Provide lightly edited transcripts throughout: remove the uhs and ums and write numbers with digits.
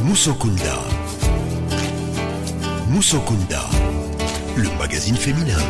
Musokunda. Musokunda, le magazine féminin.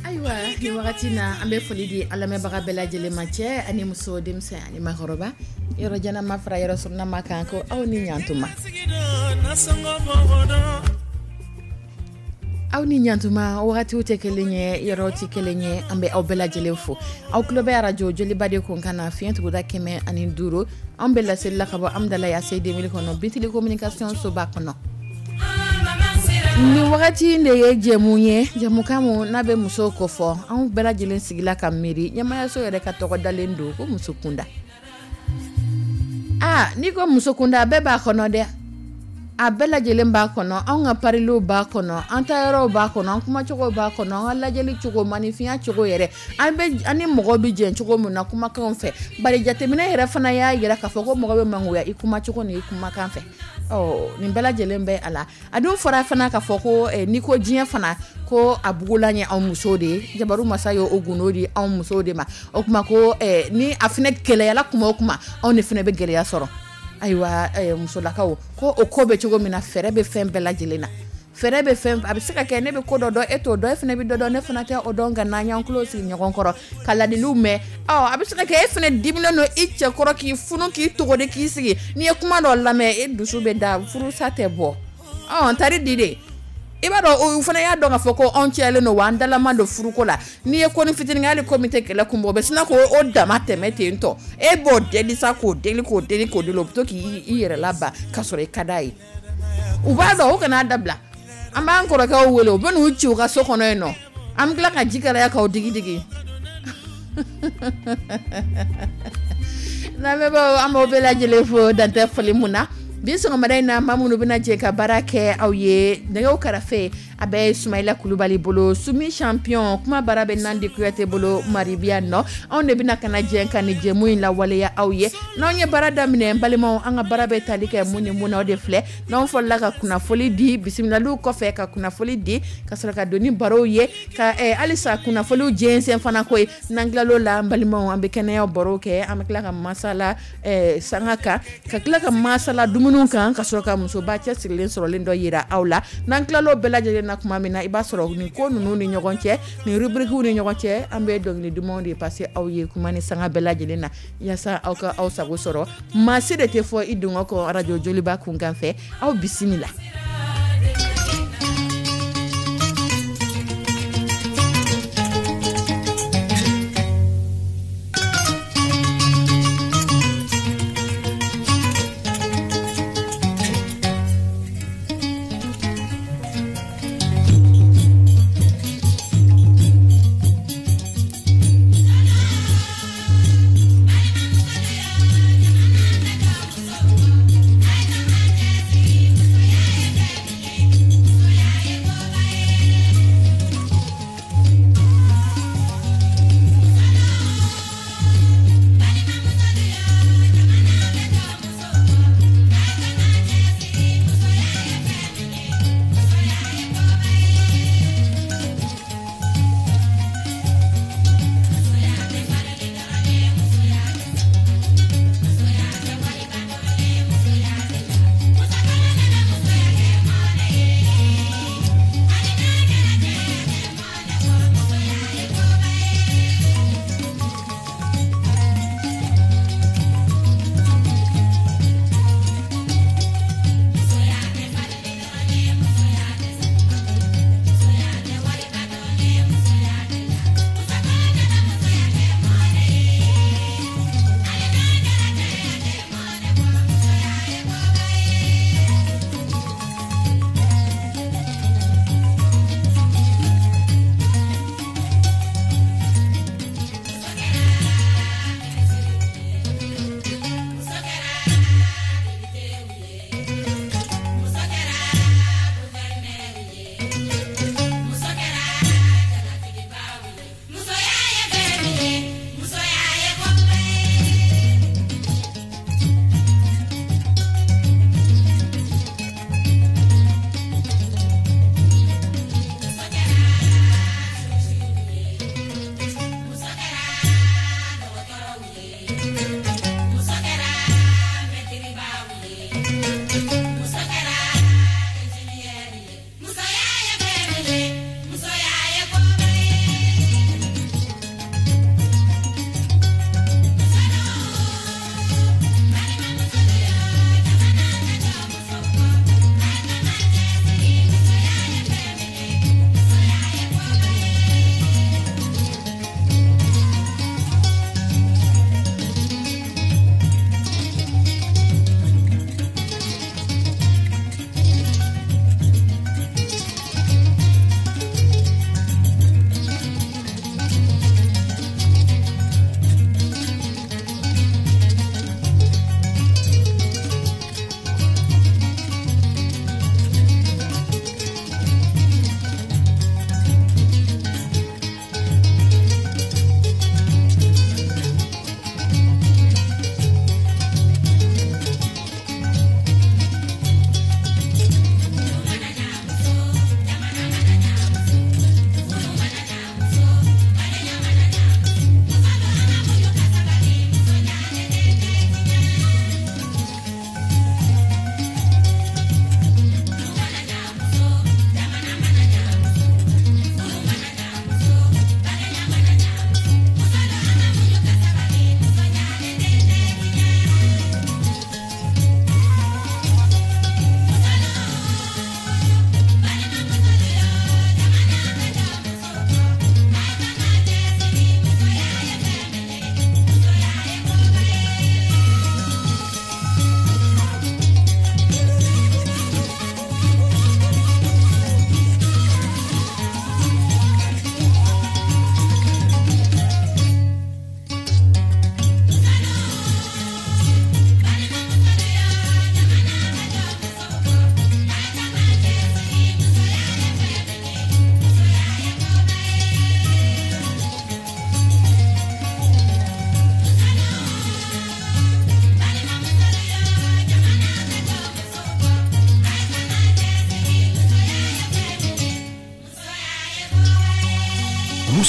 Ayiwa, ni wagati na, an bɛ foli di an lamɛnbaga bɛɛ lajɛlen ma, cɛ ani muso, denmisɛn ani maakɔrɔba, yɔrɔ jan ma fara yɔrɔ surunna ma kan, ko aw ni ɲantuma, aw ni ɲantuma. Wagatiw tɛ kelen ye, yɔrɔ tɛ kelen ye. An bɛ aw bɛɛ lajɛlen fo. Aw tulo bɛ arajo Joliba de kun kan na, fiɲɛ tuguda 105. An bɛ laseli la ka bɔ Amidalayi ACI 2000 kɔnɔ, Bitili communication soba kɔnɔ. Nin wagati in de ye jɛmu ye, jɛmukan mun n'a bɛ musow ko fɔ. Anw bɛɛ lajɛlen sigila ka miiri, ɲɛmayaso yɛrɛ ka tɔgɔ dalen don ko muso kunda. Aa, n'i ko muso kunda, bɛɛ b'a kɔnɔ dɛ, a bɛɛ lajɛlen b'a kɔnɔ. Anw ka pariliw b'a kɔnɔ, an ta yɔrɔw b'a kɔnɔ, an kumacogo b'a kɔnɔ, an ka lajɛli cogo, maninfinya cogo yɛrɛ, an bɛ an ni mɔgɔw bɛ jɛn cogo min na kumakanw fɛ. Bari jateminɛ yɛrɛ fana y'a yira k'a fɔ ko mɔgɔ bɛ mangoya i kumacogo ni i kumakan fɛ. Ɔ, nin bɛɛ lajɛlen bɛ a la. A dun fɔra fana k'a fɔ ko n'i ko diɲɛ fana, ko a bugulan ye anw musow de ye. Jabaru masa ye o gundo di anw musow de ma. O tuma ko ni a fana gɛlɛyala kuma o kuma, anw de fana bɛ gɛlɛya sɔrɔ. Ayiwa, musolakaw ko, o ko bɛ cogo min na, fɛɛrɛ bɛ fɛn bɛɛ lajɛlen na, fɛɛrɛ bɛ fɛn. A bɛ se ka kɛ ne bɛ ko dɔ dɔn, e t'o dɔn, e fana bɛ dɔ dɔn, ne fana tɛ o dɔn. Nka n'an y'an tulo sigi ɲɔgɔn kɔrɔ ka ladiliw mɛn, ɔ, a bɛ se ka kɛ e fana diminen don i cɛ kɔrɔ, k'i funu, k'i togodi, k'i sigi, n'i ye kuma dɔ lamɛn, e dusu bɛ da, furusa tɛ bɔ. Ɔ, n tari di de, i b'a dɔn, o fana y'a dɔn k'a fɔ ko anw cɛlen don wa, an dalama don furuko la. N'i ye ko ni fitinin kɛ, hali ko min tɛ kɛlɛ kun bɔ, o bɛ sina k'o o dama tɛmɛ ten tɔ. E b'o deli sa, k'o deli, k'o deli, k'o deli, o bɛ to k'i yɛrɛ laban k'a sɔrɔ i ka d'a ye. U b'a dɔn, o kana dabila. An b'an kɔrɔkɛw wele, u bɛ n'u ci u ka so kɔnɔ yen nɔ, an bɛ tila ka ji kalaya k'aw digi digi. Lamɛnbaaw, an b'aw bɛɛ lajɛlen fo dantɛ foli mun na. Bi sɔgɔmada in na, maa minnu bɛna jɛ ka baara kɛ aw ye, nɛgɛw karafe a bɛ Sumayila Kulubali bolo, Sumi champion, kuma baara bɛ Nandi Kuyate bolo, Maribiya nɔ. Anw de bɛna ka na jɛ ka nin jɛmu in lawaleya aw ye. N'anw ye baara daminɛ, n balimaw, an ka baara bɛ tali kɛ mun ni mun na, o de filɛ. N'anw fɔlɔla ka kunnafoli di, bisimilaliw kɔfɛ ka kunnafoli di, ka sɔrɔ ka don ni barow ye, ka halisa kunnafoliw jɛnsɛn fana ko ye. N'an tilal'o la, n balimaw, an bɛ kɛnɛya barow kɛ, an bɛ tila ka masala sanga kan, ka tila ka masala dumuniw kan, ka sɔrɔ ka musoba cɛsirilen sɔrɔlen dɔ yira aw la. N'an tilal'o bɛɛ lajɛlen na tuma min na, i b'a sɔrɔ nin ko ninnu ni ɲɔgɔn cɛ, nin rubriques ni ɲɔgɔn cɛ, an bɛ dɔnkili dumanw de passer aw ye kuma ni sanga bɛɛ lajɛlen na, yaasa aw ka aw sago sɔrɔ. Maa si de tɛ fɔ i dungɔ kɔ arajo Joliba kunkan fɛ. Aw bisimila.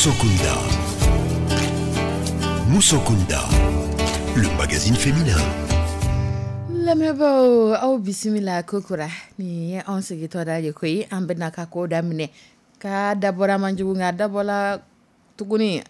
Musokunda. Musokunda, le magazine féminin. Lamɛnbaaw, aw bisimila kokura. Nin ye anw sigitɔ da ye koyi. An bɛna ka ko daminɛ ka dabɔra man jugu, nka dabɔla tuguni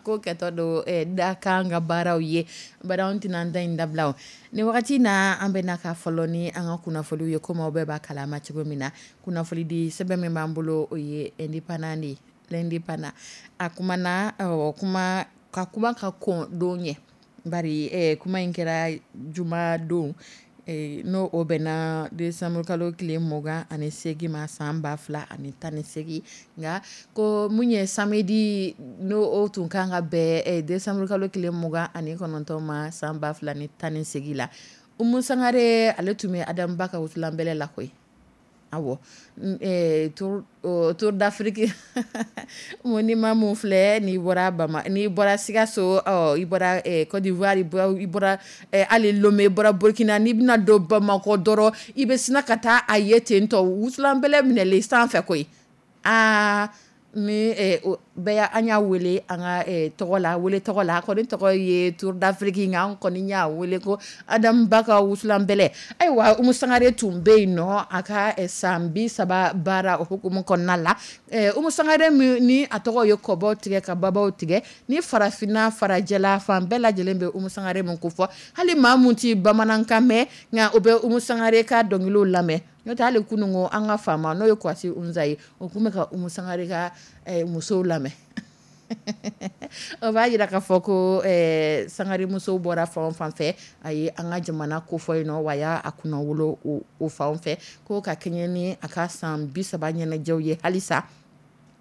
ko kɛtɔ don da kan ka baaraw ye. Bari anw tɛna an ta in dabila o. Ni wagati na, an bɛna ka fɔlɔ ni an ka kunnafoniw ye, komi aw bɛɛ b'a kalama cogo min na. Kunnafoni di sɛbɛn min b'an bolo, o ye Indépendant de ye. L'Indépendant a kumana, kuma ka kuma ka kɔn don ɲɛ, bari kuma in kɛra juma don, n'o o bɛnna décembre kalo tile 28 ma, san 2018. Nka ko mun ye samedi, n'o o tun kan ka bɛn décembre kalo tile 29 ma, san 2018 la, Umu Sangare ale tun bɛ Adamu Ba ka wusulanbɛlɛ la koyi. Awɔ, Tour d'Afrique monument mun filɛ, n'i bɔra Bama, n'i bɔra Sikaso, i bɔra Côte d'Ivoire, i bɔra hali Lomé, i bɔra Burkina, n'i bɛna don Bamakɔ dɔrɔn, i bɛ sina ka taa a ye ten tɔ, wusulanbɛlɛ minɛlen sanfɛ koyi. Aa, ni bɛɛ an y'a wele an ka tɔgɔ la, wele tɔgɔ la, a kɔni tɔgɔ ye Tour d'Afrique, nka an kɔni y'a wele ko Adamu Ba ka wusulanbɛlɛ. Ayiwa, Umu Sangare tun bɛ yen nɔ a ka san 30 baara o hukumu kɔnɔna la. Umu Sangare min ni a tɔgɔ ye kɔbaw tigɛ ka babaw tigɛ, ni farafinna farajɛla fan bɛɛ lajɛlen bɛ Umu Sangare mun ko fɔ, hali maa mun tɛ bamanankan mɛn, nka o bɛ Umu Sangare ka dɔnkiliw lamɛn. N'o tɛ hali kununko an ka faama, n'o ye Kwasi Unza ye, o tun bɛ ka Umu Sangare ka musow lamɛn. O b'a jira k'a fɔ ko Sangare musow bɔra fan o fan fɛ, a ye an ka jamana kofɔ yen nɔ, wa a y'a kunnawolo o fan fɛ, ko ka kɛɲɛ ni a ka san 30 ɲɛnajɛw ye halisa.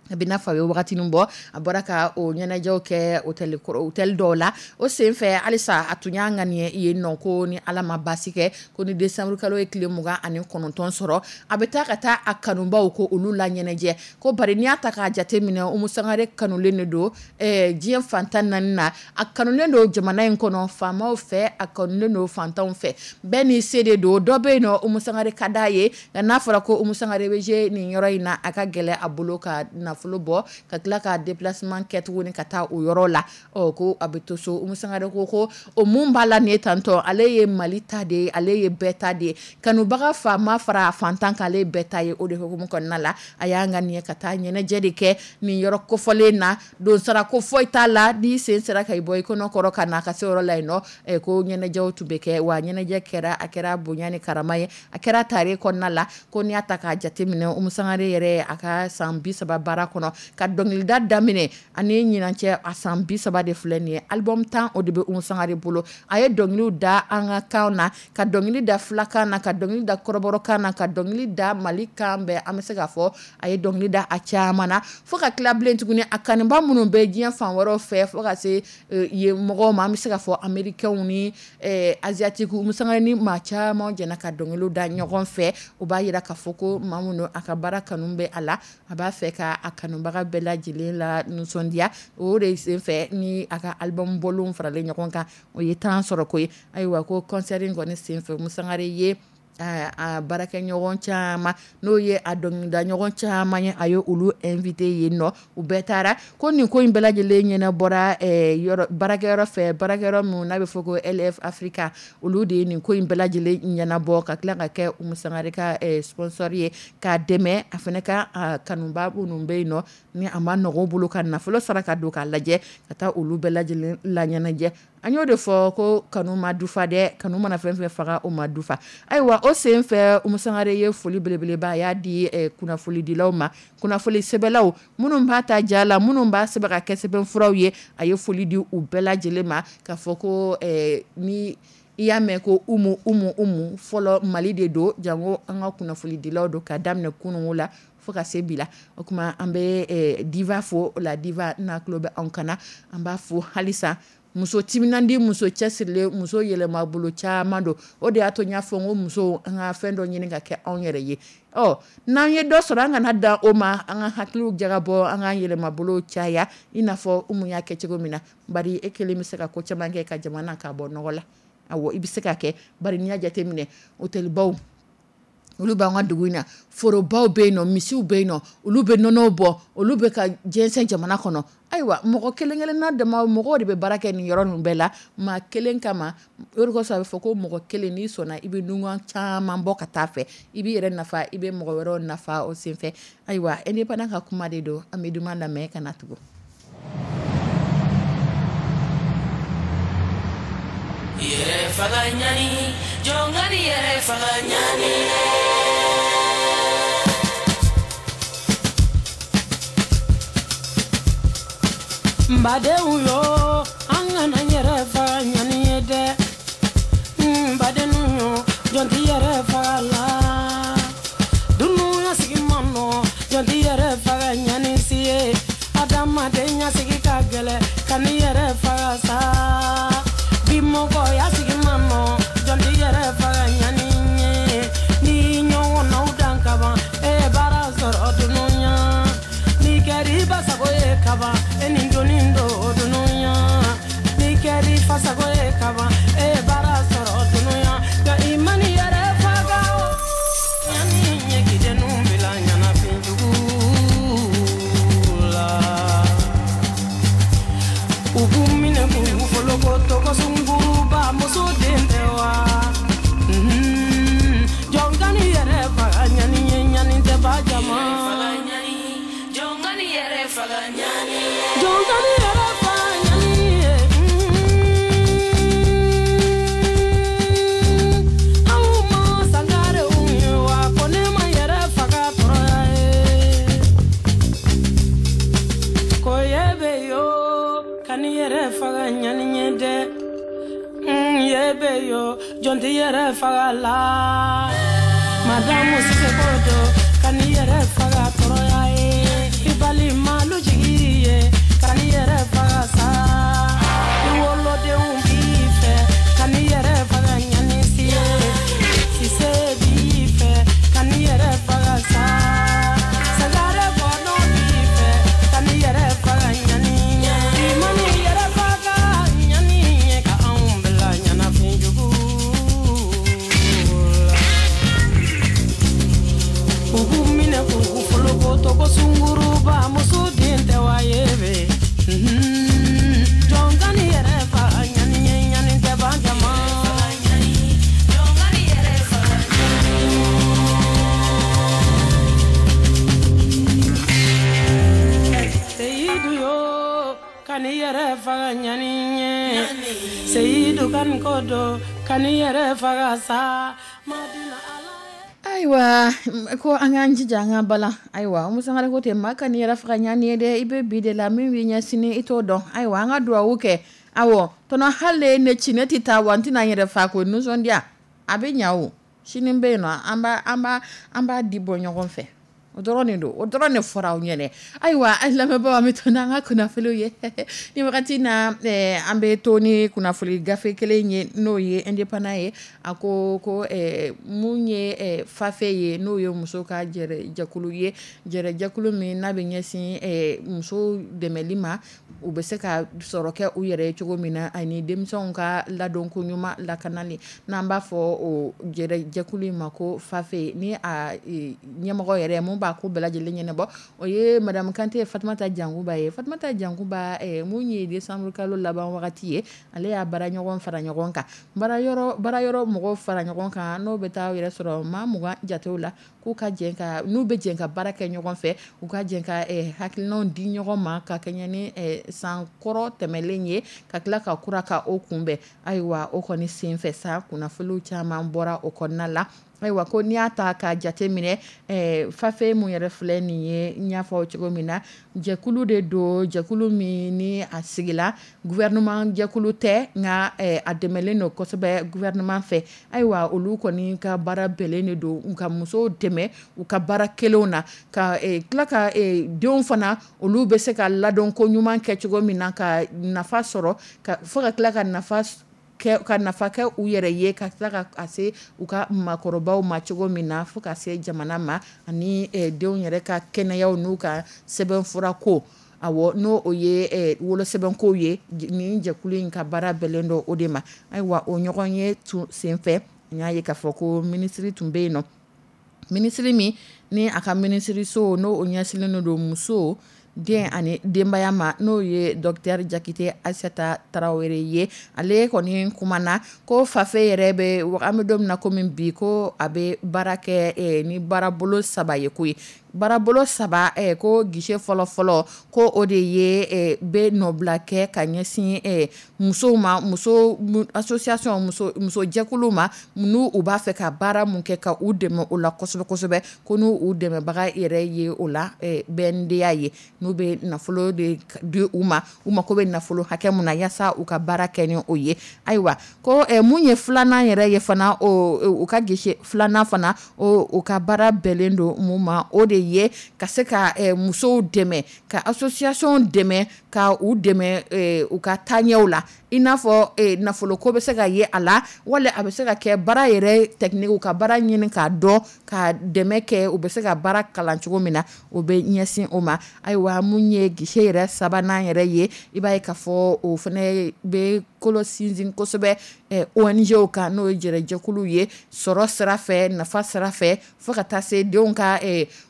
A bɛ n'a fɔ a ye wagati min bɔ, a bɔra ka o ɲɛnajɛw kɛ hôtel dɔw la. O senfɛ halisa, a tun y'a ŋaniya yen nɔ ko ni Ala ma baasi kɛ, ko ni décembre kalo ye tile 29 sɔrɔ, a bɛ taa ka taa a kanubaw ko olu la ɲɛnajɛ. Ko bari n'i y'a ta k'a jate minɛ, Umu Sangare kanulen de don diɲɛ fan 14 na. A kanulen don jamana in kɔnɔ faamaw fɛ, a kanulen don fantanw fɛ, bɛɛ n'i se de don. Dɔ bɛ yen nɔ, Umu Sangare ka d'a ye, nka n'a fɔra ko Umu Sangare bɛ jouer nin yɔrɔ in na, a ka gɛlɛn a bolo ka nafolo bɔ ka tila ka déplacement kɛ tuguni ka taa o yɔrɔ la. Ɔ, ko a bɛ to so. Umu Sangare ko o mun b'a la nin ye tantɔ, ale ye Mali ta de ye, ale ye bɛɛ ta de ye, kanubaga faama fara fantan kan, ale ye bɛɛ ta ye. O de hukumu kɔnɔna la, a y'a ŋaniya ka taa ɲɛnajɛ de kɛ nin yɔrɔ kofɔlen na. Donsara ko foyi t'a la, n'i sen sera ka i bɔ i kɔnɔ kɔrɔ ka na ka se yɔrɔ la yen nɔ, ko ɲɛnajɛw tun bɛ kɛ, wa ɲɛnajɛ kɛra, a kɛra bonya ni karama ye, a kɛra tare kɔnɔna la. Ko n'i y'a ta k'a jate minɛ, Umu Sangare yɛrɛ a ka san 30 baara kɔnɔ, ka dɔnkilida daminɛ ani ɲinan cɛ, a san 30 de filɛ nin ye. Album 10, o de bɛ Umu Sangare bolo. A ye dɔnkiliw da an ka kan na, ka dɔnkili da fulakan na, ka dɔnkili da kɔrɔbɔrɔkan na, ka dɔnkili da Mali kan bɛɛ. An bɛ se k'a fɔ a ye dɔnkili da a caman na, fo ka tila bilen tuguni a kanuba minnu bɛ diɲɛ fan wɛrɛw fɛ, fo ka se yen mɔgɔw ma, an bɛ se k'a fɔ américains ni asiatique. Umu Sangare ni maa caman jɛna ka dɔnkiliw da ɲɔgɔn fɛ. O b'a jira k'a fɔ ko maa minnu a ka baara kanu bɛ a la, a b'a fɛ ka a kanubaga bɛɛ lajɛlen la nisɔndiya. O de senfɛ ni a ka album bɔlenw faralen ɲɔgɔn kan, o ye 10 sɔrɔ koyi. Ayiwa, ko concert in kɔni senfɛ, Umu Sangare ye a baarakɛɲɔgɔn caman, n'o ye a dɔnkilida ɲɔgɔn caman ye, a ye olu invité yen nɔ, u bɛɛ taara. Ko nin ko in bɛɛ lajɛlen ɲɛnabɔra yɔrɔ baarakɛyɔrɔ fɛ, baarakɛyɔrɔ min n'a bɛ fɔ ko LF Africa, olu de ye nin ko in bɛɛ lajɛlen ɲɛnabɔ, ka tila ka kɛ Umu Sangare ka sponsor ye, k'a dɛmɛ a fana ka kanuba minnu bɛ yen nɔ, ni a ma nɔgɔn bolo ka nafolo sara ka don k'a lajɛ, ka taa olu bɛɛ lajɛlen la ɲɛnajɛ. An y'o de fɔ ko kanu ma dufa dɛ, kanu mana fɛn fɛn faga, o ma dufa. Ayiwa, o sen fɛ, Umu Sangare ye foli belebeleba a y'a di kunnafonidilaw ma, kunnafoni sɛbɛlaw minnu b'a ta ja la, minnu b'a sɛbɛn ka kɛ sɛbɛnfuraw ye, a ye foli di u bɛɛ lajɛlen ma, k'a fɔ ko ni i y'a mɛn ko Umu Umu Umu fɔlɔ, Mali de don, jango an ka kunnafonidilaw don, ka daminɛ kununko la fo ka se bi la. O tuma an bɛ diva fo la, diva n'a tulo bɛ anw kana, an b'a fo halisa. Muso timinandi, muso cɛsirilen, muso yɛlɛma bolo caman don. O de y'a to n y'a fɔ n ko muso, an ka fɛn dɔ ɲini ka kɛ anw yɛrɛ ye. Ɔ, n'an ye dɔ sɔrɔ, an kana dan o ma, an ka hakiliw jagabɔ, an ka yɛlɛmabolo caya, i n'a fɔ Umu y'a kɛ cogo min na. Bari e kelen bɛ se ka ko caman kɛ ka jamana k'a bɔ nɔgɔ la. Awɔ, i bɛ se ka kɛ, bari n'i y'a jateminɛ, hôtelbaw Olu b'an ka dugu in na, forobaw bɛ yen nɔ, misiw bɛ yen nɔ, olu bɛ nɔnɔw bɔ, olu bɛ ka jɛnsɛn jamana kɔnɔ. Ayiwa, mɔgɔ kelen kelenna dama, mɔgɔw de bɛ baara kɛ nin yɔrɔ ninnu bɛɛ la maa kelen kama. O de kosɔn a bɛ fɔ ko mɔgɔ kelen, n'i sɔnna, i bɛ nugan caman bɔ ka taa fɛ, i b'i yɛrɛ nafa, i bɛ mɔgɔ wɛrɛw nafa o senfɛ. Ayiwa, Indépendant ka kuma de don, an bɛ duman lamɛn ka na tugun. Yɛrɛ faga ɲani, jɔn ka n'i yɛrɛ faga ɲani. N badenw yo, an kana yɛrɛ faga ɲani ye dɛ. N badenw yo, jɔn t'i yɛrɛ faga la. Dunuya sigi man nɔ, jɔn t'i yɛrɛ faga ɲani si ye. Adamadenya sigi ka gɛlɛ, ka n'i yɛrɛ faga sa. Bi mɔgɔya sigi man nɔ, jɔn t'i yɛrɛ faga ɲani ye. N'i ɲɔgɔnnaw dan kaban, e ye baara sɔrɔ dunuya. N'i kɛra i ba sago ye kaban, e ni doni don dunuya. N'i kɛra i fa sago ye kaban, e ye baara sɔrɔ dunuya. Nka i man'i yɛrɛ faga o, ɲani ye k'i denw bila ɲɛnafin jugu la. U b'u minɛ k'u foloko ko sunguruba muso den tɛ wa. Jɔn ka n'i yɛrɛ faga ɲani ye, ɲani tɛ ba jama. Jɔn ka n'i yɛrɛ faga ɲani ye. Jɔn ka n'i yɛrɛ faga ɲani ye. Aw ma sangarew ye wa, ko ne ma yɛrɛ faga tɔɔrɔya ye. Ko ye bɛ yo, ka n'i yɛrɛ faga ɲani ye dɛ. Ye bɛ yo, jɔn t'i yɛrɛ faga la. Madamu Sise ko don, ka n'i yɛrɛ faga tɔɔrɔya ye. I balimalu jigi ye, ka n'i yɛrɛ faga sa. I wolodenw b'i fɛ, ka n'i yɛrɛ faga ɲani si ye. Sise b'i fɛ, ka n'i yɛrɛ faga sa. Sangare kɔnɔ b'i fɛ, ka n'i yɛrɛ faga ɲani ye. I man'i yɛrɛ faga ɲani ye, ka anw bila ɲɛnafin jugu la. U b'u minɛ k'u foloko ko sunguruba muso den tɛ wa ye bɛ. Jɔn ka n'i yɛrɛ faga ɲani ye, ɲani tɛ ban jama. Jɔn ka n'i yɛrɛ faga Seyidu yo, ka n'i yɛrɛ faga ɲani ye. Seyidu ka nin ko don, ka n'i yɛrɛ faga sa. Madina Ala ye. Ayiwa, ko an k'an jija an ka balan. Ayiwa, Umu Sangare ko ten, maa ka n'i yɛrɛ faga ɲani ye dɛ, i bɛ bi de la, min b'i ɲɛ sini i t'o dɔn. Ayiwa, an ka duwawu kɛ. Awɔ, tɔnɔ hali ye ne ci, ne tɛ taa wa, n tɛna n yɛrɛ fa ko nisɔndiya. A bɛ ɲa o, sini bɛ yen nɔ, an b'a di bɔ ɲɔgɔn fɛ. O dɔrɔn de don, o dɔrɔn de fɔra aw ɲɛnɛ. Ayiwa, an lamɛnbaaw, an bɛ to n'an ka kunnafoniw ye. Ni wagati na, an bɛ to ni kunnafoni gafe kelen ye, n'o ye Indépendant ye. A ko ko mun ye FAFE ye, n'o ye muso ka jɛkulu ye, jɛkulu min n'a bɛ ɲɛsin muso dɛmɛli ma, u bɛ se ka sɔrɔ kɛ u yɛrɛ ye cogo min na, ani denmisɛnw ka ladonko ɲuman lakanali, n'an b'a fɔ o jɛkulu in ma ko FAFE. Ni a ɲɛmɔgɔ yɛrɛ mun b'a ko bɛɛ lajɛlen ɲɛnabɔ, o ye Madame Kante Fatumata Jankuba ye. Fatumata Jankuba, mun ye décembre kalo laban wagati ye, ale y'a baara ɲɔgɔn fara ɲɔgɔn kan, baara yɔrɔ mɔgɔw fara ɲɔgɔn kan, n'o bɛ taa yɛrɛ sɔrɔ maa 20 jatew la, k'u ka jɛ ka, n'u bɛ jɛ ka baara kɛ ɲɔgɔn fɛ, u ka jɛ ka hakilinaw di ɲɔgɔn ma, ka kɛɲɛ ni san kɔrɔ tɛmɛlen ye, ka tila ka kura ka o kunbɛn. Ayiwa, o kɔni senfɛ sa, kunnafoniw caman bɔra o kɔnɔna la. Ayiwa, ko n'i y'a ta ka jate minɛ, FAFE mun yɛrɛ filɛ nin ye, n y'a fɔ cogo min na, jɛkulu de don, jɛkulu min ni a sigila, gouvernement jɛkulu tɛ, nka a dɛmɛlen don kosɛbɛ gouvernement fɛ. Ayiwa, olu kɔni ka baara bɛnnen de don u ka musow dɛmɛ u ka baara kelenw na, ka tila ka denw fana, olu bɛ se ka ladon ko ɲuman kɛ cogo min na, ka nafa sɔrɔ, ka fo ka tila ka nafa ka nafa kɛ u yɛrɛ ye, ka tila ka se u ka maakɔrɔbaw ma cogo min na, fo ka se jamana ma, ani denw yɛrɛ ka kɛnɛyaw n'u ka sɛbɛnfura ko. Awɔ, n'o o ye wolosɛbɛnkow ye, nin jɛkulu in ka baara bɛnnen don o de ma. Ayiwa, o ɲɔgɔn ye tun senfɛ, n y'a ye k'a fɔ ko minisiri tun bɛ yen nɔ. Minisiri min ni a ka minisiriso n'o ɲɛsinlen don muso, den ani denbaya ma, n'o ye docteur Jakite Ayisata Tarawele ye, ale kɔni kumana ko FAFE yɛrɛ bɛ, an bɛ don min na komi bi, ko a bɛ baara kɛ ni baarabolo saba ye koyi. Baarabolo saba, ko guichet fɔlɔ-fɔlɔ, ko o de ye bɛ nɔbila kɛ ka ɲɛsin musow ma, muso association, musojɛkuluw ma, n'u u b'a fɛ ka baara mun kɛ ka u dɛmɛ o la kosɛbɛ kosɛbɛ, ko n'u u dɛmɛbaga yɛrɛ ye o la BNDA ye, n'u bɛ nafolo de di u ma, u mako bɛ nafolo hakɛ mun na yaasa u ka baara kɛ ni o ye. Ayiwa, ko mun ye filanan yɛrɛ ye fana, o ka guichet filanan fana, o ka baara bɛnnen don mun ma, o de ye ka se ka musow dɛmɛ, ka association dɛmɛ, ka u dɛmɛ u ka taaɲɛw la, i n'a fɔ nafoloko bɛ se ka ye a la, wala a bɛ se ka kɛ baara yɛrɛ technique, ka baara ɲini k'a dɔn, ka dɛmɛ kɛ, u bɛ se ka baara kalan cogo min na, o bɛ ɲɛsin o ma. Ayiwa, mun ye guichet yɛrɛ sabanan yɛrɛ ye, i b'a ye k'a fɔ o fana bɛ kolo sinsin kosɛbɛ ONG kan, n'o ye jɛrɛjɛkuluw ye, sɔrɔ sira fɛ, nafa sira fɛ, fo ka taa se denw ka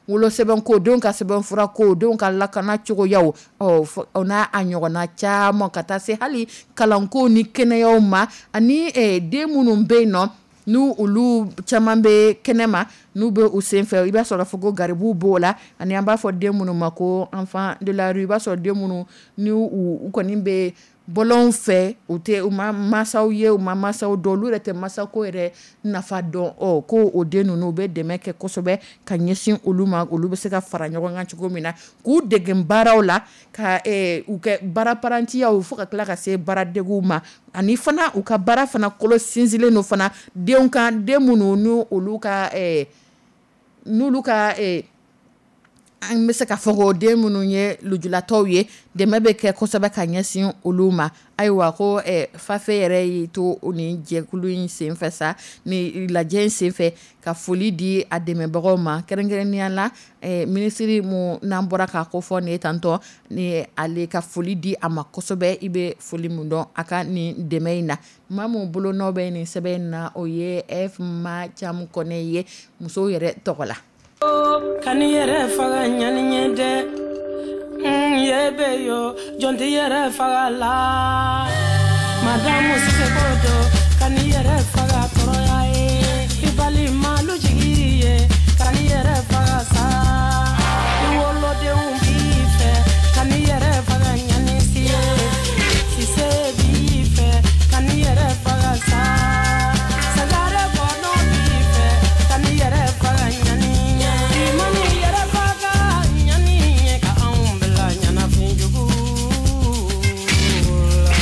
wolosɛbɛnko, denw ka sɛbɛnfurako, denw ka lakana cogoyaw, o n'a a ɲɔgɔnna caman, ka taa se hali kalanko ni kɛnɛyaw ma, ani den minnu bɛ yen nɔ n'u olu caman bɛ kɛnɛma, n'u bɛ u senfɛ, i b'a sɔrɔ fɔ ko garibuw b'o la, ani an b'a fɔ den minnu ma ko enfant de la rue, i b'a sɔrɔ den minnu ni u kɔni bɛ bɔlɔnw fɛ, u tɛ u ma mansaw ye, u ma mansaw dɔn, olu yɛrɛ tɛ masako yɛrɛ nafa dɔn. Ko o den ninnu u bɛ dɛmɛ kɛ kosɛbɛ ka ɲɛsin olu ma, olu bɛ se ka fara ɲɔgɔn kan cogo min na, k'u dege baaraw la, ka u kɛ baara parantiyaw, fo ka tila ka se baaradegiw ma, ani fana u ka baara fana kolo sinsinlen don fana denw kan, den minnu n'olu ka n'olu ka an bɛ se ka fɔ ko den minnu ye lujuratɔw ye, dɛmɛ bɛ kɛ kosɛbɛ ka ɲɛsin olu ma. Ayiwa, ko FAFE yɛrɛ y'i to ni jɛkulu in senfɛ sa, ni lajɛ in senfɛ, ka foli di a dɛmɛbagaw ma, kɛrɛnkɛrɛnnenya la minisiri mun n'an bɔra k'a ko fɔ nin ye tantɔ, ni ale ka foli di a ma kosɛbɛ. I bɛ foli mun dɔn a ka nin dɛmɛ in na, maa mun bolonɔ bɛ nin sɛbɛn in na, o ye F Ma Camu Kɔnɛ ye, musow yɛrɛ tɔgɔ la. Ka ni yɛrɛ faga ɲani ɲɛ dɛ, ye bɛ yo, jɔn tɛ yɛrɛ faga la, madamu Siseko do, ka ni yɛrɛ faga tɔɔrɔya ye, i balimalu jigi ye, ka ni yɛrɛ faga sa, i wolodenw b'i fɛ, ka ni yɛrɛ faga ɲani si ye, Sise b'i fɛ, ka ni yɛrɛ faga sa, Sagare kɔnɔ b'i fɛ, ka ni yɛrɛ faga ɲani ɲɛ, i ma ni yɛrɛ faga ɲani ɲɛ, ka anw bila ɲɛnafin jugu la.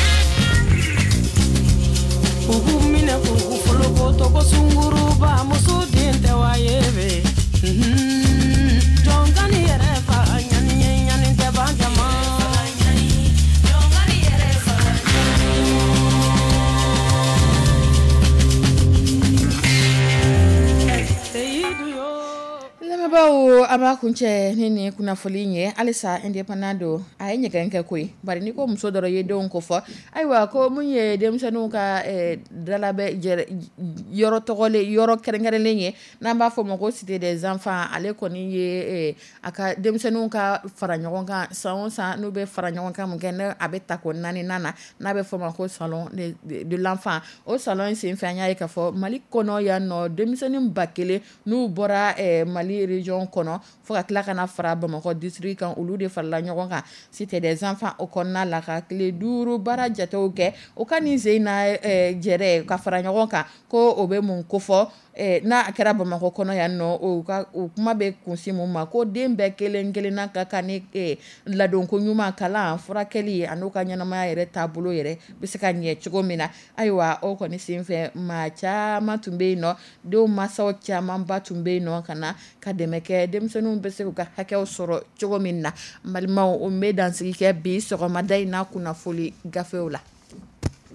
U k'u minɛ k'u folokoto ko sunguruba muso den tɛ wa ye bɛ. Jɔn ka ni yɛrɛ faga ɲani ɲɛ, ɲani tɛ ban jama. Seyidu yo. Lamɛnbaaw, an b'a kuncɛ ni nin kunnafoli in ye. Halisa Indépendant don, a ye ɲɛgɛn kɛ koyi, bari n'i ko muso dɔrɔn i ye denw ko fɔ. Ayiwa, ko mun ye denmisɛnninw ka dalabɛ yɔrɔ tɔgɔlen, yɔrɔ kɛrɛnkɛrɛnlen ye, n'an b'a fɔ o ma ko cité des enfants, ale kɔni ye a ka denmisɛnninw ka fara ɲɔgɔn kan san o san, n'u bɛ fara ɲɔgɔn kan mun kɛ, n'a a bɛ ta ko naaninan na, n'a bɛ fɔ o ma ko salon de l'enfant. O salon in senfɛ, an y'a ye k'a fɔ Mali kɔnɔ yan nɔ, denmisɛnnin 1000 n'u bɔra Mali région kɔnɔ, fo ka tila ka na fara Bamakɔ district kan, olu de farala ɲɔgɔn kan cité des enfants o kɔnɔna la, ka tile 5 baara jatew kɛ. O ka nin sen na jɛrɛ ka fara ɲɔgɔn kan, ko o bɛ mun kofɔ, n'a kɛra Bamakɔ kɔnɔ yan nɔ, o ka o kuma bɛ kunsin mun ma, ko den bɛɛ kelen kelenna ka kan ni ladonko ɲuman, kalan, furakɛli, a n'u ka ɲɛnamaya yɛrɛ taabolo yɛrɛ bɛ se ka ɲɛ cogo min na. Ayiwa, o kɔni senfɛ, maa caman tun bɛ yen nɔ, denw mansaw camanba tun bɛ yen nɔ, ka na ka dɛmɛ kɛ denmisɛnninw bɛ se k'u ka hakɛw sɔrɔ cogo min na. N balimaw, o bɛ dansigi kɛ bi sɔgɔmada in na kunnafoli gafew la.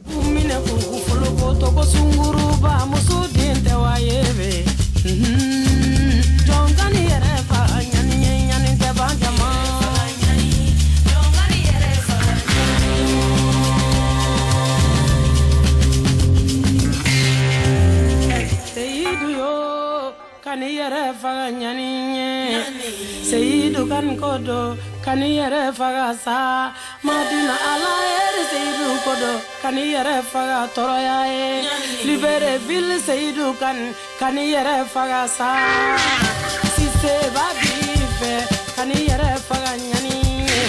K'u minɛ k'u folokoto ko sunguruba muso den tɛ wa ye bɛ. Jɔn ka ni yɛrɛ faga ɲani ɲɛ, ɲani tɛ ban jama. Seyidu yo, ka ni Yɛrɛ faga ɲani ye. Seyidu kan ko do, kan'i yɛrɛ faga sa. Madina Ala ye Seyidu ko do, kan'i yɛrɛ faga tɔɔrɔya ye. Libreville Seyidu kan, kan'i yɛrɛ faga sa. Siseba b'i fɛ, kan'i yɛrɛ faga ɲani ye.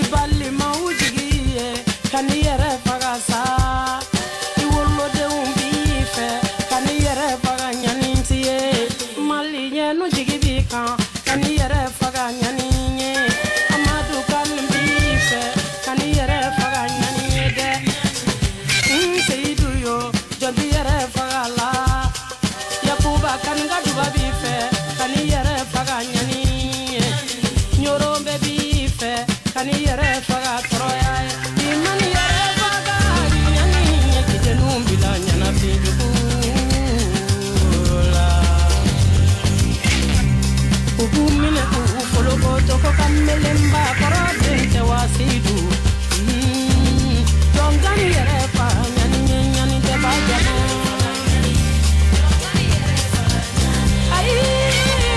I balimaw jigi ye, kan'i yɛrɛ faga sa. I wolodenw b'i fɛ, kan'i yɛrɛ faga ɲani ye. Maliyɛnnu jigi b'i kan, kan'i yɛrɛ faga ɲani ye. Amadu kan b'i fɛ, kan'i yɛrɛ faga ɲani ye dɛ. N Seyidu yo, jɔn t'i yɛrɛ faga la. Yakuba kan ka duba b'i fɛ, kan'i yɛrɛ faga ɲani ye. Ɲoro bɛɛ b'i fɛ, kan'i yɛrɛ faga tɔɔrɔya ye. I man'i yɛrɛ faga ɲani ye, k'i denw bila ɲɛnafin jugu la. U b'u minɛ k'u folokoto ko kamelenba kɔrɔ den tɛ wa Seyidu. Jɔn kan'i yɛrɛ faga ɲani ye, ɲani tɛ ba jama. Ayi,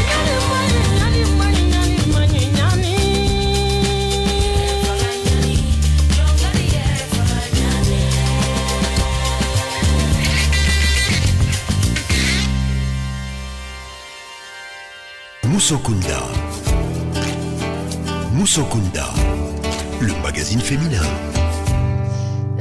ɲani man ɲi, ɲani man ɲi, ɲani man ɲi, ɲani. Moussokunda. Moussokunda, le magazine féminin.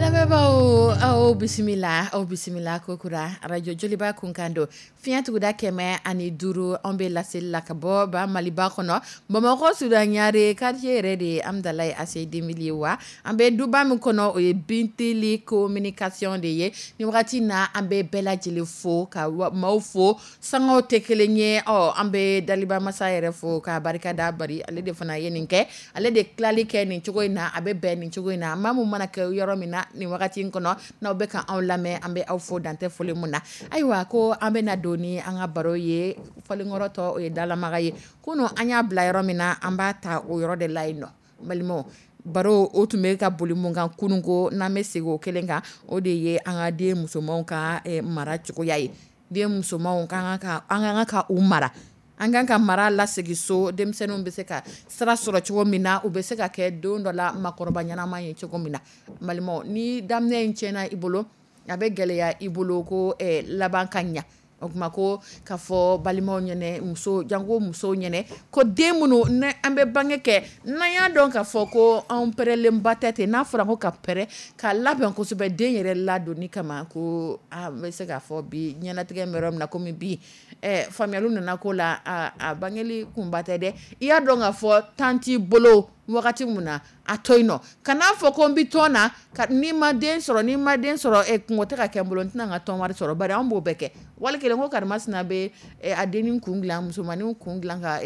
Lamɛnbaaw, aw bisimila, aw bisimila kokura radio Joliba kunkan don fiɲɛ tuguda 105. Anw bɛ laseli la ka bɔ ba Maliba kɔnɔ, Bamakɔ Sudan Ɲare quartier yɛrɛ de ye Amudalayi AC 2000 ye. Wa an bɛ duba min kɔnɔ, o ye Bintili communication de ye. Ni wagati na, an bɛ bɛɛ lajɛlen fo ka maaw fo, sangaw tɛ kelen ye. Ɔ, an bɛ Daliba Masa yɛrɛ fo ka barika da bari ale de fana ye nin kɛ, ale de tilali kɛ nin cogo in na, a bɛ bɛn nin cogo in na. Maa mun mana kɛ yɔrɔ min na nin wagati in kɔnɔ, n'aw bɛ ka anw lamɛn, an bɛ aw fo dantɛ foli mun na. Ayiwa, ko an bɛ na don ni an ka baro ye, fɔlenkɔrɔ tɔ o ye dalamaga ye. Kunun an y'a bila yɔrɔ min na, an b'a ta o yɔrɔ de la yen nɔ. Balimaw, baro o tun bɛ ka boli mun kan kunun ko, n'an bɛ segin o kelen kan, o de ye an ka den musomanw ka mara cogoya ye. Den musomanw kan ka, an kan ka u mara, an kan ka mara lasegin so, denmisɛnninw bɛ se ka sira sɔrɔ cogo min na, u bɛ se ka kɛ don dɔ la makɔrɔba ɲɛnama ye cogo min na. Balimaw, ni daminɛ in tiɲɛna i bolo, a bɛ gɛlɛya i bolo ko laban ka ɲa. O tuma ko k'a fɔ balimaw ɲɛnɛ, muso janko musow ɲɛnɛ, ko den minnu ne an bɛ bange kɛ, n'an y'a dɔn k'a fɔ ko anw pɛrɛlenba tɛ ten, n'a fɔra ko ka pɛrɛ ka labɛn kosɛbɛ den yɛrɛ ladonni kama, ko an bɛ se k'a fɔ bi ɲɛnatigɛ bɛ yɔrɔ min na komi bi, faamuyaliw nana ko la, a bangeli kunba tɛ dɛ. I y'a dɔn k'a fɔ temps t'i bolo wagati mun na, a to yen nɔ, kan'a fɔ ko n bɛ tɔn na, n'i ma den sɔrɔ, n'i ma den sɔrɔ, kungo tɛ ka kɛ n bolo, n tɛna n ka tɔn wari sɔrɔ. Bari anw b'o bɛɛ kɛ. Wali kelen ko karimasina bɛ a dennin kun dilan, musomannin kun dilan, ka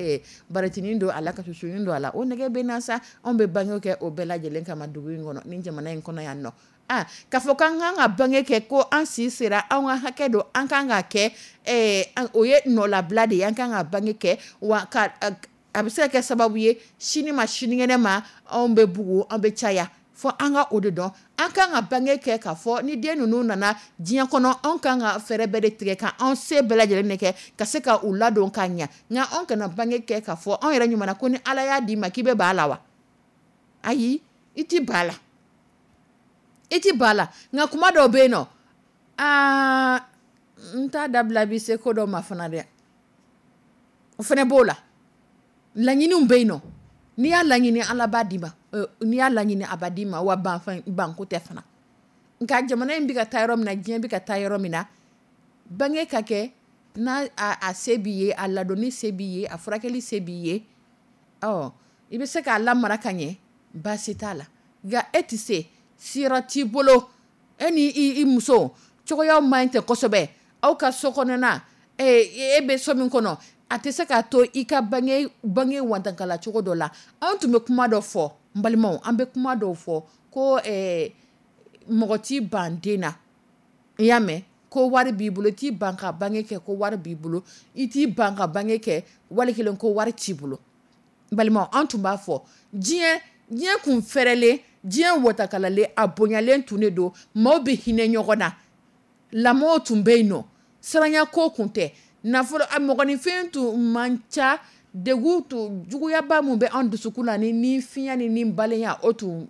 baretinin don a la, ka susunin don a la, o nɛgɛ bɛ na sa. Anw bɛ bange kɛ o bɛɛ lajɛlen kama dugu in kɔnɔ, ni jamana in kɔnɔ yan nɔ. Aa, k'a fɔ k'an kan ka bange kɛ, ko an si sera, an ka hakɛ don, an kan ka kɛ, o ye nɔlabila de ye. An kan ka bange kɛ wa ka a bɛ se ka kɛ sababu ye sini ma sinikɛnɛ ma, anw bɛ bugu, an bɛ caya. Fɔ an ka o de dɔn, an kan ka bange kɛ k'a fɔ ni den ninnu nana diɲɛ kɔnɔ, anw kan ka fɛɛrɛ bɛɛ de tigɛ ka anw se bɛɛ lajɛlen de kɛ ka se ka u ladon ka ɲa. Nka anw kana bange kɛ k'a fɔ anw yɛrɛ ɲuman ko ni Ala y'a d'i ma k'i bɛ ba la wa? Ayi, i ti ba la, i ti ba la. Nka kuma dɔw bɛ yen nɔ, aa, n t'a dabila bi se ko dɔ ma fana dɛ, o fana b'o la. Laɲiniw bɛ yen nɔ, n'i y'a laɲini Ala b'a d'i ma, n'i y'a laɲini a b'a d'i ma, wa banko tɛ fana. Nka jamana in bɛ ka taa yɔrɔ min na, diɲɛ bɛ ka taa yɔrɔ min na, bange ka kɛ n'a a se b'i ye, a ladonni se b'i ye, a furakɛli se b'i ye, ɔ, i bɛ se k'a lamara ka ɲɛ, baasi t'a la. Nka e tɛ se, siyɔrɔ t'i bolo, e ni i muso cogoyaw man ɲi tɛ kosɛbɛ, aw ka so kɔnɔna, e bɛ so min kɔnɔ, a tɛ se k'a to i ka bange wantankala cogo dɔ la. Anw tun bɛ kuma dɔ fɔ, n balimaw, an bɛ kuma dɔw fɔ ko mɔgɔ t'i ban den na, i y'a mɛn, ko wari b'i bolo, i t'i ban ka bange kɛ ko wari b'i bolo, i t'i ban ka bange kɛ wali kelen ko wari t'i bolo. N balimaw, an tun b'a fɔ diɲɛ kun fɛrɛlen, diɲɛ watakalalen, a bonyalen tun de don, maaw bɛ hinɛ ɲɔgɔn na, lamɔw tun bɛ yen nɔ, siranya ko tun tɛ. Nafolo a mɔgɔninfin tun man ca, degun tun juguyaba min bɛ an dusukun na ni finya ni balenya o tun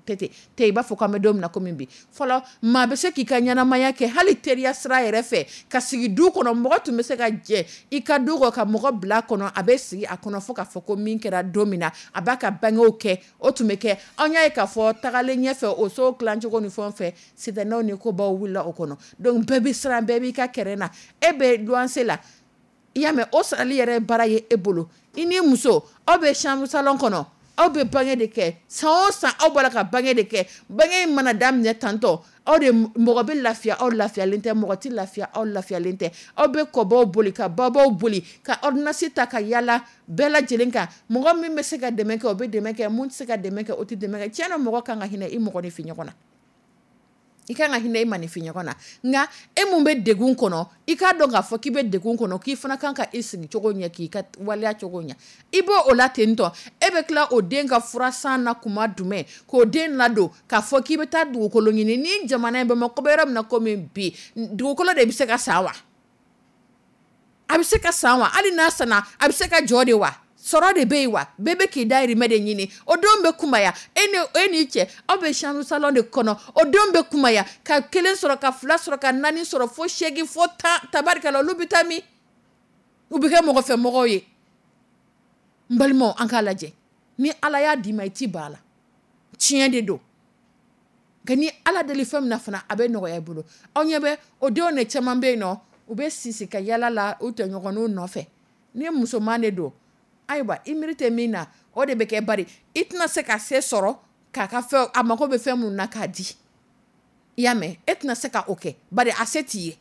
tɛ ten i b'a fɔ k'an bɛ don min na komi bi. Fɔlɔ maa bɛ se k'i ka ɲɛnamaya kɛ hali teriya sira yɛrɛ fɛ, ka sigi du kɔnɔ, mɔgɔ tun bɛ se ka jɛ i ka du kɔ ka mɔgɔ bila kɔnɔ, a bɛ sigi a kɔnɔ fo k'a fɔ ko min kɛra don min na, a b'a ka bangew kɛ, o tun bɛ kɛ. An y'a ye k'a fɔ tagalen ɲɛfɛ o so tilacogo ni fɛnw fɛ, sitanɛw ni kobaw wulila o kɔnɔ. Donc bɛɛ bɛ siran, bɛɛ b'i ka kɛrɛn na. E bɛ luwanse la, i y'a mɛn, o sarali yɛrɛ baara ye e bolo. I ni muso aw bɛ chambre salon kɔnɔ, aw bɛ bange de kɛ san o san, aw b'a la ka bange de kɛ. Bange in mana daminɛ tantɔ, aw de mɔgɔ bɛ lafiya aw lafiyalen tɛ, mɔgɔ tɛ lafiya aw lafiyalen tɛ. Aw bɛ kɔbaw boli ka babaw boli ka ordonnance ta ka yala bɛɛ lajɛlen kan. Mɔgɔ min bɛ se ka dɛmɛ kɛ, o bɛ dɛmɛ kɛ, mun tɛ se ka dɛmɛ kɛ, o tɛ dɛmɛ kɛ. Tiɲɛ na, mɔgɔ kan ka hinɛ i mɔgɔninfin ɲɔgɔn na. I kan ka hinɛ i maninfin ɲɔgɔn na. Nka e mun bɛ degun kɔnɔ, i k'a dɔn k'a fɔ k'i bɛ degun kɔnɔ, k'i fana kan ka i sigi cogo ɲɛ, k'i ka waleya cogo ɲɛ. I b'o o la ten tɔ, e bɛ tila o den ka fura san na kuma jumɛn, k'o den ladon, k'a fɔ k'i bɛ taa dugukolo ɲini. Ni jamana in Bamakɔ bɛ yɔrɔ min na komi bi, dugukolo de bɛ se ka san wa? A bɛ se ka san wa? Hali n'a sanna, a bɛ se ka jɔ de wa? Sɔrɔ de bɛ yen wa? Bɛɛ bɛ k'i dahirimɛ de ɲini. O denw bɛ kunbaya, e n'i cɛ, aw bɛ chambre salon de kɔnɔ, o denw bɛ kunbaya ka 1 sɔrɔ, ka 2 sɔrɔ, ka 4 sɔrɔ, fo 8 fo 10, tabarikala, olu bɛ taa min? U bɛ kɛ mɔgɔfɛmɔgɔw ye. N balimaw, an k'a lajɛ. Ni Ala y'a d'i ma, i t'i ban a la. Tiɲɛ de don. Nka ni Ala deli fɛn min na fana, a bɛ nɔgɔya i bolo. Aw ɲɛ bɛ o denw de caman bɛ yen nɔ, u bɛ sisi ka yala la u tɔɲɔgɔnninw nɔfɛ. Ni musoman de don, ayiwa i miiri tɛ min na, o de bɛ kɛ bari i tɛna se ka se sɔrɔ k'a ka fɛn, a mago bɛ fɛn minnu na k'a di. I y'a mɛn, e tɛna se ka o kɛ bari a se t'i ye.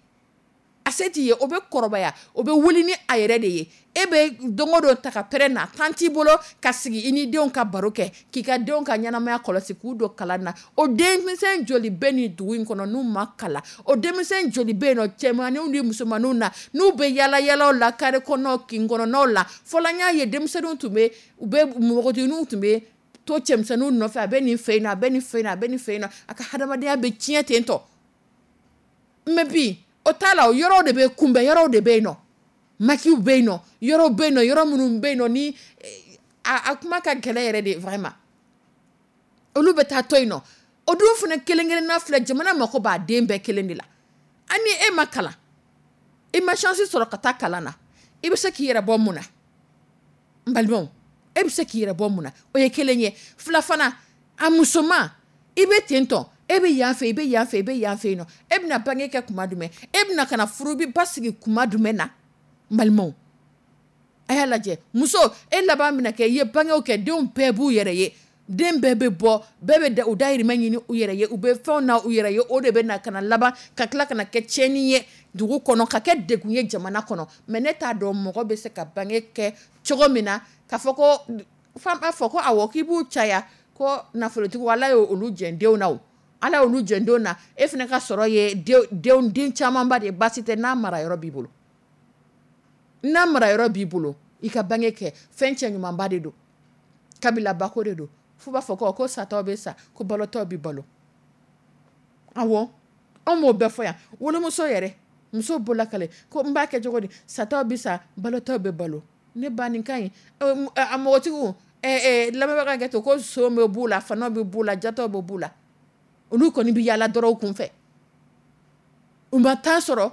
A se t'i ye, o bɛ kɔrɔbaya, o bɛ wuli ni a yɛrɛ de ye. E bɛ don o don ta ka pɛrɛn na, temps t'i bolo ka sigi i ni denw ka baro kɛ, k'i ka denw ka ɲɛnamaya kɔlɔsi, k'u don kalan na. O denmisɛn joli bɛ nin dugu in kɔnɔ n'u ma kalan? O denmisɛn joli bɛ yen nɔ, cɛmanninw ni musomanninw na, n'u bɛ yala yalaw la carré kɔnɔnaw, kin kɔnɔnaw la? Fɔlɔ an y'a ye denmisɛnninw tun bɛ, u bɛ npogotigininw tun bɛ to cɛmisɛnninw nɔfɛ, a bɛ nin fɛ yen nɔ, a bɛ nin fɛ yen nɔ, a bɛ nin fɛ yen nɔ, a ka hadamadenya bɛ tiɲɛ ten tɔ. Mais bi o t'a la, o yɔrɔw de bɛ kunbɛn, yɔrɔw de bɛ yen nɔ, maquis bɛ yen nɔ, yɔrɔw bɛ yen nɔ, yɔrɔ minnu bɛ yen nɔ ni a kuma ka gɛlɛn yɛrɛ de vraiment. Olu bɛ taa to yen nɔ. O dun fana kelen kelenna filɛ, jamana mako b'a den bɛɛ kelen de la. Ani e ma kalan, i ma chance sɔrɔ ka taa kalan na, i bɛ se k'i yɛrɛ bɔ mun na? N balimaw, e bɛ se k'i yɛrɛ bɔ mun na? O ye kelen ye. Fila fana, a musoman, i bɛ ten tɔ, e bɛ yan fɛ, i bɛ yan fɛ, i bɛ yan fɛ yen nɔ, e bɛna bange kɛ kuma jumɛn? E bɛna ka na furu bi basigi kuma jumɛn na? N balimaw, a y'a lajɛ, muso, e laban bɛna kɛ, i ye bangew kɛ, denw bɛɛ b'u yɛrɛ ye, den bɛɛ bɛ bɔ, bɛɛ bɛ u dahirimɛ ɲini u yɛrɛ ye, u bɛ fɛnw na u yɛrɛ ye, o de bɛ na ka na laban ka tila ka na kɛ tiɲɛni ye dugu kɔnɔ, ka kɛ degun ye jamana kɔnɔ. Mais ne t'a dɔn mɔgɔ bɛ se ka bange kɛ cogo min na, k'a fɔ ko fan b'a fɔ ko awɔ k'i b'u caya, ko nafolotigiw Ala ye olu jɛn denw na o, Ala y'olu jɛn denw na, e fana ka sɔrɔ ye den camanba de ye, baasi tɛ n'a mara yɔrɔ b'i bolo. N'a mara yɔrɔ b'i bolo, i ka bange kɛ, fɛn cɛ ɲumanba de don, kabilabako de don. F'u b'a fɔ ko satɔ bɛ sa, ko balotɔ bɛ balo. Awɔ, anw b'o bɛɛ fɔ yan. Wolomuso yɛrɛ, muso bolola kale ko n b'a kɛ cogo di, satɔ bɛ sa, balotɔ bɛ balo. Ne ba nin ka ɲi. A mɔgɔtigiw, lamɛnbaga ka to ko son bɛ b'u la, fana bɛ b'u la, jatɔ bɛ b'u la. Olu kɔni bɛ yaala dɔrɔn u kun fɛ. U ma taa sɔrɔ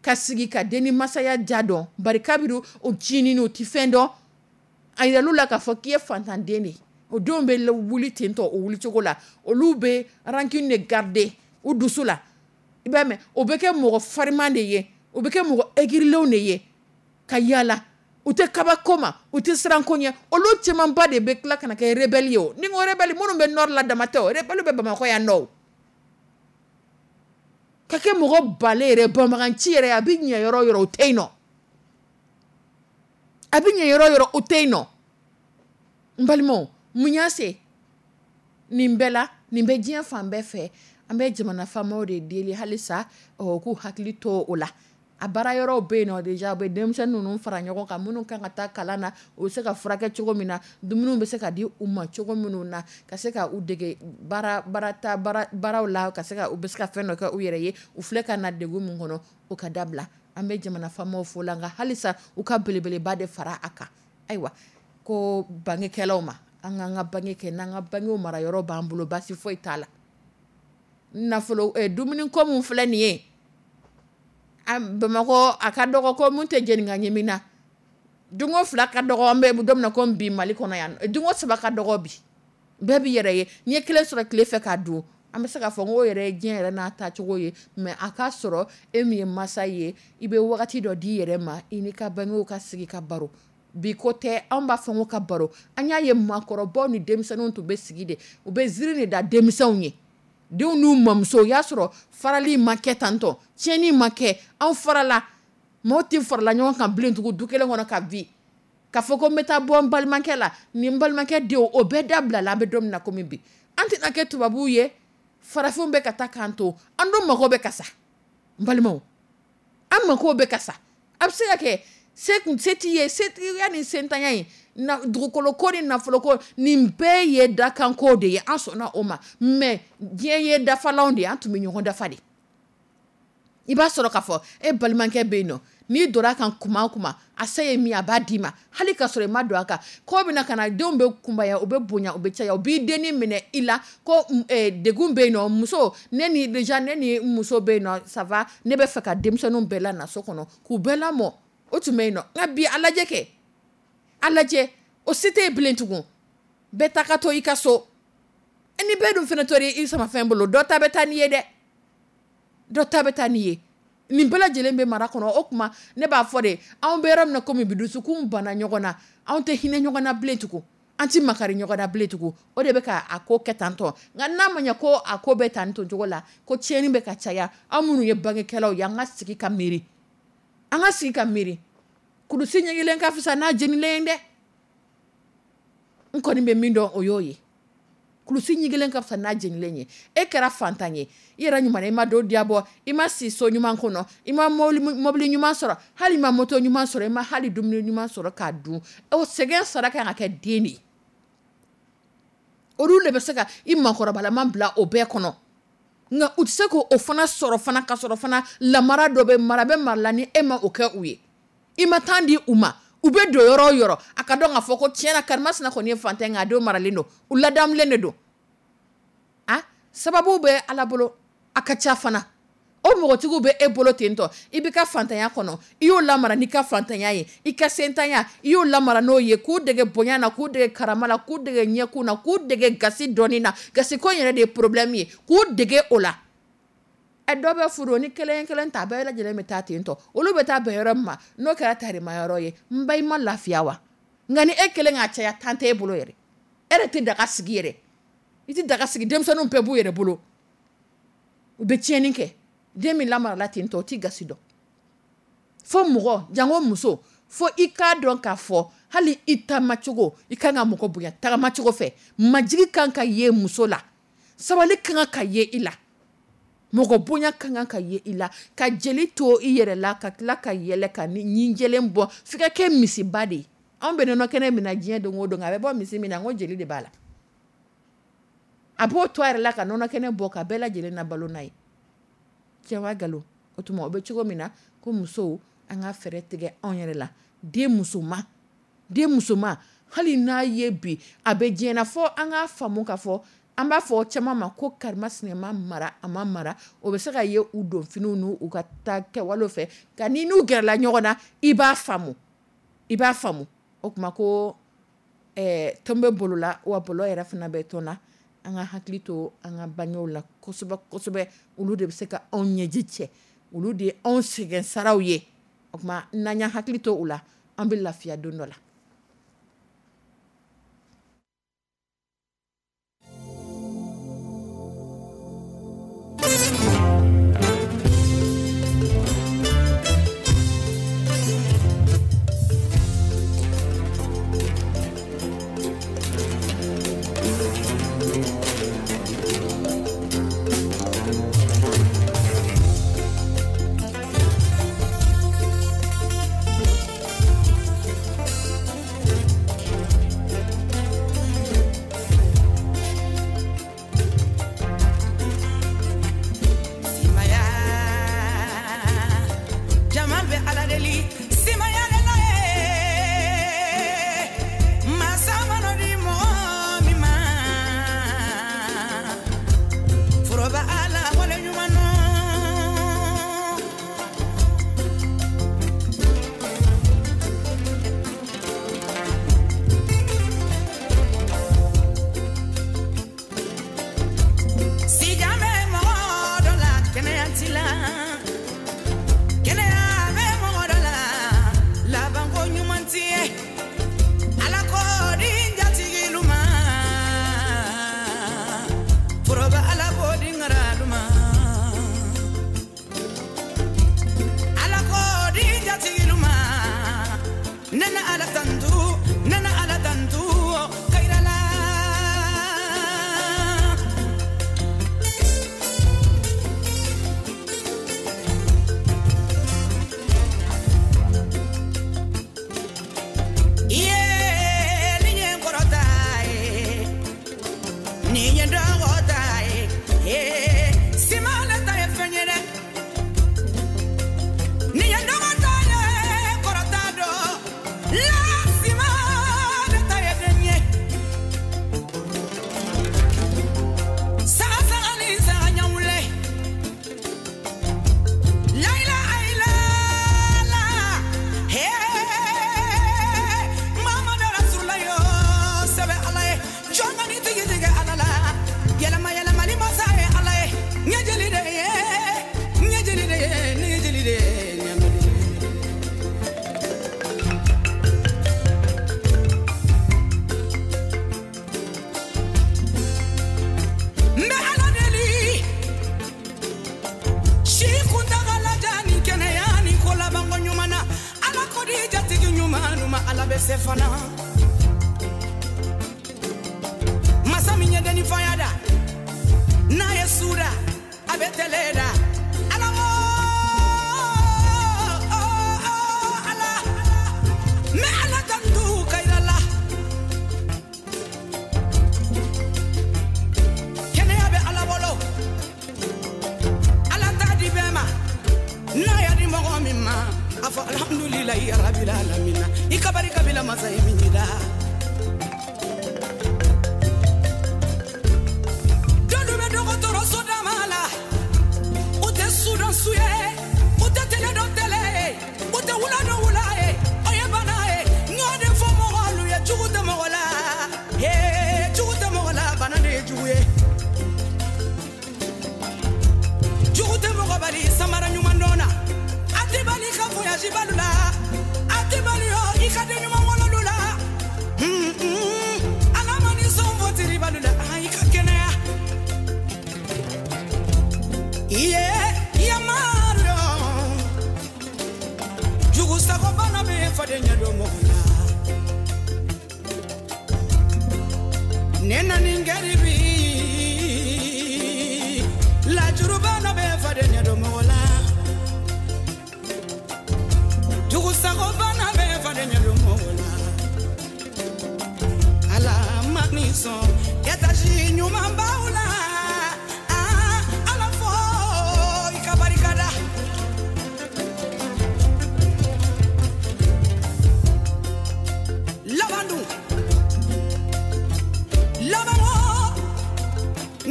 ka sigi ka den ni masaya ja dɔn, bari kabiri o ncinin o tɛ fɛn dɔn. A yiral'u la k'a fɔ k'i ye fantanden de ye. O denw bɛ wuli ten tɔ o wuli cogo la. Olu bɛ rancune de garder u dusu la. I b'a mɛn, o bɛ kɛ mɔgɔ fariman de ye, o bɛ kɛ mɔgɔ aigrilenw de ye ka yaala. U tɛ kabako ma, u tɛ siran ko ɲɛ. Olu camanba de bɛ tila ka na kɛ rebelle ye o. Ni n ko rebelle, minnu bɛ nord la dama tɛ o, rebelle bɛ Bamakɔ yan nɔ o. Ka kɛ mɔgɔ balen yɛrɛ, banbaganci yɛrɛ, a bɛ ɲɛ yɔrɔ o yɔrɔ, o tɛ yen nɔ. A bɛ ɲɛ yɔrɔ o yɔrɔ, o tɛ yen nɔ. N balimaw, mun y'a se nin bɛɛ la? Nin bɛ diɲɛ fan bɛɛ fɛ. An bɛ jamana faamaw de deli halisa, ɔ, k'u hakili to o la. A baara yɔrɔw bɛ yen nɔ déjà, u bɛ denmisɛnnin ninnu fara ɲɔgɔn kan, minnu kan ka taa kalan na, u bɛ se ka furakɛ cogo min na, dumuniw bɛ se ka di u ma cogo minnu na, ka se ka u dege baaraw la, ka se ka u bɛ se ka fɛn dɔ kɛ u yɛrɛ ye. U filɛ ka na degun min kɔnɔ, o ka dabila. An bɛ jamana faamaw fo la, nka halisa u ka belebeleba de fara a kan. Ayiwa, ko bangekɛlaw ma, an k'an ka bange kɛ, n'an ka bangew mara yɔrɔ b'an bolo, basi foyi t'a la. Nafolo dumuni ko min filɛ nin ye Bamakɔ, a ka dɔgɔ ko mun tɛ jeni ka ɲimi na. Dunko 2 ka dɔgɔ, an bɛ don min na ko bi Mali kɔnɔ yan, dunko 3 ka dɔgɔ bi. Bɛɛ b'i yɛrɛ ye, n'i ye kelen sɔrɔ tile fɛ k'a dun, an bɛ se k'a fɔ n ko yɛrɛ ye diɲɛ yɛrɛ n'a taacogo ye, mais a k'a sɔrɔ e min ye masa ye, i bɛ wagati dɔ di i yɛrɛ ma, i n'i ka bangew ka sigi ka baro. Bi ko tɛ, anw b'a fɔ ko ka baro, an y'a ye maakɔrɔbaw ni denmisɛnninw tun bɛ sigi de, u bɛ ziiri de da denmisɛnw ye. Denw n'u mamuso, o y'a sɔrɔ farali ma kɛ tantɔ, tiɲɛni ma kɛ, anw farala, maaw tɛ farala ɲɔgɔn kan bilen tugun du kelen kɔnɔ ka bi. K'a fɔ ko n bɛ taa bɔ n balimakɛ la, ni n balimakɛ denw, o bɛɛ dabila la, an bɛ don min na komi bi. An tɛna kɛ tubabuw ye, farafinw bɛ ka taa k'an to, an dun mago bɛ ka sa. N balimaw, an mago bɛ ka sa. A bɛ se ka kɛ se kun se t'i ye, setigiya ni sentanya ye, dugukolo ko ni nafolo ko, nin bɛɛ ye dakanko de ye, an sɔnna o ma. Mais diɲɛ ye dafalanw de ye, an tun bɛ ɲɔgɔn dafa de. I b'a sɔrɔ k'a fɔ e balimakɛ bɛ yen nɔ, n'i donna a kan kuma o kuma, a se ye min ye a b'a d'i ma, hali k'a sɔrɔ i ma don a kan. Ko bɛna ka na, denw bɛ kunbaya, u bɛ bonya, u bɛ caya, u b'i dennin minɛ i la ko degun bɛ yen nɔ, muso, ne ni déjà ne ni muso bɛ yen nɔ, ça va, ne bɛ fɛ ka denmisɛnninw bɛɛ lana so kɔnɔ k'u bɛɛ lamɔ, o tun bɛ yen nɔ. Nka bi a lajɛ kɛ, a lajɛ, o se tɛ yen bilen tugun. Bɛɛ ta ka to i ka so. Ni bɛɛ dun fana tora i samafɛn bolo, dɔ ta bɛ taa n'i ye dɛ. Dɔ ta bɛ taa n'i ye. Nin bɛɛ lajɛlen bɛ mara kɔnɔ. O tuma ne b'a fɔ de, anw bɛ yɔrɔ min na komi bi, dusukun banna ɲɔgɔn na, anw tɛ hinɛ ɲɔgɔn na bilen tugun, an tɛ makari ɲɔgɔn na bilen tugun. O de bɛ ka a ko kɛ tantɔ. Nka n'a ma ɲɛ ko a ko bɛ tan tɔ cogo la, ko tiɲɛni bɛ ka caya, anw minnu ye bangekɛlaw ye, an ka sigi ka miiri. An ka sigi ka miiri. Kulusi ɲɛgilen ka fisa n'a jenilen ye dɛ. N kɔni bɛ min dɔn, o y'o ye. Kulusi ɲɛgilen ka fisa n'a jenilen ye. E kɛra fantan ye, i yɛrɛ ɲuman, i ma don diya bɔ, i ma si so ɲuman kɔnɔ, i ma mobili ɲuman sɔrɔ, hali i ma moto ɲuman sɔrɔ, i ma hali dumuni ɲuman sɔrɔ k'a dun. O sɛgɛn sara kan ka kɛ den de ye. Olu de bɛ se ka i makɔrɔbalama bila o bɛɛ kɔnɔ. Nka u tɛ se k'o fana sɔrɔ fana ka sɔrɔ fana lamara dɔ bɛ mara bɛ mara la ni e ma o kɛ u ye. I ma temps di u ma. U bɛ don yɔrɔ o yɔrɔ, a ka dɔn k'a fɔ ko tiɲɛna karimasina kɔni ye fantan ye, nka a denw maralen don, u ladamulen de don. A sababu bɛ Ala bolo, a ka ca fana. O mɔgɔtigiw bɛ e bolo ten tɔ, i b'i ka fantanya kɔnɔ, i y'o lamara n'i ka fantanya ye, i ka sentanya, i y'o lamara n'o ye, k'u dege bonya na, k'u dege karama la, k'u dege ɲɛkun na, k'u dege gasi dɔɔni na. Gasi ko in yɛrɛ de ye problème ye, k'u dege o la. Dɔ bɛ furu ni kelen kelen ta, bɛɛ lajɛlen bɛ taa ten tɔ. Olu bɛ taa bɛn yɔrɔ min ma, n'o kɛra tarima yɔrɔ ye, n ba i ma lafiya wa? Nka ni e kelen k'a caya, tan t'e bolo yɛrɛ. E yɛrɛ tɛ daga sigi yɛrɛ. I tɛ daga sigi, denmisɛnninw bɛɛ b'u yɛrɛ bolo. U bɛ tiɲɛni kɛ. Den min lamarala ten tɔ, o t'i gasi dɔn. Fo mɔgɔ, janko muso, fo i k'a dɔn k'a fɔ hali i taamacogo, i kan ka mɔgɔ bonya tagamacogo fɛ. Majigi kan ka ye muso la, sabali kan ka ye i la, mɔgɔ bonya kan ka ye i la, ka jeli to i yɛrɛ la, ka tila ka yɛlɛ ka ni ɲinjɛlen bɔ, f'i ka kɛ misiba de ye. Anw bɛ nɔnɔ kɛnɛ min na diɲɛ don o don, a bɛ bɔ misi min na, n ko jeli de b'a la. A b'o to a yɛrɛ la ka nɔnɔ kɛnɛ bɔ ka bɛɛ lajɛlen na balo n'a ye. Cɛ wa nkalon? O tuma o bɛ cogo min na, ko musow, an ka fɛɛrɛ tigɛ anw yɛrɛ la. Den musoman, hali n'a ye bi a bɛ diɲɛ na, fɔ an k'a faamu k'a fɔ, an b'a fɔ caman ma ko karimasina ma mara, a ma mara. O bɛ se ka ye u don finiw n'u ka taa kɛwalew fɛ, nka ni n'u gɛrɛla ɲɔgɔn na, i b'a faamu. I b'a faamu. O tuma ko tɔn bɛ bolo la, wa bolo yɛrɛ fana bɛ tɔn na. An ka hakili to an ka bangew la kosɛbɛ kosɛbɛ. Olu de bɛ se ka anw ɲɛji cɛ, olu de ye anw sɛgɛn saraw ye. O tuma n'an y'an hakili to u la, an bɛ lafiya don dɔ la. Nana Ala tantu, nana Ala tantu, kairala. Iye, ni nye kɔrɔta ye, ni nye dɔgɔta ye, ee, simale ta ye fɛn ye dɛ. Ni nye dɔgɔta ye, kɔrɔta dɔ, la simale ta ye den ye. Saga saga ni saga ɲawule. La ilaha illallah. Hey, Muhammadu Rasulullah yo, sɛbɛ Ala ye. Jɔn ka ni tigi tigɛ Ala la. Yɛlɛma yɛlɛmali masa ye Ala ye. Ɲɛ jeli de ye, ɲɛ jeli de ye, ɲɛ jeli de ye, ɲɛ jeli de ye. N bɛ Ala deli. Si kuntagala jan ni kɛnɛya ni ko labanko ɲuman na. Ala ko di jatigi ɲuman ma, Ala bɛ se fana. Masa min ye denni faya da, n'a ye su da, a bɛ tɛlɛ da. Ala wo, Ala. N bɛ Ala tantu kayira la. Kɛnɛya bɛ Ala bolo. Ala t'a di bɛɛ ma. N'a y'a di mɔgɔ min ma, a fɔ alhamdulilayi rabil alamina. I ka barika bila masa ye min da. Dɔlu bɛ dɔgɔtɔrɔso dama la, u tɛ su dɔn su ye, u tɛ tele dɔn tele ye, u tɛ wula dɔn wula ye, o ye bana ye. N y'o de fɔ mɔgɔlu ye, jugu tɛ mɔgɔ la. Hee, jugu tɛ mɔgɔ la, bana de ye jugu ye. Jugu tɛ mɔgɔ bali samara ɲuman dɔn na. A tɛ bali ka voyage balu la. A tɛ bali yɔ i ka den ɲuman wololu la. Ala ma ni sɔn fɔ tiri balu la, i ka kɛnɛya. Iye, yamaru yɔ. Jugu sago bana bɛ faden ɲɛ don mɔgɔ la. Ne na ni garibi, lajuru bana bɛ faden ɲɛ don mɔgɔ la. Jugu sago bana bɛ faden ɲɛ don mɔgɔ la. Ala ma ni sɔn étage ɲuman b'aw la. Ah, Ala fo i ka barika da. Laban dun, laban wo,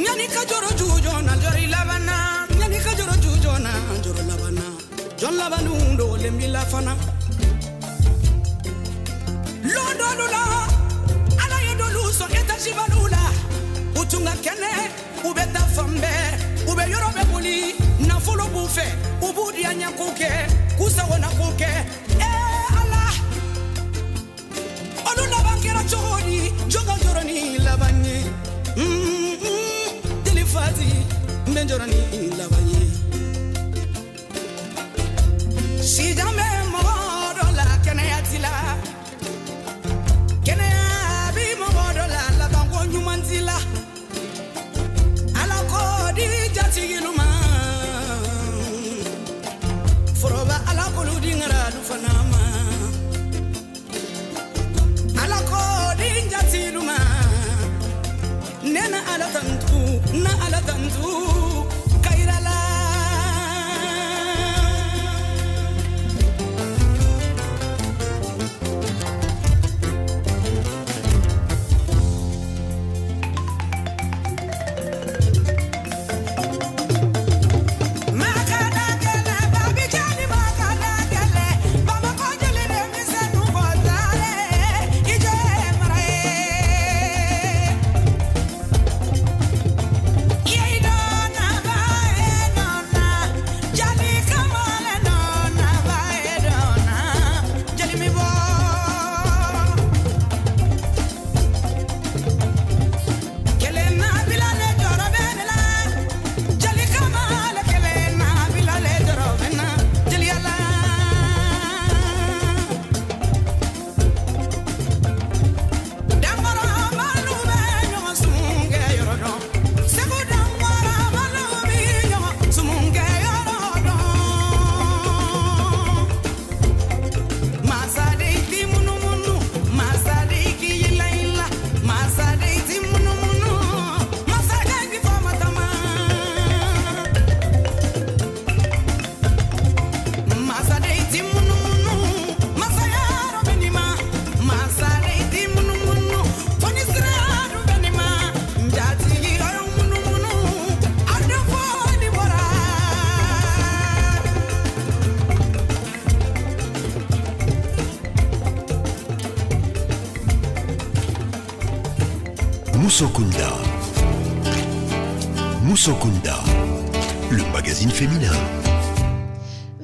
ɲani ka jɔrɔ ju joona, jɔrɔ i laban na. Ɲani ka jɔrɔ ju joona, jɔrɔ laban na. Jɔn laban dun dogolen b'i la fana. Lon dɔlu la, Ala ye dɔlu sɔn étage balu la. U tun ka kɛnɛ, u bɛ taa fan bɛɛ, u bɛ yɔrɔ bɛɛ boli, nafolo b'u fɛ, u b'u diya ɲɛko kɛ, k'u sagona ko kɛ. Ee Ala, olu laban kɛra cogo di? Jɔn ka jɔrɔ ni laban ye? Deli Fati, n bɛ jɔrɔ ni laban ye. Sijan bɛ mɔgɔ dɔ la, kɛnɛya t'i la. Kɛnɛya bi mɔgɔ dɔ la, labanko ɲuman t'i la. Ala ko di jatigilu ma. Foroba Ala k'olu di ŋaralu fana ma. Ala ko di jatigilu ma. Ne na Ala tantu, na Ala tantu, kayira la. Musokunda. Musokunda, le magazine féminin.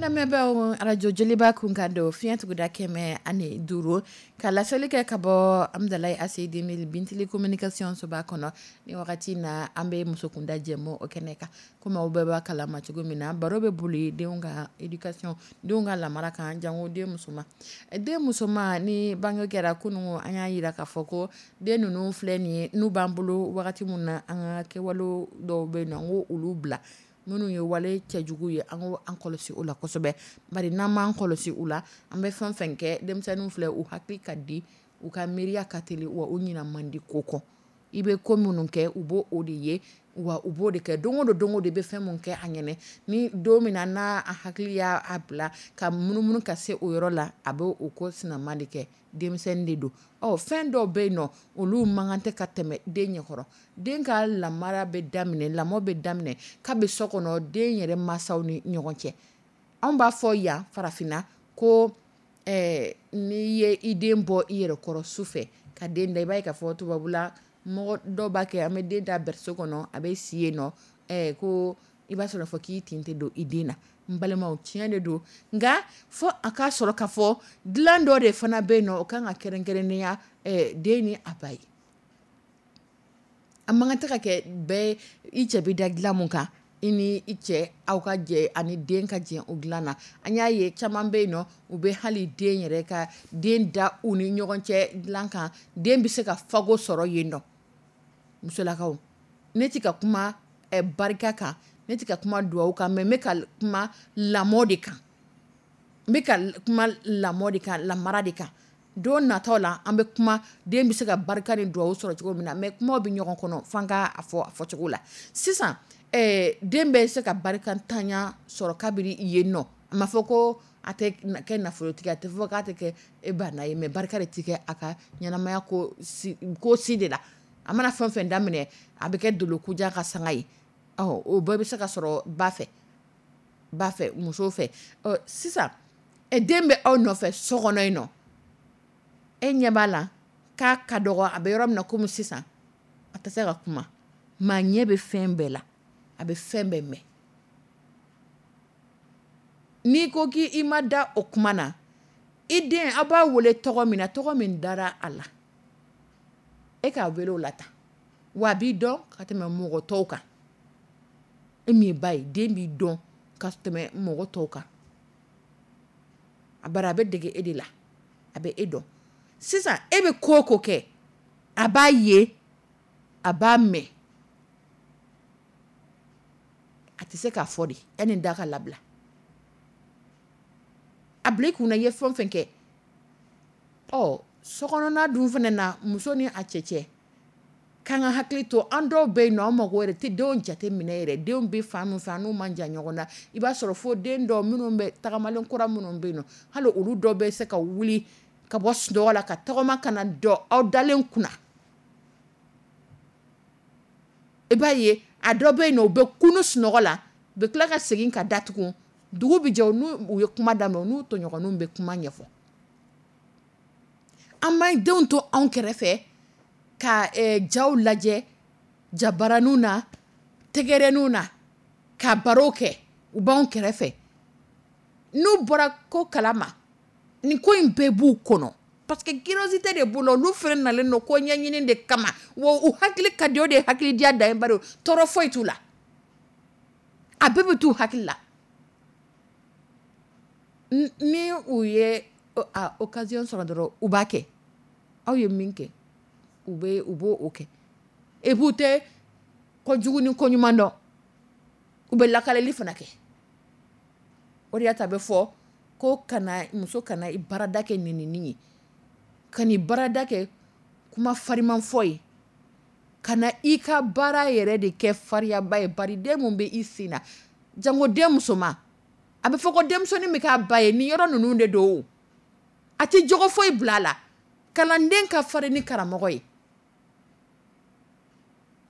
Lamɛnbaaw, arajo Joliba kunkan don, fiɲɛ tuguda 105, ka laseli kɛ ka bɔ Amidalayi ACI 2000 Bintili communication soba kɔnɔ. Ni wagati na, an bɛ musokunda jɛmu o kɛnɛ kan. Komi aw bɛɛ b'a kalama cogo min na, baro bɛ boli denw ka éducation, denw ka lamara kan, jango den musoman. Den musoman ni bange kɛra kunun, an y'a jira k'a fɔ ko den ninnu filɛ nin ye, n'u b'an bolo wagati min na, an ka kɛwale dɔw bɛ yen nɔ, an k'o olu bila. Minnu ye wale cɛjugu ye, an ko an kɔlɔsi o la kosɛbɛ. Bari n'an m'an kɔlɔsi u la, an bɛ fɛn fɛn kɛ, denmisɛnninw filɛ, u hakili ka di, u ka miiriya ka teli, wa u ɲinɛ man di ko kɔ. I bɛ ko minnu kɛ, u b'o o de ye, wa u b'o de kɛ don o don. Don o don, i bɛ fɛn min kɛ a ɲɛnɛ, ni don min na n'a hakili y'a bila ka munumunu ka se o yɔrɔ la, a bɛ o ko sinama de kɛ. Denmisɛnnin de don. Ɔ, fɛn dɔw bɛ yen nɔ, olu man kan tɛ ka tɛmɛ den ɲɛkɔrɔ. Den ka lamara bɛ daminɛ, lamɔ bɛ daminɛ kabi so kɔnɔ, den yɛrɛ mansaw ni ɲɔgɔn cɛ. Anw b'a fɔ yan farafinna ko n'i ye i den bɔ i yɛrɛ kɔrɔ su fɛ ka den da, i b'a ye k'a fɔ tubabula mɔgɔ dɔw b'a kɛ, an bɛ den da berceau kɔnɔ, a bɛ si yen nɔ, ko i b'a sɔrɔ fɔ k'i tin tɛ don i den na. N balimaw, tiɲɛ de don, nka fo a k'a sɔrɔ k'a fɔ dilan dɔ de fana bɛ yen nɔ, o kan ka kɛrɛnkɛrɛnnenya den ni a ba ye. A man kan tɛ ka kɛ bɛɛ i cɛ bɛ da dilan mun kan, i ni i cɛ aw ka jɛ ani den ka jɛ o dilan na. An y'a ye caman bɛ yen nɔ, u bɛ hali den yɛrɛ ka den da u ni ɲɔgɔn cɛ dilan kan, den bɛ se ka fago sɔrɔ yen nɔ. Musolakaw, ne tɛ ka kuma barika kan, ne tɛ ka kuma duwawu kan, mais n bɛ ka kuma lamɔ de kan. N bɛ ka kuma lamɔ de kan, lamara de kan. Don nataw la, an bɛ kuma den bɛ se ka barika ni duwawu sɔrɔ cogo min na, mais kumaw bɛ ɲɔgɔn kɔnɔ, f'an ka a fɔ a fɔcogo la. Sisan den bɛ se ka barikantanya sɔrɔ kabiri yen nɔ. A ma fɔ ko a tɛ kɛ nafolotigi, a tɛ fɔ k'a tɛ kɛ e banna ye, mais barika de tɛ kɛ a ka ɲɛnamaya ko si de la. A mana fɛn fɛn daminɛ, a bɛ kɛ dolokojan ka sanga ye. Ɔ, o bɛɛ bɛ se ka sɔrɔ ba fɛ, ba fɛ, muso fɛ. Ɔ, sisan den bɛ aw nɔfɛ so kɔnɔ yen nɔ, e ɲɛ b'a la k'a ka dɔgɔ, a bɛ yɔrɔ min na komi sisan a tɛ se ka kuma, maa ɲɛ bɛ fɛn bɛɛ la, a bɛ fɛn bɛɛ mɛn. N'i ko k'i ma da o kuma na, i den, aw b'a wele tɔgɔ min na, tɔgɔ min dara a la, e k'a wele o la tan, wa a b'i dɔn ka tɛmɛ mɔgɔ tɔw kan. E min ye ba ye, den b'i dɔn ka tɛmɛ mɔgɔ tɔw kan. A bari a bɛ dege e de la, a bɛ e dɔn. Sisan e bɛ ko o ko kɛ, a b'a ye, a b'a mɛn. A tɛ se k'a fɔ de, yanni da ka labila. A bila i kunna i ye fɛn o fɛn kɛ. Ɔ, sokɔnɔna dun fana na, muso ni a cɛ cɛ, k'an ka hakili to an dɔw bɛ yen nɔ, an mago yɛrɛ tɛ denw jate minɛ yɛrɛ. Denw bɛ fan min fɛ, an n'u man jan ɲɔgɔn na. I b'a sɔrɔ fo den dɔw minnu bɛ tagamalen kura minnu bɛ yen nɔ, hali olu dɔw bɛ se ka wuli ka bɔ sunɔgɔ la ka tɔgɔma ka na dɔ aw dalen kunna. I b'a ye a dɔ bɛ yen nɔ, u bɛ kunu sunɔgɔ la, u bɛ tila ka segin ka datugu. Dugu bɛ jɛ, n'u ye kuma daminɛ, u n'u tɔɲɔgɔnninw bɛ kuma ɲɛfɔ. An b'an denw to anw kɛrɛfɛ ka jaw lajɛ jabaraninw na, tɛgɛrɛninw na, ka baro kɛ, u b'anw kɛrɛfɛ. N'u bɔra ko kalama, nin ko in bɛɛ b'u kɔnɔ, parce que curiosité de b'u la. Olu fana nalen don ko ɲɛɲini de kama, wa u hakili ka di, o de ye hakilidiya dan ye, bari tɔɔrɔ foyi t'u la, a bɛɛ bɛ t'u hakili la. Ni u ye a occasion sɔrɔ dɔrɔn, u b'a kɛ. Aw ye min kɛ, u bɛ u b'o kɛ. Et puis u tɛ kojugu ni koɲuman dɔn, u bɛ lakaleli fana kɛ. O de y'a to a bɛ fɔ ko kana muso kana i baarada kɛ nɛnini ye, ka n'i baarada kɛ kuma fariman fɔ ye, ka na i ka baara yɛrɛ de kɛ fariyaba ye. Bari den mun bɛ i sen na, jango den musoman, a bɛ fɔ ko denmisɛnnin bɛ k'a ba ye, nin yɔrɔ ninnu de don, a tɛ jogo foyi bila a la. Kalanden ka farin ni karamɔgɔ ye,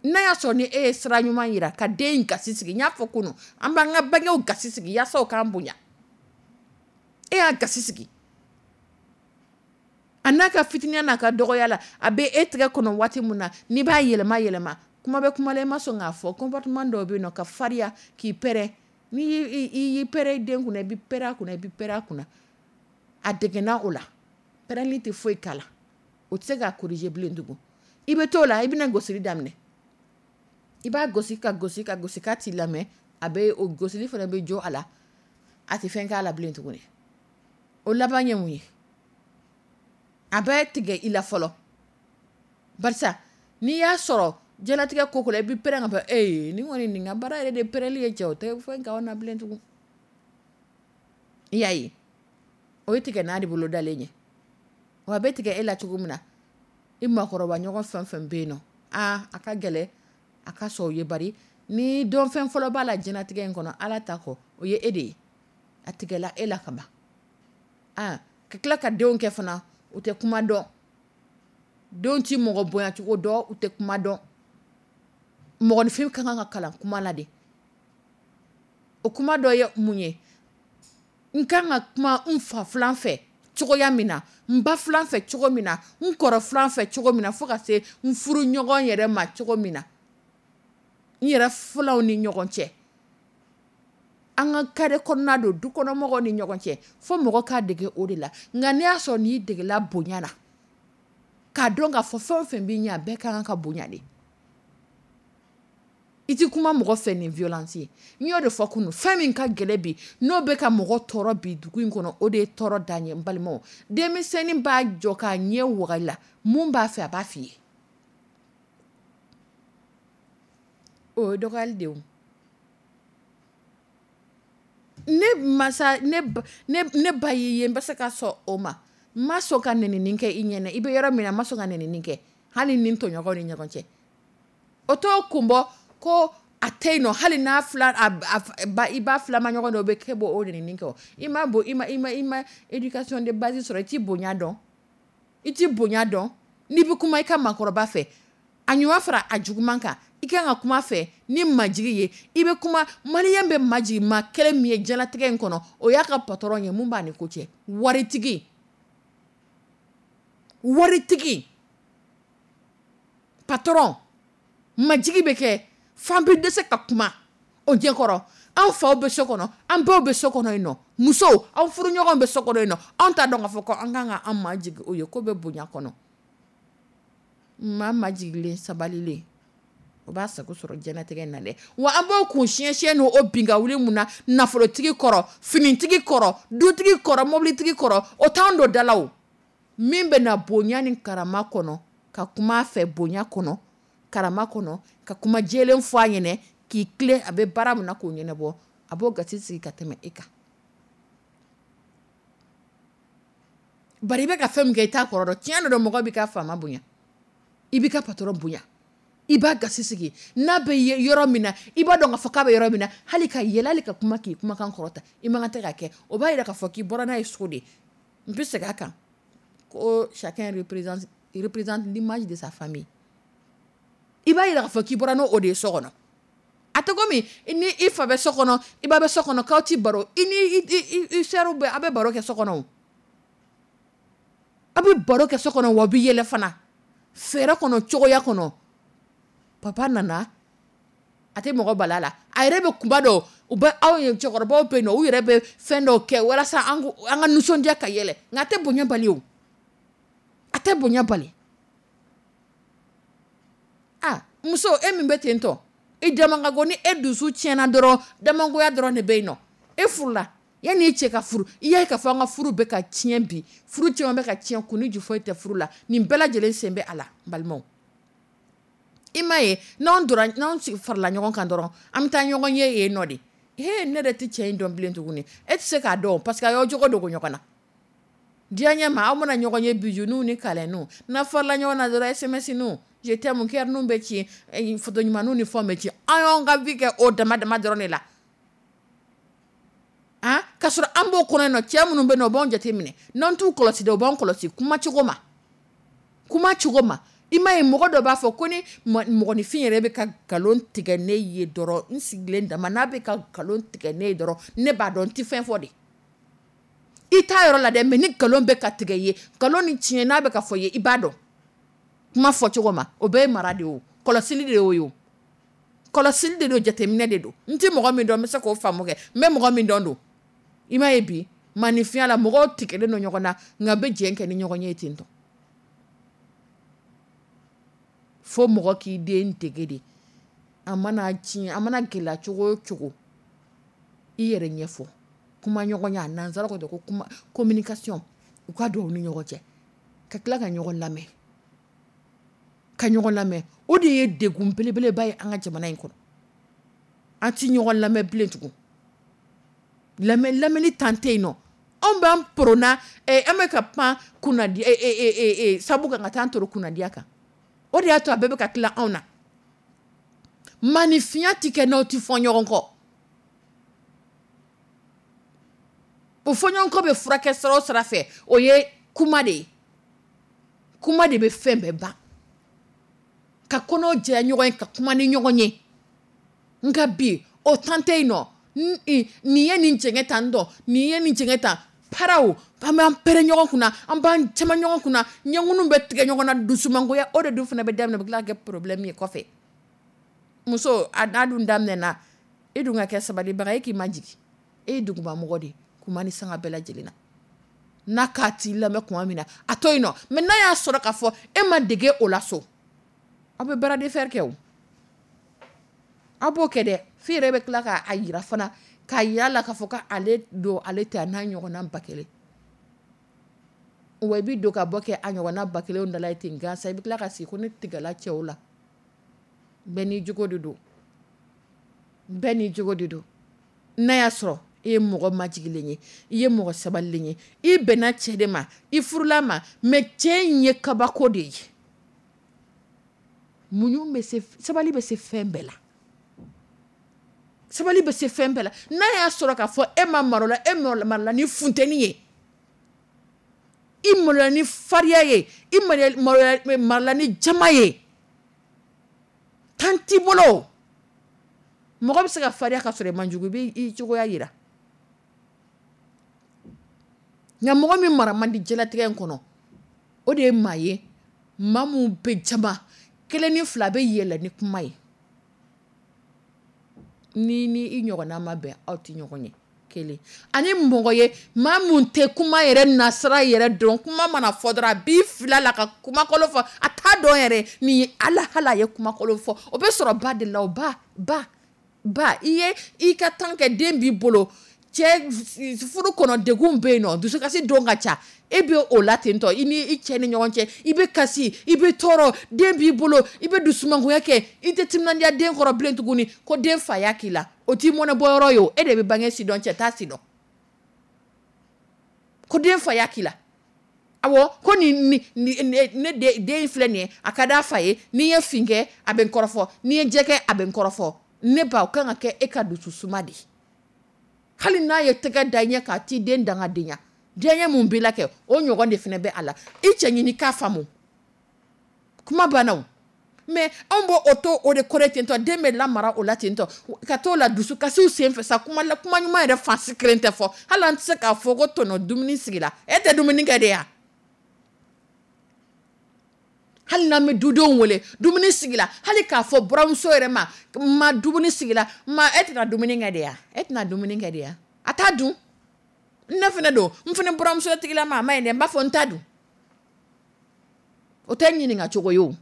n'a y'a sɔrɔ ni e ye sira ɲuman yira ka den gasi sigi. N y'a fɔ kunun, an b'an ka bangew gasi sigi yaasa u k'an bonya. E y'a gasi sigi, A n'a ka fitininya n'a ka dɔgɔya la, a bɛ e tɛgɛ kɔnɔ waati min na, n'i b'a yɛlɛma yɛlɛma, kuma bɛ kuma la i ma sɔn k'a fɔ, comportement dɔw bɛ yen nɔ ka farinya k'i pɛrɛn, n'i y'i pɛrɛn i den kunna, i bɛ pɛrɛn a kunna, i bɛ pɛrɛn a kunna, a degana o la, pɛrɛnni tɛ foyi k'a la, o tɛ se ka corriger bilen tugun, i bɛ t'o la i bɛna gosili daminɛ, i b'a gosi ka gosi ka gosi k'a t'i lamɛn, a bɛ o gosili fana bɛ jo a la, a tɛ fɛn k'a la bilen tuguni. O laban ye mun ye? A bɛ tigɛ i la fɔlɔ, barisa n'i y'a sɔrɔ diɲɛlatigɛ ko ko la i bɛ pɛrɛn ka fɔ ee nin kɔni nin ka baara yɛrɛ de pɛrɛnli ye cɛ o tɛ fɛn k'anw na bilen tugun. I y'a ye, o ye tigɛ n'a de bolo dalen ye. Wa a bɛ tigɛ e la cogo min na, i maakɔrɔba ɲɔgɔn fɛn fɛn bɛ yen nɔ, aa a ka gɛlɛn a ka sɔn o ye bari ni dɔnfɛn fɔlɔ b'a la diɲɛlatigɛ in kɔnɔ Ala ta kɔ, o ye e de ye. A tigɛla e la ka ban. Aa ka tila ka denw kɛ fana, u tɛ kuma dɔn. Denw tɛ mɔgɔ bonyacogo dɔn, u tɛ kuma dɔn. Mɔgɔninfin ka kan ka kalan kuma la de. O kuma dɔ ye mun ye? N kan ka kuma n fa filan fɛ cogoya min na, n ba filan fɛ cogo min na, n kɔrɔ filan fɛ cogo min na, fo ka se n furu ɲɔgɔn yɛrɛ ma cogo min na, n yɛrɛ filanw ni ɲɔgɔn cɛ, an ka carré kɔnɔna don, dukɔnɔmɔgɔw ni ɲɔgɔn cɛ, fo mɔgɔ ka dege o de la. Nka n'i y'a sɔrɔ n'i degela bonya la, k'a dɔn k'a fɔ fɛn o fɛn b'i ɲɛ, a bɛɛ ka kan ka bonya de. I ti kuma mɔgɔ fɛ ni violence ye. N y'o de fɔ kunun, fɛn min ka gɛlɛn bi, n'o bɛ ka mɔgɔ tɔɔrɔ bi dugu in kɔnɔ, o de ye tɔɔrɔ dan ye n balimaw. Denmisɛnnin b'a jɔ k'a ɲɛ waga i la, mun b'a fɛ a b'a f'i ye. O ye dɔgɔyali de ye o. Ne masa, ne ba y'i ye n bɛ se ka sɔn o ma. N ma sɔn ka nɛnini kɛ i ɲɛna, i bɛ yɔrɔ min na n ma sɔn ka nɛnini kɛ, hali ni n tɔɲɔgɔnw ni ɲɔgɔn cɛ. O t'o kun bɔ ko a tɛ yen nɔ, hali n'a filan i ba filama ɲɔgɔn dɔ bɛ k'e b'o o nɛnini kɛ o. I ma bon, i ma i ma i ma éducation de base sɔrɔ, i t'i bonya dɔn. I t'i bonya dɔn. N'i bɛ kuma i ka maakɔrɔba fɛ, a ɲuman fara a juguman kan, i kan ka kuma fɛ ni majigi ye, i bɛ kuma, maliyɛn bɛ majigi maa kelen min ye diɲɛlatigɛ in kɔnɔ, o y'a ka patron ye, mun b'a ni ko cɛ? Waritigi. Waritigi. Patron. Majigi bɛ kɛ f'an bɛ dɛsɛ ka kuma o ɲɛkɔrɔ. An faw bɛ so kɔnɔ, an baw bɛ so kɔnɔ yen nɔ, musow, aw furuɲɔgɔnw bɛ so kɔnɔ yen nɔ, anw t'a dɔn k'a fɔ ko an kan ka an majigi o ye, ko bɛ bonya kɔnɔ. Maa majigilen sabalilen, o b'a sago sɔrɔ diɲɛlatigɛ in na dɛ. Wa an b'o kun siɲɛ siɲɛ n'o bin ka wuli mun na, nafolotigi kɔrɔ, finitigi kɔrɔ, dutigi kɔrɔ, mobilitigi kɔrɔ, o t'an don da la o. Min bɛ na bonya ni karama kɔnɔ, ka kuma a fɛ bonya kɔnɔ, karama kɔnɔ, ka kuma jɛlen fɔ a ɲɛna, k'i tilen a bɛ baara min na k'o ɲɛnabɔ, a b'o gasi sigi ka tɛmɛ e kan. Bari i bɛ ka fɛn min kɛ i t'a kɔrɔ dɔn. Tiɲɛ don mɔgɔ b'i ka faama bonya, i b'i ka patron bonya, i b'a gasi sigi n'a bɛ yɔrɔ min na, i b'a dɔn k'a fɔ k'a bɛ yɔrɔ min na, hali ka yɛlɛ, hali ka kuma k'i kumakan kɔrɔta, i man kan tɛ ka kɛ. O b'a yira k'a fɔ k'i bɔra n'a ye so de. N bɛ segin a kan ko chacun représente l'image de sa famille. I b'a yira k'a fɔ k'i bɔra n'o de ye so kɔnɔ. A tɛ komi ni i fa bɛ so kɔnɔ, i ba bɛ so kɔnɔ, k'aw ti baro, i ni i sœur bɛ, aw bɛ baro kɛ so kɔnɔ o. Aw bɛ baro kɛ so kɔnɔ, wa aw bɛ yɛlɛ fana. Fɛɛrɛ kɔnɔ, cogoya kɔnɔ. Papa nana, a tɛ mɔgɔ bala la. A yɛrɛ bɛ kunba dɔw, u bɛ aw ye cɛkɔrɔbaw bɛ yen nɔ, u yɛrɛ bɛ fɛn dɔw kɛ walasa an ka nisɔndiya ka yɛlɛ. Nka a tɛ bonya bali o. A tɛ bonya bali. Ah, muso, e min bɛ ten tɔ, i damankago ni e dusu tiɲɛna dɔrɔn, damangoya dɔrɔn de bɛ yen nɔ. E furula, yanni i cɛ ka furu, i y'a ye k'a fɔ an ka furu bɛ ka tiɲɛ bi, furu caman bɛ ka tiɲɛ, kun ni ju foyi tɛ furu la. Nin bɛɛ lajɛlen sen bɛ a la, n balimaw. I m'a ye, n'anw donna, n'anw farala ɲɔgɔn kan dɔrɔn, an bɛ taa ɲɔgɔn ye yen nɔ de. He, ne yɛrɛ tɛ cɛ in dɔn bilen tuguni. E tɛ se k'a dɔn parce que a y'aw jogo dogo ɲɔgɔn na. Diɲɛ ɲɛ ma, aw mana ɲɔgɔn ye bijouninw ni câlinw, n'a farala ɲɔgɔn na dɔrɔn SMS ninw, je t'aime cœur ninw bɛ ci, photo ɲumanninw ni fɛnw bɛ ci. An y'anw ka vie kɛ o dama dama dɔrɔn de la. Han, k'a sɔrɔ an b'o kɔnɔ yen nɔ, cɛ minnu bɛ yen nɔ, u b'anw jate minɛ. N'an t'u kɔlɔsi dɛ, u b'anw kɔlɔsi kuma cogo ma. Kuma cogo ma. I m'a ye mɔgɔ dɔ b'a fɔ ko ni mɔgɔninfin yɛrɛ bɛ ka nkalon tigɛ ne ye dɔrɔn, n sigilen dama n'a bɛ ka nkalon tigɛ ne ye dɔrɔn, ne b'a dɔn n tɛ fɛn fɔ de. I t'a yɔrɔ la dɛ, mais ni nkalon bɛ ka tigɛ i ye, nkalon ni tiɲɛ n'a bɛ ka fɔ i ye, i b'a dɔn. Kuma fɔcogo ma, o bɛɛ ye mara de ye o, kɔlɔsili de y'o ye o. Kɔlɔsili de don, jateminɛ de don. N tɛ mɔgɔ min dɔn, n bɛ se k'o faamu kɛ, n bɛ mɔgɔ min dɔn don. I m'a ye bi maninfinya la, mɔgɔw tigɛlen don ɲɔgɔn na, nka bɛ jɛ kɛ ni ɲɔgɔn ye ten tɔ. Fo mɔgɔ k'i den dege de. A mana tiɲɛ, a mana gɛlɛya cogo o cogo, i yɛrɛ ɲɛfɔ. Kuma ɲɔgɔnya, nansara ko ko kuma communication, u ka don u ni ɲɔgɔn cɛ, ka tila ka ɲɔgɔn lamɛn. Ka ɲɔgɔn lamɛn. O de ye degun belebeleba ye an ka jamana in kɔnɔ. An ti ɲɔgɔn lamɛn bilen tugun. Lamɛnni tan tɛ yen nɔ. Anw b'an porona, an bɛ ka pan kunnadi, sabu kan ka taa an toro kunnadiya kan. O de y'a to a bɛɛ bɛ ka tila anw na. Maninfinya tɛ kɛ n'aw tɛ fɔ ɲɔgɔn kɔ. O fɔɲɔgɔnkɔ bɛ furakɛ sira o sira fɛ, o ye kuma de ye. Kuma de bɛ fɛn bɛɛ ban. Ka kɔnɔ jɛya ɲɔgɔn ye, ka kuma ni ɲɔgɔn ye. Nka bi, o tan tɛ yen nɔ. Nin ye nin jɛngɛ tan dɔn, nin ye nin jɛngɛ tan. Paraw, an b'an pɛrɛn ɲɔgɔn kunna, an b'an caman ɲɔgɔn kunna, ɲɛkunu bɛ tigɛ ɲɔgɔn na, dusumangoya, o de dun fana bɛ daminɛ, o bɛ tila ka kɛ problème ye kɔfɛ. Muso, a n'a dun daminɛna, e dun ka kɛ sabalibaga ye, e k'i majigin. E ye dugumamɔgɔ de ye, kuma ni sanga bɛɛ lajɛlen na. N'a k'a t'i lamɛn tuma min na, a to yen nɔ. Mais n'a y'a sɔrɔ k'a fɔ e ma dege o la so, aw bɛ bras de fer kɛ o. Aw b'o kɛ dɛ. F'i yɛrɛ bɛ tila k'a yira fana, k'a yira la k'a fɔ k'ale don, ale tɛ a n'a ɲɔgɔnna ba kelen. Wa i bɛ don ka bɔ kɛ a ɲɔgɔnna ba kelen dala ye ten gansan, i bɛ tila ka sigi ko ne tigɛla cɛw la. Bɛɛ n'i jogo de don. Bɛɛ n'i jogo de don. N'a y'a sɔrɔ e ye mɔgɔ majigilen ye, i ye mɔgɔ sabalilen ye, i bɛnna cɛ de ma, i furula ma, mais cɛ in ye kabako de ye. Muɲu bɛ se, sabali bɛ se fɛn bɛɛ la. Sabali bɛ se fɛn bɛɛ la. N'a y'a sɔrɔ k'a fɔ e ma malo la, e malola ni funteni ye, i malola ni fariya ye, i malola ni jama ye, tan t'i bolo. Mɔgɔ bɛ se ka fariya ka sɔrɔ i man jugu, i b'i cogoya yira. Nka mɔgɔ min mara man di diɲɛlatigɛ in kɔnɔ, o de ye maa ye, maa mun bɛ jama, kelen ni fila bɛ yɛlɛ ni kuma ye. Ni ni i ɲɔgɔnna ma bɛn, aw tɛ ɲɔgɔn ye. Kelen. Ani mɔgɔ ye, maa mun tɛ kuma yɛrɛ nasira yɛrɛ dɔn, kuma mana fɔ dɔrɔn a b'i fila la ka kumakolon fɔ, a t'a dɔn yɛrɛ nin ye ala hala ye kumakolon fɔ. O bɛ sɔrɔ ba de la o, ba, ba, ba, i ye i ka temps kɛ den b'i bolo, cɛ furu kɔnɔ degun bɛ yen nɔ, dusukasi don ka ca, e bɛ o la ten tɔ, i ni i cɛ ni ɲɔgɔn cɛ, i bɛ kasi, i bɛ tɔɔrɔ, den b'i bolo, i bɛ dusumangoya kɛ, i tɛ timinandiya den kɔrɔ bilen tuguni, ko den fa y'a k'i la, o t'i mɔnɛ bɔ yɔrɔ ye o, e de bɛ bange si dɔn, cɛ t'a si dɔn. Ko den fa y'a k'i la. Awɔ, ko ni, ni, ni, ne, ne den filɛ nin ye, a ka d'a fa ye, n'i ye fin kɛ, a bɛ n kɔrɔfɔ, n'i ye jɛ kɛ, a bɛ n kɔrɔfɔ. Ne ba, o kan ka kɛ e ka dususuma de ye. Hali n'a ye tɛgɛ da ɲɛ k'a t'i den dangadenya, diɲɛ mun b'i la kɛ, o ɲɔgɔn de fana bɛ a la. I cɛ ɲini k'a faamu. Kuma banna o. Mais anw b'o o to o de kɔrɔ ten tɔ, den bɛ lamara o la ten tɔ, ka t'o la dusukasiw sen fɛ sa, kuma la, kuma ɲuman yɛrɛ fansi kelen tɛ fɔ. Hali an tɛ se k'a fɔ ko tɔnɔ dumuni sigira. E tɛ dumuni kɛ de ya? Hali n'an bɛ dudenw wele, dumuni sigira, hali k'a fɔ buramuso yɛrɛ ma, ma dumuni sigira, ma e tɛna dumuni kɛ de ya? E tɛna dumuni kɛ de ya? A t'a dun. Ne fana don, n fana buramuso tigilama a ma ɲi dɛ, n b'a fɔ n t'a dun. O tɛ ɲininka cogo ye o.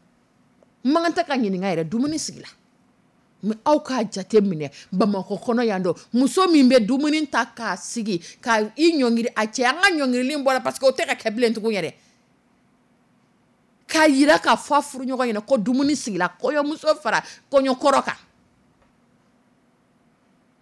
N man kan tɛ ka ɲininka yɛrɛ, dumuni sigira. Mais aw k'a jate minɛ Bamakɔ kɔnɔ yan dɔ, muso min bɛ dumuni ta k'a sigi, ka i ɲɔngiri a cɛ, an ka ɲɔngirili bɔra parce que o tɛ ka kɛ bilen tugun yɛrɛ. K'a yira k'a fɔ a furuɲɔgɔn ɲɛna ko dumuni sigira, kɔɲɔmuso fara kɔɲɔkɔrɔ kan.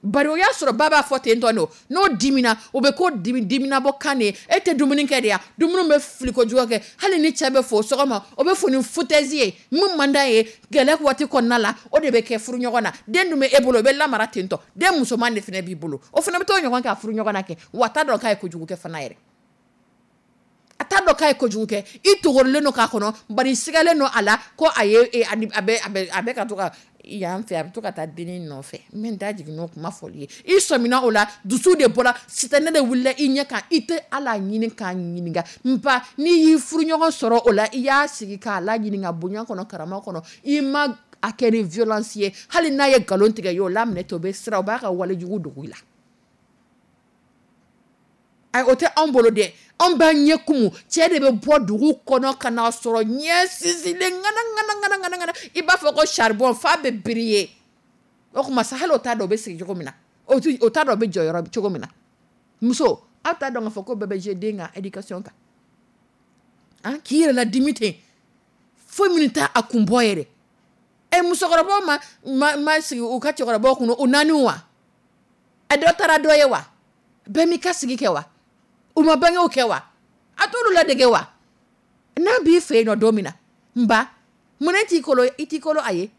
Bari o y'a sɔrɔ ba b'a fɔ ten tɔ de o, n'o dimina, o bɛ ko dimi, dimina bɔ kan de ye. E tɛ dumuni kɛ de ya? Dumuni bɛ fili kojugu kɛ. Hali ni cɛ bɛ fo sɔgɔma, o bɛ fo ni foutaise ye. Min man d'a ye, gɛlɛya waati kɔnɔna la, o de bɛ kɛ furuɲɔgɔn na. Den dun bɛ e bolo, o bɛ lamara ten tɔ. Den musoman de fana b'i bolo. O fana bɛ t'o ɲɔgɔn kɛ a furuɲɔgɔn na kɛ. Wa a t'a dɔn k'a ye kojugu kɛ fana yɛrɛ. A t'a dɔn k'a ye kojugu kɛ. I togorilen don k'a kɔnɔ, bari i sigalen don a la ko a ye, a bɛ, a bɛ, a bɛ ka to ka yan fɛ, a bɛ to ka taa dennin nɔfɛ. N bɛ n da jigin n'o kuma fɔli ye. I sɔmina o la, dusu de bɔra, sitanɛ de wulila i ɲɛ kan. I tɛ ala ɲini k'a ɲininka. N ba, n'i y'i furuɲɔgɔn sɔrɔ o la, i y'a sigi k'a la ɲininka bonya kɔnɔ, karama kɔnɔ, i ma a kɛ ni violence ye. Hali n'a ye nkalon tigɛ i ye, o laminɛ ten, o bɛ siran, o b'a ka walejugu dogo i la. Ayi, o tɛ anw bolo dɛ. Anw b'an ɲɛ kumu. Cɛ de bɛ bɔ dugu kɔnɔ ka n'a sɔrɔ ɲɛ sinsinlen ŋana ŋana ŋana ŋana ŋana, i b'a fɔ ko charbon f'a bɛ briller. O tuma sa, hali o t'a dɔn o bɛ sigi cogo min na, o t'a dɔn o bɛ jɔ yɔrɔ cogo min na. Muso, aw t'a dɔn k'a fɔ ko bɛɛ bɛ jouer den ka éducation kan. An k'i yɛrɛ ladimi ten, foyi minnu t'a a kun bɔ yɛrɛ. Ɛ, musokɔrɔbaw ma sigi u ka cɛkɔrɔbaw kun u naani wa? A dɔ taara dɔ ye wa? Bɛɛ m'i ka sigi kɛ wa? U ma bangew kɛ wa? A t'olu ladege wa? N'a b'i fɛ yen nɔ don min na, n ba, munna i t'i kolo, i t'i kolo a ye?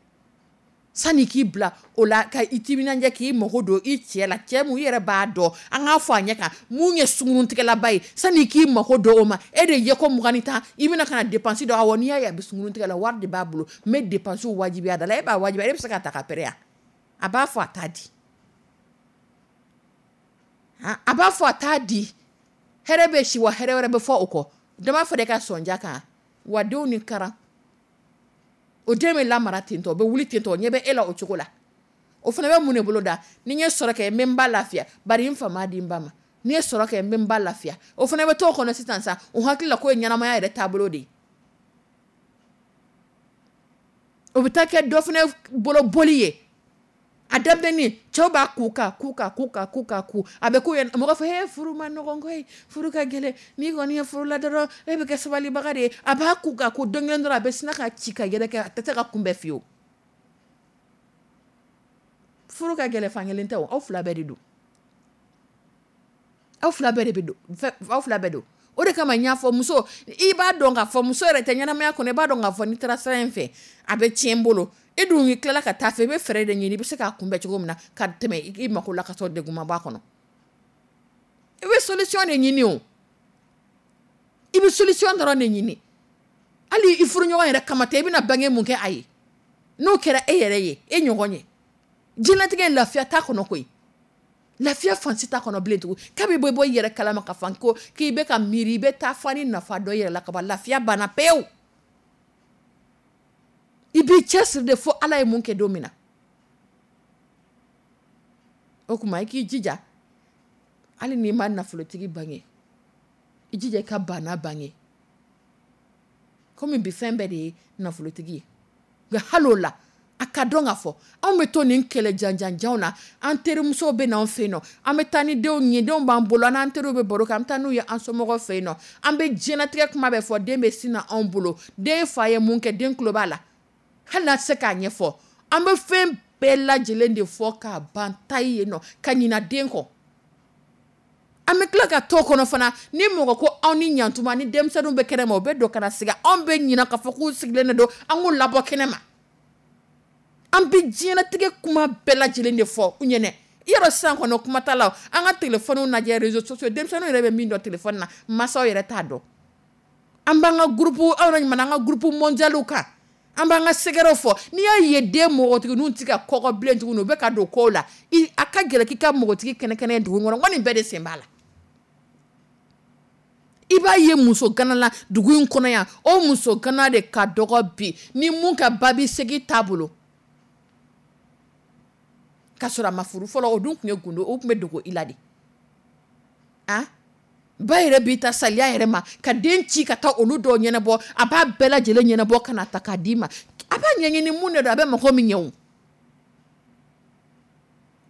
Sani k'i bila o la ka i timinanja k'i mago don i cɛ la, cɛ mun i yɛrɛ b'a dɔn, an k'a fɔ a ɲɛ kan, mun ye sunguruntigɛlaba ye, sani k'i mago don o ma, e de ye ko 20 ni 10, i bɛna ka na dépense dɔn. Awɔ, n'i y'a ye a bɛ sunguruntigɛ la, wari de b'a bolo, n bɛ dépense wajibiya da la. E b'a wajibiya, e bɛ se k'a ta ka pɛrɛn yan. A b'a fɔ a t'a di. A b'a fɔ a t'a di. Hɛrɛ bɛ si wa, hɛrɛ wɛrɛ bɛ fɔ o kɔ. Dɔ b'a fɔ de ka sɔnja kan wa, denw ni karan. O den bɛ lamara ten tɔ, o bɛ wuli ten tɔ, o ɲɛ bɛ e la o cogo la. O fana bɛ mun de bolo da? Ni n ye sɔrɔ kɛ, n bɛ n ba lafiya, bari n fa m'a di n ba ma. Ni n ye sɔrɔ kɛ, n bɛ n ba lafiya. O fana bɛ t'o kɔnɔ sisan sa, o hakili la k'o ye ɲɛnamaya yɛrɛ taabolo de ye. O bɛ taa kɛ dɔ fana bolo boli ye. A daminɛni, cɛw b'a ku ka ku ka ku ka ku ka ku, a bɛ k'u ye, mɔgɔ fɔ he, furu ma nɔgɔn koyi, furu ka gɛlɛn, n'i kɔni ye furu la dɔrɔn e bɛ kɛ sabalibaga de ye. A b'a ku ka ku, don kelen dɔrɔn a bɛ sina ka ci ka yɛrɛkɛ, a tɛ se ka kunbɛn fiyewu. Furu ka gɛlɛn fankelen tɛ o, aw fila bɛɛ de don. Aw fila bɛɛ de bɛ don, aw fila bɛɛ don. O de kama n y'a fɔ muso, i b'a dɔn k'a fɔ muso yɛrɛ tɛ ɲɛnamaya kɔnɔ, i b'a dɔn k'a fɔ n'i taara sira in fɛ, a bɛ tiɲɛ n bolo. E dun y'i tilala ka taa fɛ, i bɛ fɛɛrɛ de ɲini, i bɛ se k'a kunbɛn cogo min na, ka tɛmɛ i mako la ka sɔrɔ degun ma bɔ a kɔnɔ. I bɛ solution de ɲini o. I bɛ solution dɔrɔn de ɲini. Hali i furuɲɔgɔn yɛrɛ kama tɛ, i bɛna bange mun kɛ a ye. N'o kɛra e yɛrɛ ye, e ɲɔgɔn ye. Diɲɛlatigɛ lafiya t'a kɔnɔ koyi. Lafiya fansi t'a kɔnɔ bilen tugun. Kabi bɛ bɔ i yɛrɛ kalama ka fan ko k'i bɛ ka miiri, i bɛ taa fa ni nafa dɔ yɛrɛ la ka ban, lafiya banna pewu. I b'i cɛsiri de fo Ala ye mun kɛ don min na. O tuma i k'i jija, hali n'i ma nafolotigi bange, i jija i ka baana bange. Komi bi fɛn bɛɛ de ye nafolotigi ye. Nka hali o la, a ka dɔn k'a fɔ anw bɛ to nin kɛlɛ janjanjanw na, an terimusow bɛ n'anw fɛ yen nɔ, an bɛ taa ni denw ye, denw b'an bolo, an n'an teriw bɛ baro kɛ, an bɛ taa n'u ye an somɔgɔw fɛ yen nɔ, an bɛ diɲɛlatigɛ kuma bɛɛ fɔ, den bɛ sin na anw bolo, den fa ye mun kɛ, den tulo b'a la, hali n'a tɛ se k'a ɲɛfɔ, an bɛ fɛn bɛɛ lajɛlen de fɔ k'a ban tayi yen nɔ, ka ɲina den kɔ. An bɛ tila ka to kɔnɔ fana, ni mɔgɔ ko aw ni ɲantuma ni denmisɛnninw bɛ kɛnɛ ma, o bɛ don ka na sigi, anw bɛ ɲina k'a fɔ k'u sigilen de don, an k'u labɔ kɛnɛ ma. An bɛ diɲɛlatigɛ kuma bɛɛ lajɛlen de fɔ u ɲɛnɛ. I y'a dɔn sisan kɔnɔ kuma t'a la, an ka téléphone lajɛ, réseaux sociaux, denmisɛnninw yɛrɛ bɛ min dɔn téléphone na, mansaw yɛrɛ t'a dɔn. An b'an ka groupe, aw yɛrɛ ɲuman an ka groupe mondial kan, an b'an ka secret fɔ. N'i y'a ye den mɔgɔtigininw tɛ ka kɔgɔ bilen tuguni, u bɛ ka don kow la, a ka gɛlɛn k'i ka mɔgɔtigi kɛnɛ-kɛnɛ dugu kɔnɔ, n ko nin bɛɛ de sen b'a la. I b'a ye muso gana la dugu in kɔnɔ yan, o muso gana de ka dɔgɔ bi ni mun ka babi segi t'a bolo. K'a sɔrɔ a ma furu fɔlɔ, o dun tun ye gundo, o tun bɛ dogo i la de. Han? Ba yɛrɛ b'i ta saliya yɛrɛ ma ka den ci ka taa olu dɔw ɲɛnabɔ, a b'a bɛɛ lajɛlen ɲɛnabɔ ka na ta k'a d'i ma. A b'a ɲɛɲini mun de don, a bɛ mako min ɲɛ o.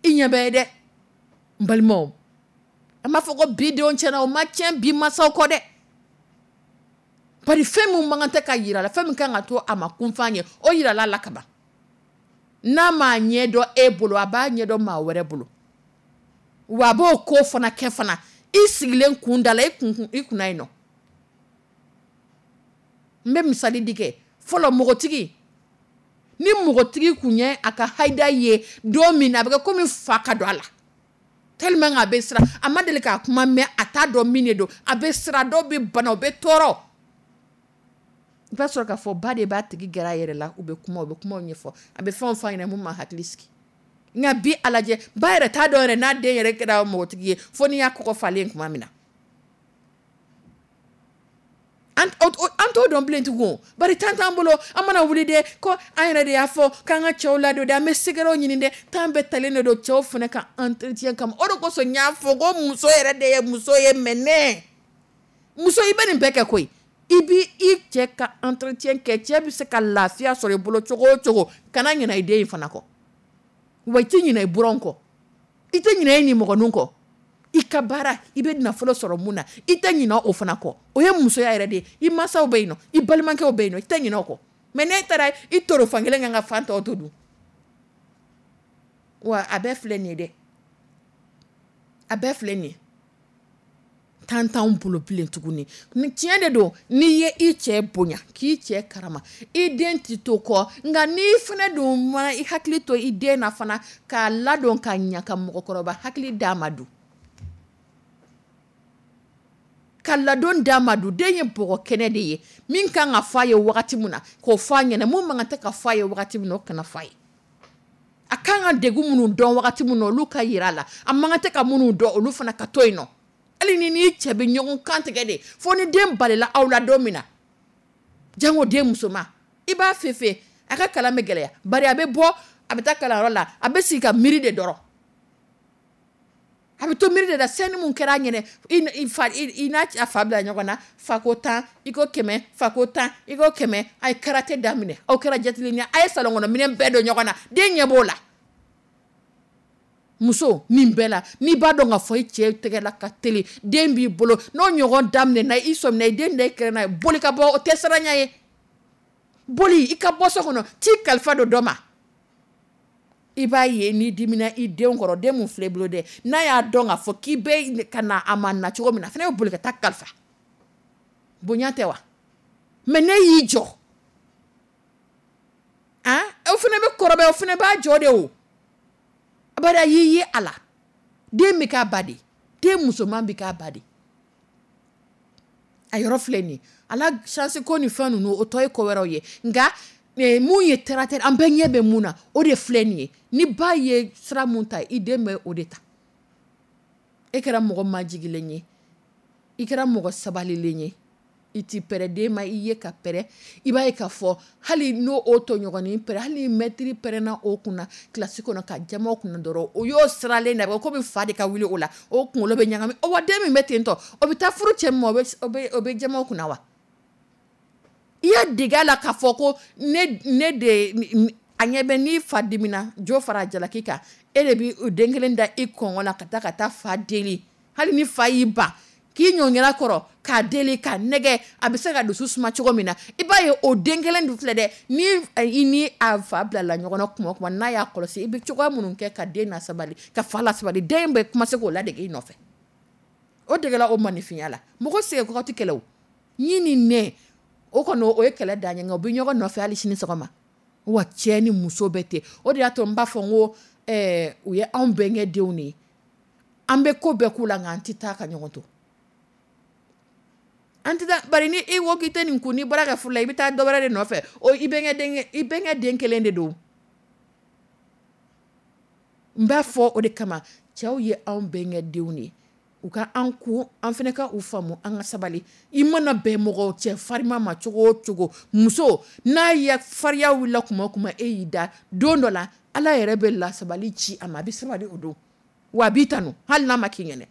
I ɲɛ bɛ ye dɛ, n balimaw. An b'a fɔ ko bi denw tiɲɛna, o ma tiɲɛ bi masaw kɔ dɛ. Bari fɛn min man kan tɛ ka yira la, fɛn min kan ka to a ma kunfan ye, o yirala la ka ban. N'a m'a ɲɛ dɔn e bolo, a b'a ɲɛ dɔn maa wɛrɛ bolo. Wa a b'o ko fana kɛ fana, i sigilen kun da la, i kun, i kunna yen nɔ. N bɛ misali di kɛ, fɔlɔ mɔgɔtigi, ni mɔgɔtigi kun ye a ka hayida ye don min na, a bɛ kɛ komi fa ka don a la. Tellement a bɛ siran, a ma deli k'a kuma mɛn, a t'a dɔn min de don, a bɛ siran, dɔw bɛ bana, u bɛ tɔɔrɔ. I b'a sɔrɔ k'a fɔ ba de b'a tigi gɛrɛ a yɛrɛ la, u bɛ kuma, u bɛ kumaw ɲɛfɔ, a bɛ fɛnw f'a ɲɛna mun b'a hakili sigi. Nka bi a lajɛ, ba yɛrɛ t'a dɔn yɛrɛ n'a den yɛrɛ kɛra npogotigi ye fo n'i y'a kɔkɔ falen tuma min na. An t'o dɔn bilen tugun, bari temps t'an bolo, an mana wuli de ko an yɛrɛ de y'a fɔ k'an ka cɛw ladon dɛ, an bɛ secret ɲini dɛ, temps bɛɛ talen de don cɛw fana ka entretien kama. O de kosɔn n y'a fɔ ko muso yɛrɛ de ye muso ye mɛnɛ. Muso i bɛ nin bɛɛ kɛ koyi. I b'i i cɛ ka entretien kɛ, cɛ bɛ se ka lafiya sɔrɔ i bolo cogo o cogo, kana ɲinɛ i den in fana kɔ. Wa i tɛ ɲinɛ i buranw kɔ. I tɛ ɲinɛ i nimɔgɔninw kɔ. I ka baara, i bɛ nafolo sɔrɔ mun na, i tɛ ɲinɛ o fana kɔ. O ye musoya yɛrɛ de ye. I mansaw bɛ yen nɔ, i balimakɛw bɛ yen nɔ, i tɛ ɲinɛ o kɔ. Mais n'e taara i toro fankelen kan ka fan tɔw to dun? Wa a bɛɛ filɛ nin ye dɛ. A bɛɛ filɛ nin ye. Temps t'anw bolo bilen tuguni. Ni tiɲɛ de don, n'i ye i cɛ bonya, k'i cɛ karama, i den tɛ to kɔ, nka n'i fana dun ma i hakili to i den na fana, k'a ladon ka ɲɛ, ka mɔgɔkɔrɔba hakili d'a ma dun. Ka ladon d'a ma dun, den ye bɔgɔ kɛnɛ de ye, min kan ka fɔ a ye wagati min na, k'o fɔ a ɲɛna, mun man kan tɛ ka fɔ a ye wagati min na, o kana fɔ a ye. A kan ka degun minnu dɔn wagati min na, olu ka yira a la. A man kan tɛ ka minnu dɔn, olu fana ka to yen nɔ. Hali ni n'i cɛ bɛ ɲɔgɔn kan tigɛ de, fo ni den balila aw la don min na, jango den musoman, i b'a fefe, a ka kalan bɛ gɛlɛya, bari a bɛ bɔ, a bɛ taa kalanyɔrɔ la, a bɛ sigi ka miiri de dɔrɔn. A bɛ to miiri de la, scène mun kɛra a ɲɛnɛ, i fa i n'a a fa bila ɲɔgɔn na, fa ko 10, i ko 100, fa ko 10, i ko 100, a ye karaté daminɛ, aw kɛra jatigi a ye salon kɔnɔ minɛn bɛɛ don ɲɔgɔn na, den ɲɛ b'o la. Muso nin bɛɛ la, n'i b'a dɔn k'a fɔ i cɛ tɛgɛ la ka teli, den b'i bolo, n'o ɲɔgɔn daminɛ i sɔmina i den da i kɛrɛ n'a ye, boli ka bɔ, o tɛ siranya ye. Boli i ka bɔ so kɔnɔ, t'i kalifa don dɔ ma. I b'a ye n'i dimina i denw kɔrɔ, den mun filɛ i bolo dɛ, n'a y'a dɔn k'a fɔ k'i bɛ ka na a ma na cogo min na, a fana bɛ boli ka taa kalifa. Bonya tɛ wa? Mais ne y'i jɔ, han, o fana bɛ kɔrɔbaya, o fana b'a jɔ de o. Bari a y'i ye a la, den bɛ k'a ba de, den musoman bɛ k'a ba de. A yɔrɔ filɛ nin ye, a la chance ko ni fɛn ninnu, o tɔ ye ko wɛrɛw ye, nka mun ye terre à terre, an bɛɛ ɲɛ bɛ mun na, o de filɛ nin ye. Ni ba ye sira mun ta, i den bɛ o de ta. E kɛra mɔgɔ majigilen ye, i kɛra mɔgɔ sabalilen ye, i ti pɛrɛ den ma, i ye ka pɛrɛ, i b'a ye k'a fɔ hali n'o o tɔɲɔgɔnnin pɛrɛ, hali ni mɛtiri pɛrɛnna o kunna kilasi kɔnɔ ka jama o kunna dɔrɔn, o y'o siralen de, a bɛ komi fa de ka wuli o la, o kunkolo bɛ ɲagami. O wa den min bɛ ten tɔ, o bɛ taa furu cɛ min ma, o bɛ jama o kunna wa? I y'a dege a la k'a fɔ ko ne de a ɲɛ bɛ n'i fa dimina, jo fara jalaki kan, e de bɛ den kelen da i kɔngɔ la ka taa fa deli, hali ni fa y'i ban k'i ɲɔngɛrɛ kɔrɔ k'a deli k'a nɛgɛ, a bɛ se ka dusu suma cogo min na, i b'a ye o den kelen dun filɛ dɛ, ni i ni a fa bilala ɲɔgɔn na kuma o kuma, n'a y'a kɔlɔsi, i bɛ cogoya minnu kɛ ka den lasabali, ka fa lasabali, den bɛ kuma se k'o ladege i nɔfɛ. O degela o maninfinya la. Mɔgɔ sɛgɛn kɔgɔ tɛ kɛlɛ o. Ɲin ni nɛ, o kɔni o ye kɛlɛ dan ye, nka u bɛ ɲɔgɔn nɔfɛ hali sini sɔgɔma. Wa cɛ ni muso bɛ ten. O de y'a to n b'a fɔ n ko u ye anw bɛnkɛ denw de ye. An bɛ ko bɛɛ k'u la, nka an tɛ taa ka ɲɔgɔn to. An tɛ taa, bari ni i ko k'i tɛ nin kun, n'i bɔra ka furu la, i bɛ taa dɔ wɛrɛ de nɔfɛ. O i bɛnkɛ den kelen de don. N b'a fɔ o de kama, cɛw ye anw bɛnkɛ denw de ye. U ka an kun, an fana ka u faamu, an ka sabali. I mana bɛn mɔgɔ cɛ farima ma cogo o cogo, muso n'a ye fariya wulila kuma o kuma, e y'i da don dɔ la, Ala yɛrɛ bɛ lasabali ci a ma, a bɛ sabali o don. Wa a b'i tanu hali n'a ma k'i ɲɛna.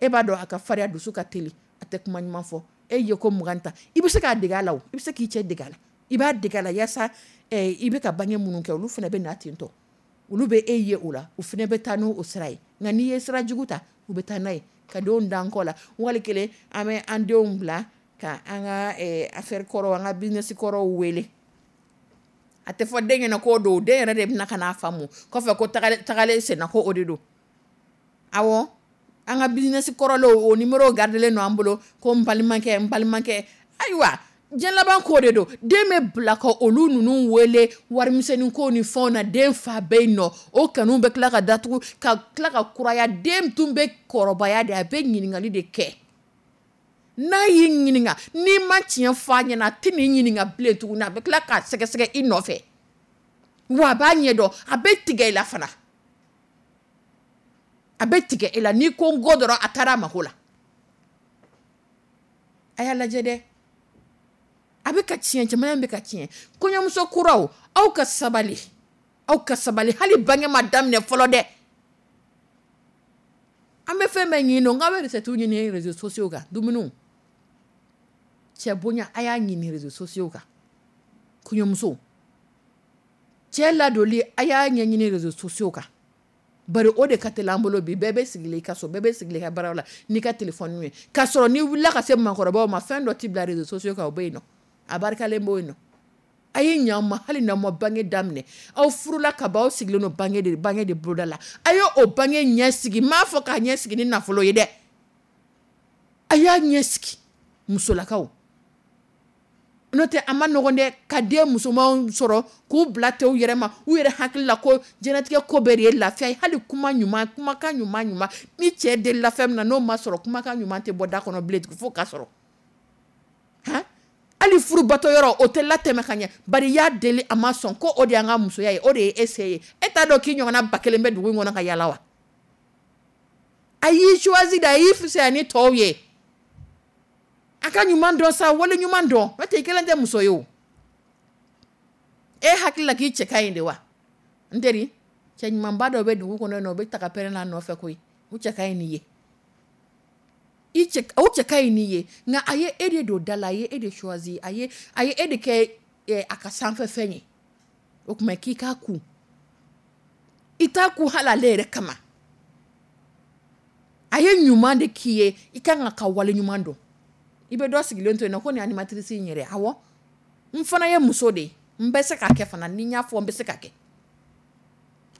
E b'a dɔn a ka fariya, dusu ka teli, a tɛ kuma ɲuman fɔ. E ye ko 20 ta, i bɛ se k'a dege a la, i bɛ se k'i cɛ dege a la. I b'a dege a la yaasa i bɛ ka bange minnu kɛ, olu fana bɛ na ten tɔ. Olu bɛ e ye o la, u fana bɛ taa n'o sira ye. Nka n'i ye sira jugu ta, u bɛ taa n'a ye ka denw dan kɔ la. Wali kelen an bɛ an denw bila ka an ka affaire kɔrɔ, an ka business kɔrɔw wele. A tɛ fɔ den ɲɛna k'o don, den yɛrɛ de bɛna ka n'a faamu kɔfɛ ko tagalen senna ko o de don. Awɔ, an ka business kɔrɔlenw o numéro gardelen don an bolo, ko n balimakɛ, n balimakɛ. Ayiwa, diɲɛ laban ko de don. Den bɛ bila ka olu ninnu wele warimisɛnnin ko ni fɛnw na, den fa bɛ yen nɔ, o kanu bɛ tila ka datugu, ka tila ka kuraya. Den tun bɛ kɔrɔbaya de, a bɛ ɲininkali de kɛ. N'a y'i ɲininka, n'i ma tiɲɛ fɔ a ɲɛna, a tɛ n'i ɲininka bilen tuguni. A bɛ tila k'a sɛgɛsɛgɛ i nɔfɛ, wa a b'a ɲɛdɔn, a bɛ tigɛ i la fana, a bɛ tigɛ i la. N'i ko n ko dɔrɔn, a taara a mako la. A y'a lajɛ dɛ, a bɛ ka tiɲɛ, jamana in bɛ ka tiɲɛ. Kɔɲɔmuso kuraw, aw ka sabali, aw ka sabali. Hali bange ma daminɛ fɔlɔ dɛ. An bɛ fɛn bɛɛ ɲini, nɔ k'aw bɛ recette ɲini réseaux sociaux kan, dumuniw cɛ bonya, a y'a ɲini réseaux sociaux kan. Kɔɲɔmuso cɛ ladoli, a y'a ɲɛɲini réseaux sociaux kan, bari o de ka teli an bolo bi. Bɛɛ bɛ sigilen i ka so, bɛɛ bɛ sigilen i ka baara la n'i ka téléphone ye, k'a sɔrɔ n'i wulila ka se maakɔrɔbaw ma, fɛn dɔ t'i bila réseaux sociaux kan, o bɛ yen nɔ, a barikalen b'o yen nɔ. A ye ɲɛ ma, hali n'aw ma bange daminɛ, aw furula ka ban, aw sigilen don bange de boloda la, a ye o bange ɲɛ sigi. N m'a fɔ k'a ɲɛ sigi ni nafolo ye dɛ, a y'a ɲɛ sigi, musolakaw. N'o tɛ, a ma nɔgɔn dɛ, ka den musomanw sɔrɔ k'u bila ten u yɛrɛ ma, u yɛrɛ hakili la ko diɲɛlatigɛ ko bɛɛ de ye lafiya ye. Hali kuma ɲuman, kumakan ɲuman ɲuman, ni cɛ delila fɛn min na, n'o ma sɔrɔ, kumakan ɲuman tɛ bɔ da kɔnɔ bilen fo ka sɔrɔ han. Hali furubatɔ yɔrɔ, o tɛ latɛmɛ ka ɲɛ, bari i y'a deli, a ma sɔn, ko o de y'an ka musoya ye, o de ye e se ye. E t'a dɔn k'i ɲɔgɔnna 1000 bɛ dugu in kɔnɔ ka yala wa? A y'i choisi de, a y'i fisaya ni tɔw ye. A ka ɲuman dɔn sa, wale ɲuman dɔn. N'o tɛ, i kelen tɛ muso ye o. E hakili la k'i cɛ ka ɲi de wa? N teri, cɛ ɲumanba dɔ bɛ dugu kɔnɔ yen nɔ, o bɛ ta ka pɛrɛn n'a nɔfɛ koyi. O cɛ ka ɲi n'i ye, i cɛ, o cɛ ka ɲi n'i ye, nka a ye e de don da la, a ye e de choisi, a ye e de kɛ a ka sanfɛ fɛn ye. O tuma k'i k'a kun, i t'a kun hali ale yɛrɛ kama. A ye ɲuman de k'i ye, i kan ka wale ɲuman dɔn. I bɛ dɔ sigilen to yen nɔ ko nin animatrice in yɛrɛ. Awɔ, n fana ye muso de ye, n bɛ se k'a kɛ fana. Ni n y'a fɔ, n bɛ se k'a kɛ.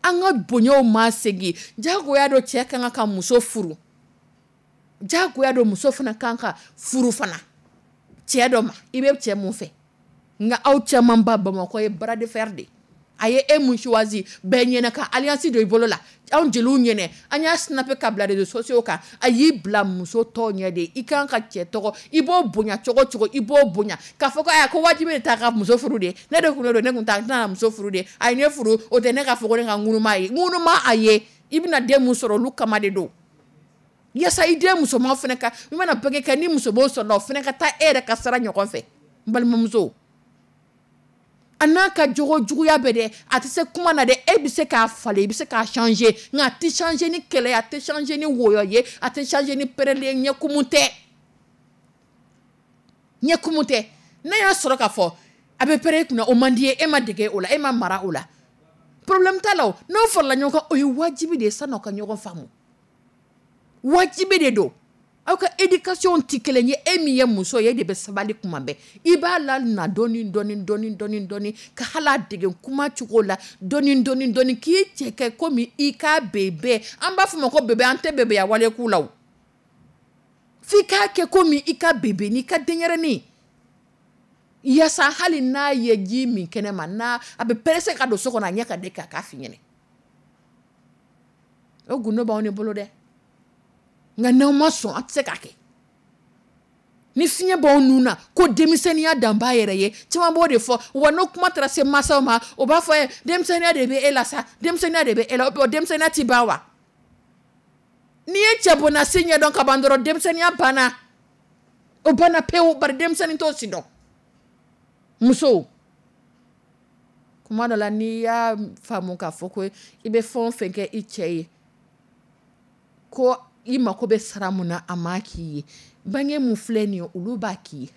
An ka bonyaw ma segin. Jagoya don, cɛ kan ka muso furu, jagoya don, muso fana kan ka furu fana cɛ dɔ ma, i bɛ cɛ mun fɛ. Nka aw caman ba Bamakɔ ye bras de fer de. A ye e mun choisi bɛɛ ɲɛna ka alliance don i bolo la, anw jeliw ɲɛnɛ, an y'a snapper ka bila réseaux sociaux kan. A y'i bila muso tɔw ɲɛ de. I kan ka cɛ tɔgɔ, i b'o bonya cogo cogo, i b'o bonya k'a fɔ ko aya, ko wajibi de t'a ka muso furu de. Ne de kun don, ne kun t'a tɛna muso furu de. A ye ne furu, o tɛ ne ka fɔ ko ne ka ŋunuma ye, ŋunuma a ye. I bɛna den mun sɔrɔ, olu kama de don, yaasa i den musoman fana ka, i mana bange kɛ ni musoman sɔrɔla, o fana ka taa e yɛrɛ ka sara ɲɔgɔn fɛ. N balimamuso, a n'a ka jogo juguya bɛ dɛ, a tɛ se kuma na dɛ, e bɛ se k'a falen, i bɛ se k'a changer, nka a tɛ changer ni kɛlɛ ye, a tɛ changer ni wɔyɔ ye, a tɛ changer ni pɛrɛli ye. Ɲɛkumu tɛ, ɲɛkumu tɛ. N'a y'a sɔrɔ k'a fɔ a bɛ pɛrɛn i kunna, o man di ye, e ma dege o la, e ma mara o la, problème t'a la. O n'aw farala ɲɔgɔn kan, o ye wajibi de ye san'aw ka ɲɔgɔn faamu. Wajibi de don. Aw ka éducation tɛ kelen ye. E min ye muso ye, e de bɛ sabali kuma bɛɛ. I b'a la na dɔɔni dɔɔni dɔɔni dɔɔni dɔɔni, ka hali a dege kuma cogo la dɔɔni dɔɔni dɔɔni, k'i cɛ kɛ komi i ka bébé. An b'a fɔ o ma ko bébé, an tɛ bébéya wale k'u la o. F'i k'a kɛ komi i ka bébé n'i ka denyɛrɛnin, yaasa hali n'a ye ji min kɛnɛ ma, n'a a bɛ pressé ka don so kɔnɔ, a ɲɛ ka den k'a f'i ɲɛnɛ. O gundo b'anw de bolo dɛ, nka n'aw ma sɔn, an tɛ se k'a kɛ. Ni fiɲɛ b'aw nun na ko denmisɛnninya dan b'a yɛrɛ ye, caman b'o de fɔ wa. N'o kuma taara se mansaw ma, o b'a fɔ ye denmisɛnninya de bɛ e la sa, denmisɛnninya de bɛ e la. O denmisɛnninya ti ban wa? N'i ye cɛ bonnasi ɲɛdɔn ka ban dɔrɔn, denmisɛnninya banna, o banna pewu, bari denmisɛnnin t'o si dɔn. Musow, kuma dɔ la, n'i y'a faamu k'a fɔ ko i bɛ fɛn o fɛn kɛ i cɛ ye, ko i mako bɛ sara mun na, a ma k'i ye, bange mun filɛ nin ye, olu b'a k'i ye.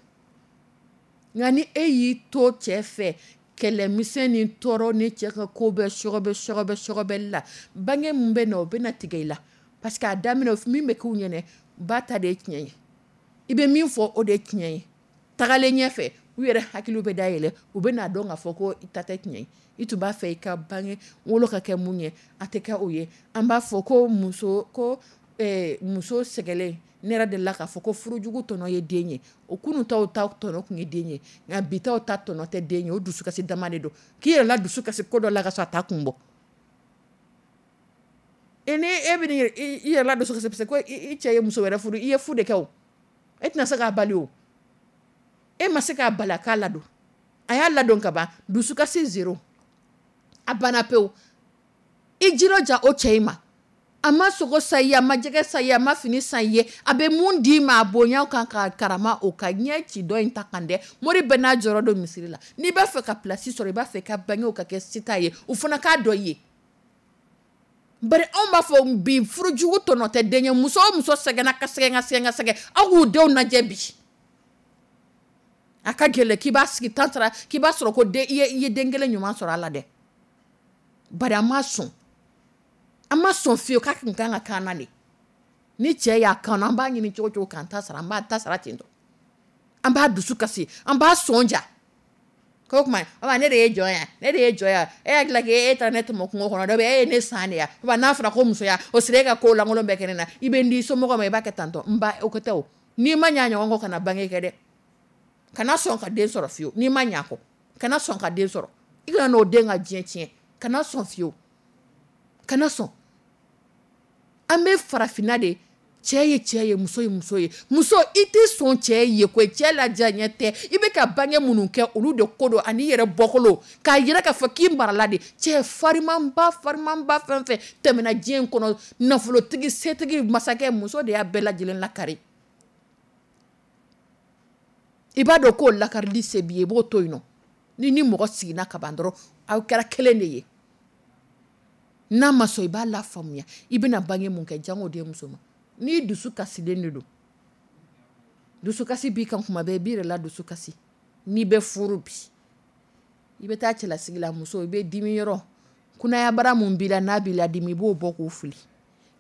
Nka ni e y'i to cɛ fɛ, kɛlɛmisɛn ni tɔɔrɔ ni cɛ ka ko bɛɛ sɔgɔbɛ sɔgɔbɛ sɔgɔbɛli la, bange mun bɛ na, o bɛ na tigɛ i la, parce que a daminɛ min bɛ k'u ɲɛnɛ, ba ta de ye tiɲɛ ye, i bɛ min fɔ, o de ye tiɲɛ ye. Tagalen ɲɛfɛ, u yɛrɛ hakiliw bɛ dayɛlɛ, u bɛ n'a dɔn k'a fɔ ko i ta tɛ tiɲɛ ye. I tun b'a fɛ i ka bange wolo ka kɛ mun ye, a tɛ kɛ o ye. An b'a fɔ ko muso ko muso sɛgɛlen, ne yɛrɛ delila k'a fɔ ko furujugu tɔnɔ ye den ye. O kunun taw ta tɔnɔ tun ye den ye, nka bi taw ta tɔnɔ tɛ den ye, o dusukasi dama de don, k'i yɛrɛ la dusu kasi ko dɔ la ka sɔrɔ a ta kun bɔ. E ni e bɛ i yɛrɛ la dusu kasi parce que ko i cɛ ye muso wɛrɛ furu, i ye fu de kɛ o. E tɛna se k'a bali o, e ma se k'a bali a k'a ladon, a y'a ladon ka ban, dusukasi zéro, a banna pewu. I jilaja o cɛ in ma, a ma sogo san i ye, a ma jɛgɛ san i ye, a ma fini san i ye, a bɛ mun d'i ma a bonya kan ka karama o kan, ɲɛ ci dɔ in ta kan dɛ. Mori bɛɛ n'a jɔyɔrɔ don misiri la. N'i b'a fɛ ka place sɔrɔ, i b'a fɛ ka bangew ka kɛ sita ye, u fana k'a dɔn i ye. Bari anw b'a fɔ bi furujugu tɔnɔ tɛ den ye. Muso o muso sɛgɛnna ka sɛgɛn ka sɛgɛn ka sɛgɛn, aw k'u denw lajɛ bi. A ka gɛlɛn k'i b'a sigi tan sara k'i b'a sɔrɔ ko den, i ye den kelen ɲuman sɔrɔ a la dɛ. Bari an ma sɔn. An ma sɔn fiyewu k'a kun kan ka k'an na de. Ni cɛ y'a kanu, an b'a ɲini cogo cogo k'an ta sara, an b'an ta sara ten tɔ. An b'a dusu kasi, an b'a sɔn ja. Ko kuma, ne de ye jɔn ya, ne de ye jɔn ya, e hakili la k'e taara ne tɔmɔ kungo kɔnɔ dɔ bɛ e ye ne san de ya. N'a fɔra ko musoya, o sera e ka ko lankolon bɛɛ kɛ ne na, i bɛ n di somɔgɔw ma, i b'a kɛ tantɔ. N ba, o ko tɛ o. N'i ma ɲɛ a ɲɔgɔn kɔ, kana bange kɛ dɛ. Kana sɔn ka den sɔrɔ fiyewu, n'i ma ɲɛ a kɔ. Kana sɔn ka den sɔrɔ. I kana n'o den ka diɲɛ tiɲɛ. Kana sɔn fiyewu. Kana sɔn. An bɛ farafinna de, cɛ ye cɛ ye, muso ye muso ye. Muso, i tɛ sɔn cɛ ye koyi, cɛ ladiya ɲɛ tɛ. I bɛ ka bange minnu kɛ, olu de ko don, ani yɛrɛ bɔkolo. K'a yira k'a fɔ k'i marala de. Cɛ farimanba, farimanba fɛn fɛn tɛmɛna diɲɛ in kɔnɔ, nafolotigi, setigi, masakɛ, muso de y'a bɛɛ lajɛlen lakari. I b'a dɔn k'o lakarili se b'i ye, i b'o to yen nɔ. Ni ni mɔgɔ siginna ka ban dɔrɔn, aw kɛra kelen de ye. N'a ma sɔn, i b'a lafaamuya. I bɛna bange mun kɛ, jango den muso ma. N'i dusu kasilen de don, dusukasi b'i kan kuma bɛɛ, i b'i yɛrɛ la dusu kasi. N'i bɛ furu bi, i bɛ taa cɛlasigi la, muso, i bɛ dimi yɔrɔ kunnayabara mun b'i la, n'a b'i la dimi, i b'o bɔ k'o fili.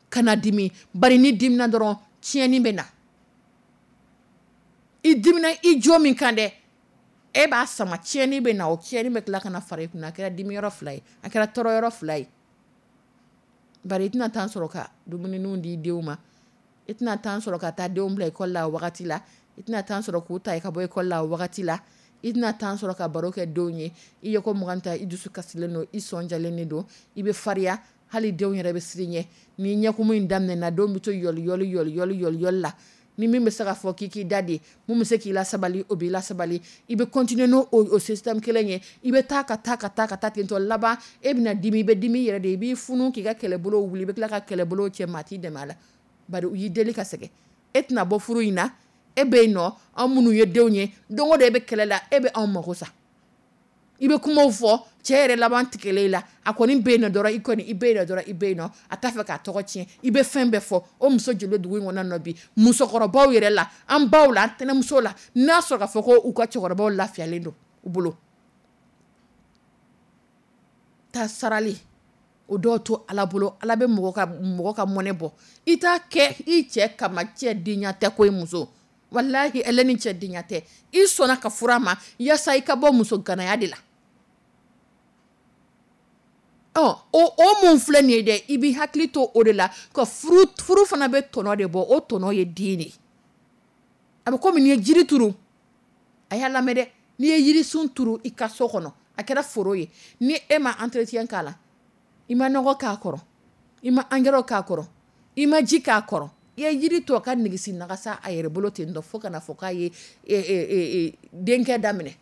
Kana dimi, bari ni dimina dɔrɔn tiɲɛni bɛ na. I dimina i jo min kan dɛ, e b'a sama, tiɲɛni bɛ na, o tiɲɛni bɛ tila ka na fara i kunna. A kɛra dimi yɔrɔ fila ye, a kɛra tɔɔrɔ yɔrɔ fila ye. Bari i tɛna temps sɔrɔ ka dumuniw di denw ma, i tɛna temps sɔrɔ ka taa denw bila école la o wagati la, i tɛna temps sɔrɔ k'u ta ka bɔ école la o wagati la, i tɛna temps sɔrɔ ka baro kɛ denw ye. I ye ko mugan ta, i dusu kasilen don, i sɔn jalen de don, i bɛ fariya, hali denw yɛrɛ bɛ siran i ɲɛ. Ni ɲɛkumu in daminɛna, denw bɛ to yɔli yɔli yɔli yɔli yɔli yɔli la. Ni min bɛ se ka fɔ k'i k'i da de, mun bɛ se k'i la sabali, o b'i la sabali. I bɛ continuer n'o o système kelen ye, i bɛ taa ka taa ka taa ka taa ten tɔ laban, e bɛna dimi, i bɛ dimi i yɛrɛ de ye, i b'i funu k'i ka kɛlɛbolo wuli, i bɛ tila ka kɛlɛbolo cɛ, maa t'i dɛmɛ a la. Bari u y'i deli ka sɛgɛn. E tɛna bɔ furu in na, e bɛ yen nɔ, anw minnu ye denw ye, don o don e bɛ kɛlɛ la, e bɛ anw mago sa. I bɛ kumaw fɔ, cɛ yɛrɛ laban tigɛlen i la, a kɔni bɛ yen nɔ dɔrɔn, i kɔni, i bɛ yen nɔ dɔrɔn, i bɛ yen nɔ, a t'a fɛ k'a tɔgɔ tiɲɛ, i bɛ fɛn bɛɛ fɔ. O muso joli dugu in kɔnɔ nɔ bi, musokɔrɔbaw yɛrɛ la, an baw la, an tɛnɛmuso la, n'a sɔrɔ k'a fɔ ko u ka cɛkɔrɔbaw lafiyalen don u bolo. Ta sarali, o dɔw to Ala bolo, Ala bɛ mɔgɔ ka mɔnɛ bɔ. I t'a kɛ i cɛ kama, cɛ denya tɛ koyi muso. Walahi ele ni cɛ denya tɛ. I sɔnna ka furu a ma, yaasa i ka bɔ muso ganaya de la. Ɔ, o mun filɛ nin ye dɛ, i b'i hakili to o de la, ka furu fana bɛ tɔnɔ de bɔ, o tɔnɔ ye den de ye. A bɛ komi n'i ye jiri turu, a y'a lamɛn dɛ, n'i ye jirisun turu i ka so kɔnɔ, a kɛra foro ye, ni e ma entretien k'a la, i ma nɔgɔ k'a kɔrɔ, i ma engrais k'a kɔrɔ, i ma ji k'a kɔrɔ, i ye jiri to a ka nigisi nagasa a yɛrɛ bolo ten tɔ fo kana fɔ k'a ye denkɛ daminɛ.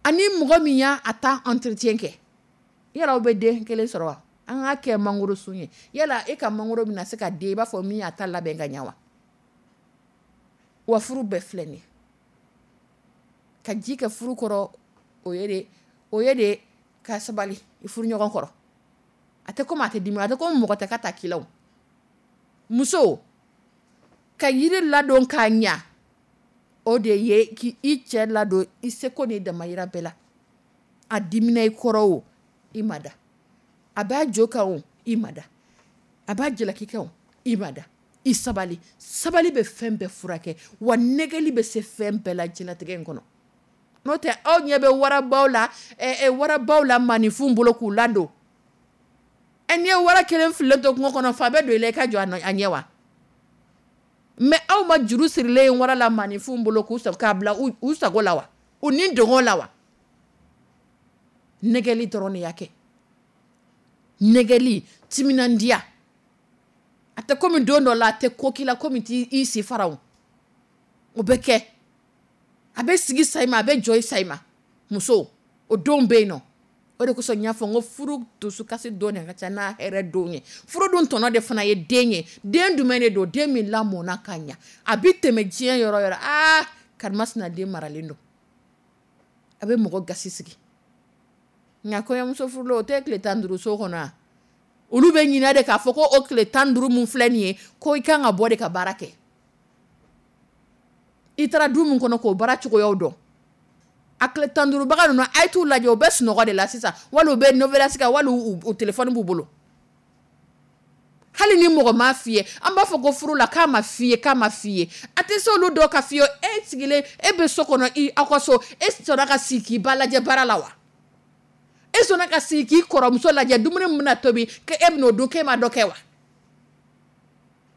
Ani mɔgɔ min y'a ta entretien kɛ, yala aw bɛ den kelen sɔrɔ wa? An k'a kɛ mangoro sun ye, yala e ka mangoro bɛna se ka den i b'a fɔ min y'a ta labɛn ka ɲɛ wa? Wa furu bɛɛ filɛ nin ye. Ka ji kɛ furu kɔrɔ, o ye de ka sabali i furu ɲɔgɔn kɔrɔ. A tɛ komi a tɛ dimi, a tɛ komi mɔgɔ tɛ ka ta k'i la o. Muso, ka yiri ladon k'a ɲa, o de ye k'i cɛ ladon i seko ni damayira bɛɛ la. A dimina i kɔrɔ o, i ma da. A b'a jo kan o, i ma da. A b'a jalaki kan o, i ma da. I sabali. Sabali bɛ fɛn bɛɛ furakɛ, wa nɛgɛli bɛ se fɛn bɛɛ la diɲɛlatigɛ in kɔnɔ. N'o tɛ aw ɲɛ bɛ warabaw la, warabaw la maaninfinw bolo k'u ladon. N'i ye wara kelen fililen to kungo kɔnɔ, fa bɛ don i la i ka jɔ a ɲɛ wa? Mais aw ma juru sirilen ye wara la maaninfinw bolo k'u sago, k'a bila u sago la wa? U ni dɔngɔ la wa? Nɛgɛli dɔrɔn de y'a kɛ. Nɛgɛli, timinandiya. A tɛ komi don dɔ la, a tɛ ko k'i la komi t'i si fara o. O bɛ kɛ, a bɛ sigi sa i ma, a bɛ jɔ i sa i ma. Muso o don bɛ yen nɔ. O de kosɔn n y'a fɔ n ko furu dusukasi don de ka ca n'a hɛrɛ don ye. Furu dun tɔnɔ de fana ye den ye. Den jumɛn de don? Den min lamɔnna ka ɲa, a bɛ tɛmɛ diɲɛ yɔrɔ yɔrɔ, aa karimasina den maralen don, a bɛ mɔgɔ gasi sigi. Nka kɔɲɔmuso furulen o tɛ tile 15 so kɔnɔ wa? Olu bɛ ɲinɛ de k'a fɔ ko o tile 15 min filɛ nin ye, ko i kan ka bɔ de ka baara kɛ. I taara du min kɔnɔ k'o baara cogoyaw dɔn. A tile 15 baga ninnu, a ye t'u lajɛ, u bɛ sunɔgɔ de la sisan, wali u bɛ novelas kan, wali u téléphone b'u bolo. Hali ni mɔgɔ m'a f'i ye, an b'a fɔ ko furu la k'a ma f'i ye, k'a ma f'i ye, a tɛ se olu dɔw ka f'i ye. E sigilen, e bɛ so kɔnɔ, i aw ka so, e sɔnna ka sigi k'i ba lajɛ baara la wa? E sɔnna ka sigi k'i kɔrɔmuso lajɛ dumuni min bɛna tobi, k'e bɛn'o dun, k'e ma dɔ kɛ wa?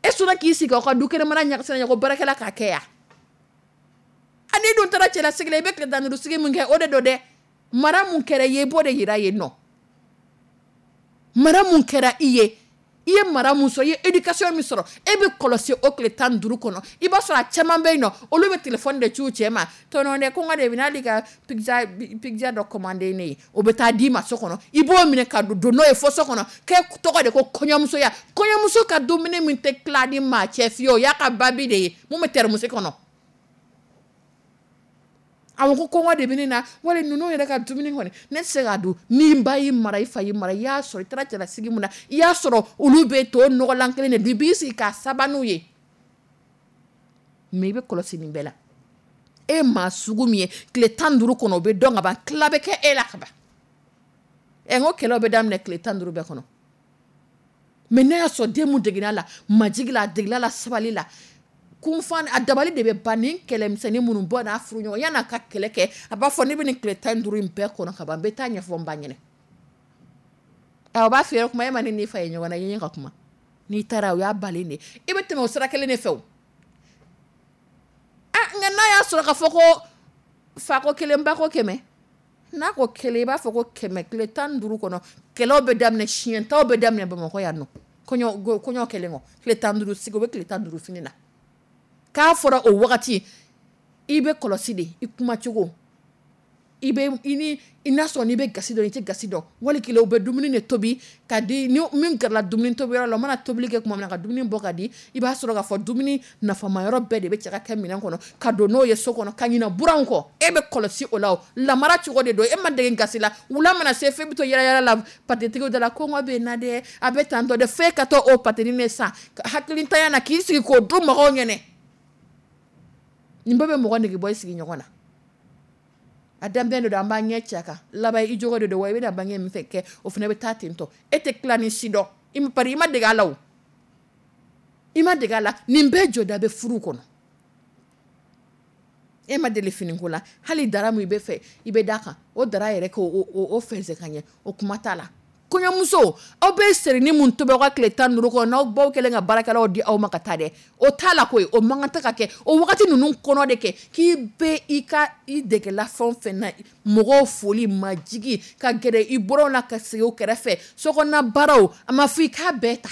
E sɔnna k'i sigi aw ka du kɛnɛmana ɲagasa ko baarakɛla k'a kɛ yan? A n'i dun taara cɛlasigi la, i bɛ tile 15 sigi min kɛ, o de don dɛ. Mara mun kɛra i ye, i b'o de yira yen nɔ. Mara mun kɛra i ye, i ye mara mun sɔrɔ, i ye éducation min sɔrɔ, e bɛ kɔlɔsi o tile 15 kɔnɔ. I b'a sɔrɔ a caman bɛ yen nɔ, olu bɛ téléphone de ci u cɛ ma. Tɔnɔ dɛ, kɔngɔ de bɛ n'ale ka pizza pizza dɔ commandé ne ye, o bɛ taa d'i ma so kɔnɔ. I b'o minɛ ka don n'o ye fo so kɔnɔ. K'e tɔgɔ de ko kɔɲɔmusoya. Kɔɲɔmuso ka dumuni min tɛ tila ni maa cɛ fiyewu, o y'a ka babi de ye mun bɛ thermos kɔnɔ. A ko kɔngɔ de bɛ ne na, wali ninnu yɛrɛ ka dumuni kɔni ne tɛ se k'a dun. Ni ba y'i mara, i fa y'i mara, i y'a sɔrɔ i taara cɛlasigi mun na, i y'a sɔrɔ olu bɛ to nɔgɔlan kelen de dun, i b'i sigi k'a saba n'u ye. Mais i bɛ kɔlɔsi nin bɛɛ la. E maa sugu min ye, tile 15 kɔnɔ o bɛ dɔn ka ban, tila bɛ kɛ e la ka ban. Ɛ n ko kɛlɛw bɛ daminɛ tile 15 bɛɛ kɔnɔ. Mais n'a y'a sɔrɔ den mun degera la majigi la, a degela la sabali la, kunfan a dabali de bɛ ban. Nin kɛlɛmisɛnnin minnu bɔ n'a furu ɲɔgɔn, yan'a ka kɛlɛ kɛ, a b'a fɔ ne bɛ nin tile 15 in bɛɛ kɔnɔ ka ban, n bɛ taa ɲɛfɔ n ba ɲɛna. Ɛ o b'a f'i ye kuma, e ma ne n'i fa ye ɲɔgɔn na, i ye ka kuma. N'i taara o y'a balen de ye, i bɛ tɛmɛ o sira kelen de fɛ o. A nka n'a y'a sɔrɔ k'a fɔ ko fa ko kelen, ba ko kɛmɛ, n'a ko kelen, i b'a fɔ ko kɛmɛ. Tile 15 kɔnɔ kɛlɛw bɛ daminɛ, siɲɛtaw bɛ daminɛ Bamakɔ yan nɔ. Kɔɲɔ kɛlen kɔ, tile 15 sigi, o bɛ tile 15 fini na. K'a fɔra o wagati, i bɛ kɔlɔsi de, i kumacogo, i bɛ i ni i n'a sɔrɔ n'i bɛ gasi dɔn, i tɛ gasi dɔn. Wali kelen u bɛ dumuni de tobi ka di ni min gɛrɛla dumuni tobiyɔrɔ la, u mana tobili kɛ tuma min na ka dumuni bɔ ka di, i b'a sɔrɔ k'a fɔ dumuni nafama yɔrɔ bɛɛ de bɛ cɛ ka kɛ minɛn kɔnɔ ka don n'o ye so kɔnɔ ka ɲinɛ buranw kɔ. E bɛ kɔlɔsi o la, o lamara cogo de don. E ma dege gasi la, wula mana se f'e bɛ to yala yala la patetigiw da la, kɔngɔ bɛ n na dɛ, a bɛ tan tɔ dɛ, f'e ka taa o pateni de san hakilintanya na k'i sigi k'o dun mɔgɔw ɲɛnɛ. Nin bɛɛ bɛ mɔgɔ nege bɔ i sigiɲɔgɔn na. A daminɛ de don, an b'an ɲɛ ci a kan, laban i jogo de don wa, i bɛna bange min fɛ kɛ, o fana bɛ taa ten tɔ. E tɛ tila ni si dɔn, i pari i ma dege a la o, i ma dege a la. Nin bɛɛ jɔda bɛ furu kɔnɔ. E ma deli finiko la, hali dara min i bɛ fɛ i bɛ d'a kan, o dara yɛrɛ k'o o fɛnsɛ ka ɲɛ, o kuma t'a la. Kɔɲɔmuso, aw bɛ serini mun tobi aw ka tile 15 kɔnɔ, n'aw baw kɛlen ka baarakɛlaw di aw ma ka taa dɛ, o t'a la koyi, o man kan tɛ ka kɛ o wagati ninnu kɔnɔ de kɛ k'i bɛ i ka i degela fɛn o fɛn na, mɔgɔw foli, majigi, ka gɛrɛ i bɔrɔw la ka sigi o kɛrɛfɛ, sokɔnɔna baaraw, a ma fɔ i k'a bɛɛ ta,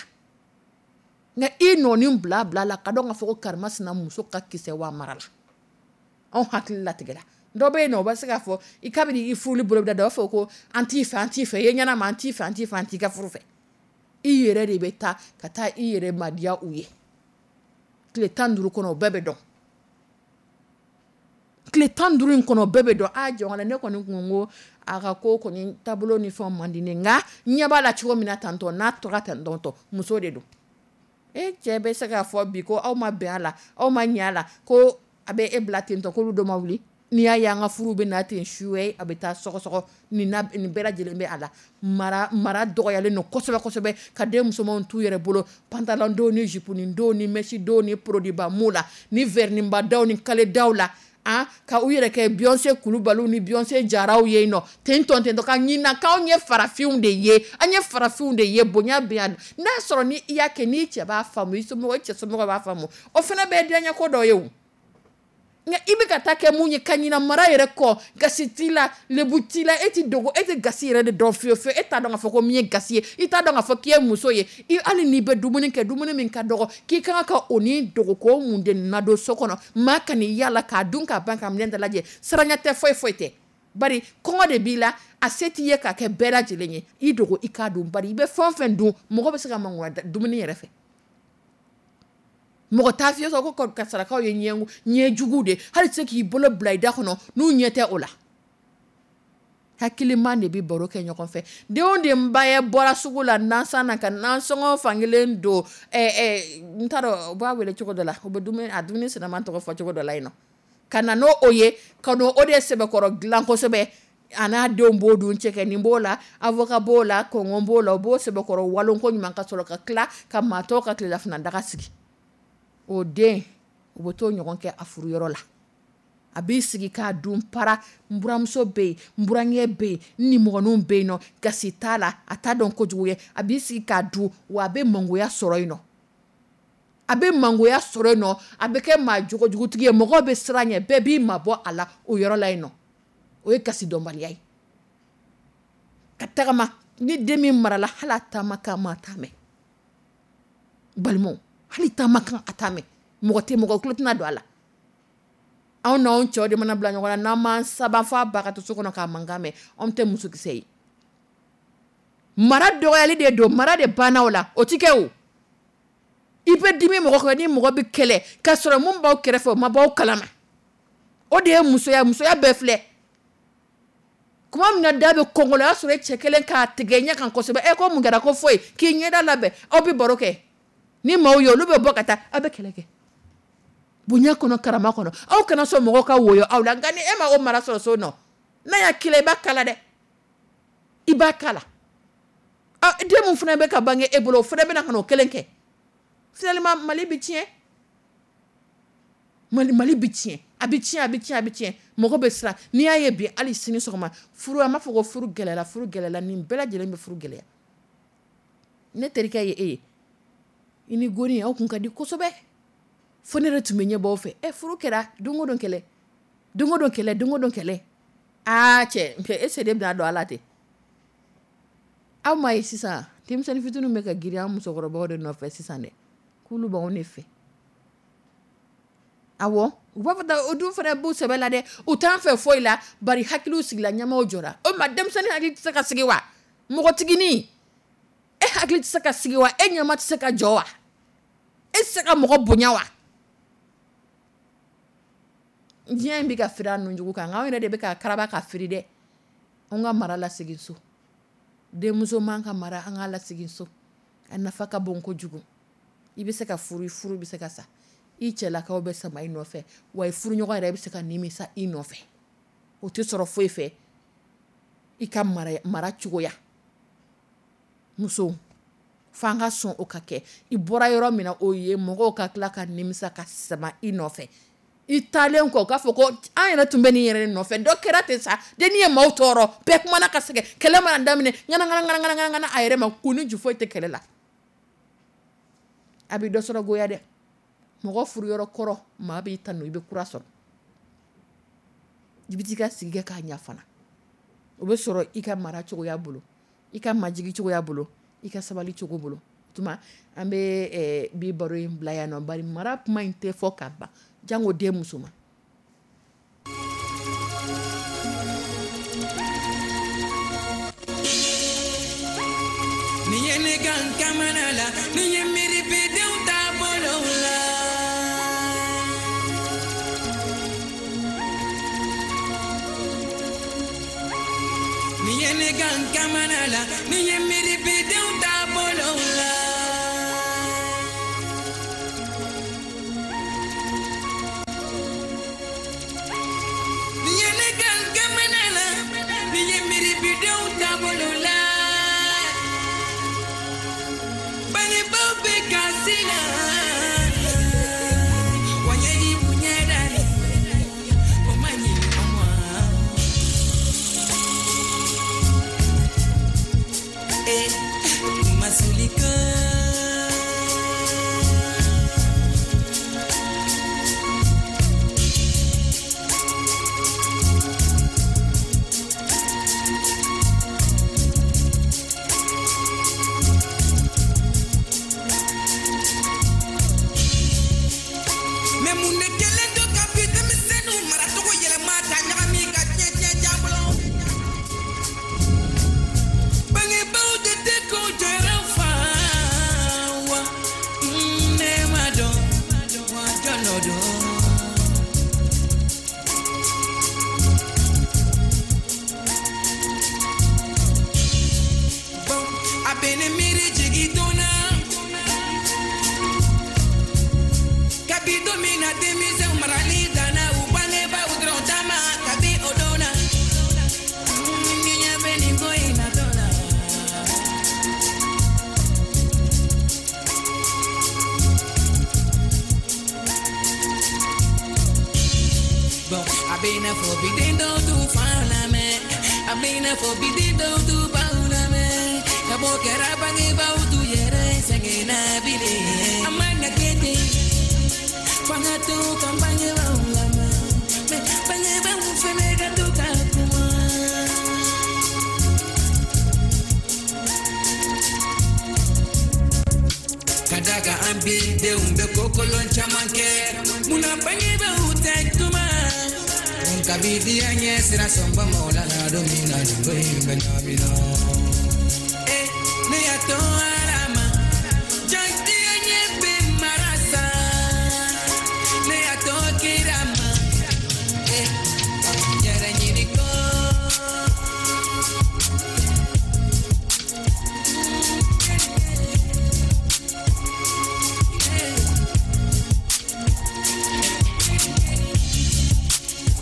nka i nɔɔni bila bila la ka dɔn k'a fɔ ko karimasina muso ka kisɛ wa mara la. Anw hakili latigɛra. Dɔ bɛ yen nɔ, o bɛ se k'a fɔ i kabini i furuli bolo bɛ da, dɔ b'a fɔ ko an t'i fɛ, an t'i fɛ, i ye ɲɛnama, an t'i fɛ, an t'i fɛ, an t'i ka furu fɛ. I yɛrɛ de bɛ taa ka taa i yɛrɛ madiya u ye. Tile 15 kɔnɔ o bɛɛ bɛ dɔn. Tile 15 in kɔnɔ o bɛɛ bɛ dɔn. A jɔn ne kɔni kun ko a ka ko kɔni taabolo ni fɛnw man di ne, nka ɲɛ b'a la cogo min na tantɔ, n'a tora tantɔ, muso de don. E cɛ bɛ se k'a fɔ bi ko aw ma bɛn a la, aw ma ɲɛ a la, ko a bɛ e bila ten tɔ, k'olu dɔ ma wuli. N'i y'a ye an ka furu bɛ na ten suwe, a bɛ taa sɔgɔsɔgɔ, nin bɛɛ lajɛlen bɛ a la. Mara dɔgɔyalen don kosɛbɛ kosɛbɛ, ka den musomanw t'u yɛrɛ bolo, pantalon don ni jupe don ni mèche don ni produit ba m'o la, ni vernis ba daw ni kale daw la, ka u yɛrɛ kɛ Beyoncé Kulubaliw ni Beyoncé Jaraw ye nɔ ten tɔ ten tɔ, ka ɲina k'anw ye farafinw de ye, an ye farafinw de ye, bonya bɛ yan. N'a sɔrɔ ni i y'a kɛ n'i cɛ b'a faamu, i somɔgɔw, i cɛ somɔgɔw b'a faamu, o fana bɛ diyaɲɛ ko dɔ ye o. Nka i bɛ ka taa kɛ mun ye ka ɲina mara yɛrɛ kɔ, gasi t'i la, lebu t'i la, e t'i dogo, e tɛ gasi yɛrɛ de dɔn fiyewu fiyewu. E t'a dɔn k'a fɔ ko min ye gasi ye, i t'a dɔn k'a fɔ k'i ye muso ye, i hali n'i bɛ dumuni kɛ, dumuni min ka dɔgɔ, k'i ka kan ka o ni dogo k'o mun de nadon so kɔnɔ, maa ka n'i y'a la k'a dun k'a ban ka minɛn dalajɛ, saranya tɛ, foyi foyi tɛ. Bari kɔngɔ de b'i la, a se t'i ye k'a kɛ bɛɛ lajɛlen ye, i dogo i k'a dun, bari i bɛ fɛn o fɛn dun, mɔgɔ bɛ se ka mangoya dumuni yɛrɛ fɛ. Mɔgɔ t'a f'i ye ko sarakaw ye ɲɛ jugu de, hali tɛ se k'i bolo bila i da kɔnɔ n'u ɲɛ tɛ o la. Hakiliman de bɛ baro kɛ ɲɔgɔn fɛ. Den o den ba ye bɔra sugu la nansan na ka nansɔngɔ fankelen don, n t'a dɔn u b'a wele cogo dɔ la, u bɛ dumuni a dumuni sinama tɔgɔ fɔ cogo dɔ la yen nɔ, ka na n'o o ye, ka n'o o de sɛbɛkɔrɔ dilan kosɛbɛ, a n'a denw b'o dun, cɛkɛnin b'o la, avocat b'o la, kɔngɔ b'o la, u b'o sɛbɛkɔrɔ walon ko ɲuman ka sɔrɔ ka tila ka maa tɔw ka tilelafana daga sigi. O den u bɛ t'o ɲɔgɔn kɛ a furuyɔrɔ la. A b'i sigi k'a dun para, n buramuso bɛ yen, n burankɛ bɛ yen, n nimɔgɔninw bɛ yen nɔ, gasi t'a la, a t'a dɔn kojugu ye, a b'i sigi k'a dun, wa a bɛ mangoya sɔrɔ yen nɔ. A bɛ mangoya sɔrɔ yen nɔ, a bɛ kɛ maa jogojugutigi ye, mɔgɔw bɛ siran ɲɛ, bɛɛ b'i mabɔ a la o yɔrɔ la yen nɔ. O ye gasi dɔnbaliya ye. Ka tagama, ni den min marala, hali a taama kan maa t'a mɛn. Balimaw, hali taama kan a t'a mɛn. Mɔgɔ tɛ mɔgɔ tulo tɛna don a la. Anw n'anw cɛw de mana bila ɲɔgɔn na, n'an m'an saban f'a ba ka to so kɔnɔ k'a mankan mɛn, anw tɛ musokisɛ ye. Mara dɔgɔyali de don, mara de banna o la, o ti kɛ o. I bɛ dimi mɔgɔ kɔrɔ ni mɔgɔ bɛ kɛlɛ k'a sɔrɔ mun b'aw kɛrɛfɛ o ma b'aw kalama. O de ye musoya, musoya bɛɛ filɛ. Kuma min na da bɛ kɔngɔ la, o y'a sɔrɔ e cɛ kelen k'a tigɛ ɲɛ kan kosɛbɛ. E ko mun kɛra, ko foyi, k'i ɲɛda labɛn, aw bɛ baro kɛ. Ni maaw ye olu bɛ bɔ ka taa, aw bɛ kɛlɛ kɛ. Bonya kɔnɔ, karama kɔnɔ, aw kana sɔn mɔgɔw ka woyo aw la. Nka ni e ma o mara sɔrɔ so nɔ, n'a y'a k'i la, i b'a kala dɛ, i b'a kala. Den mun fana bɛ ka bange e bolo, o fana bɛna ka n'o kelen kɛ. Finalement Mali bɛ tiɲɛ. Mali bɛ tiɲɛ. A bɛ tiɲɛ, a bɛ tiɲɛ, a bɛ tiɲɛ. Mɔgɔ bɛ siran. N'i y'a ye bi hali sini sɔgɔma, furu, an b'a fɔ ko furu gɛlɛyara, furu gɛlɛyara, nin bɛɛ lajɛlen bɛ furu gɛlɛya. Ne terikɛ ye e ye. I ni goni aw kun ka di kosɛbɛ. Fo ne yɛrɛ tun bɛ ɲɛ bɔ aw fɛ. Furu kɛra don o don kɛlɛ. Don o don kɛlɛ, don o don kɛlɛ. Aa cɛ, e se de bɛna don a la ten. Aw ma ye sisan, denmisɛnnin fitininw bɛ ka girin an musokɔrɔbaw de nɔfɛ sisan dɛ. K'olu b'anw de fɛ. Awɔ, u b'a fɔ o dun fana b'u sɛbɛ la dɛ. U t'an fɛ foyi la, bari hakiliw sigila, ɲɛmaw jɔra. O ma denmisɛnnin hakili tɛ se ka sigi wa? Mɔgɔtiginin, e hakili tɛ se ka sigi wa? E ɲɛma tɛ se ka jɔ wa? E tɛ se ka mɔgɔ bonya wa? Diɲɛ in bɛ ka firi a nunjugu kan, nka anw yɛrɛ de bɛ ka karaba ka firi dɛ. An ka mara lasegin so. Denmuso man ka mara, an ka lasegin so. A nafa ka bon kojugu. I bɛ se ka furu, i furu bɛ se ka sa. I cɛlakaw bɛ sama i nɔfɛ, wa i furuɲɔgɔn yɛrɛ bɛ se ka nimisa i nɔfɛ. O tɛ sɔrɔ foyi fɛ i ka mara cogoya. Muso, f'an ka sɔn o ka kɛ. I bɔra yɔrɔ min na, o ye mɔgɔw ka tila ka nimisa ka sama i nɔfɛ. I taalen kɔ, k'a fɔ ko an yɛrɛ tun bɛ nin yɛrɛ nɔfɛ, dɔ kɛra ten sa, dennin ye maaw tɔɔrɔ, bɛɛ kumana ka sɛgɛn, kɛlɛ mana daminɛ, ŋana ŋana ŋana ŋana ŋana a yɛrɛ ma, kun ni ju foyi tɛ kɛlɛ la. A bɛ dɔ sɔrɔ goya dɛ. Mɔgɔ furuyɔrɔ kɔrɔ, maa b'i tanu, i bɛ kura sɔrɔ. I bɛ t'i ka sigi kɛ k'a ɲɛ fana. O bɛ sɔrɔ i ka mara cogoya bolo, i ka majigi cogoya bolo, i ka sabali cogo bolo. Tuma an bɛ bi baro in bila yan nɔ, bari mara kuma in tɛ fɔ ka ban, jango den musoman. Ni ye ne kan kamana la, ni ye miiri bidenw taabolo la. Ni ye ne kan kamana la, ni ye miiri bidenw taabolo la. Ni ye ne kan kamana la, ni ye miiri bidenw taabolo la. Bangebaaw bɛ kasi la, wa ɲɛji b'u ɲɛda la, o ma ɲi an ma. Don min na denmisɛnw marali danna u bangebaaw dɔrɔn ta ma, kabi o don na n ɲɛ bɛ nin ko in natɔ la. Bon, a bɛ i n'a fɔ bi den dɔw t'u faw lamɛn, a bɛ i n'a fɔ bi den dɔw t'u baw lamɛn, ka bɔ kɛra bangebaaw t'u yɛrɛ sɛgɛnna bilen. A man ka kɛ ten, f'an ka to ka bangebaaw lamɛn, mais bangebaaw fɛnɛ ka to ka kuma. Ka da kan an bi denw bɛ kokolon caman kɛ, munna bangebaaw tɛ kuma? Nka bi diya ɲɛ sira sɔnba ma o la la don min na nin ko in bɛ ɲagami na. Eh, ne y'a to Ala ma, jantiya ɲɛ bɛ mara sa, ne y'a to kira ma, eh, yɛrɛ ɲini ko.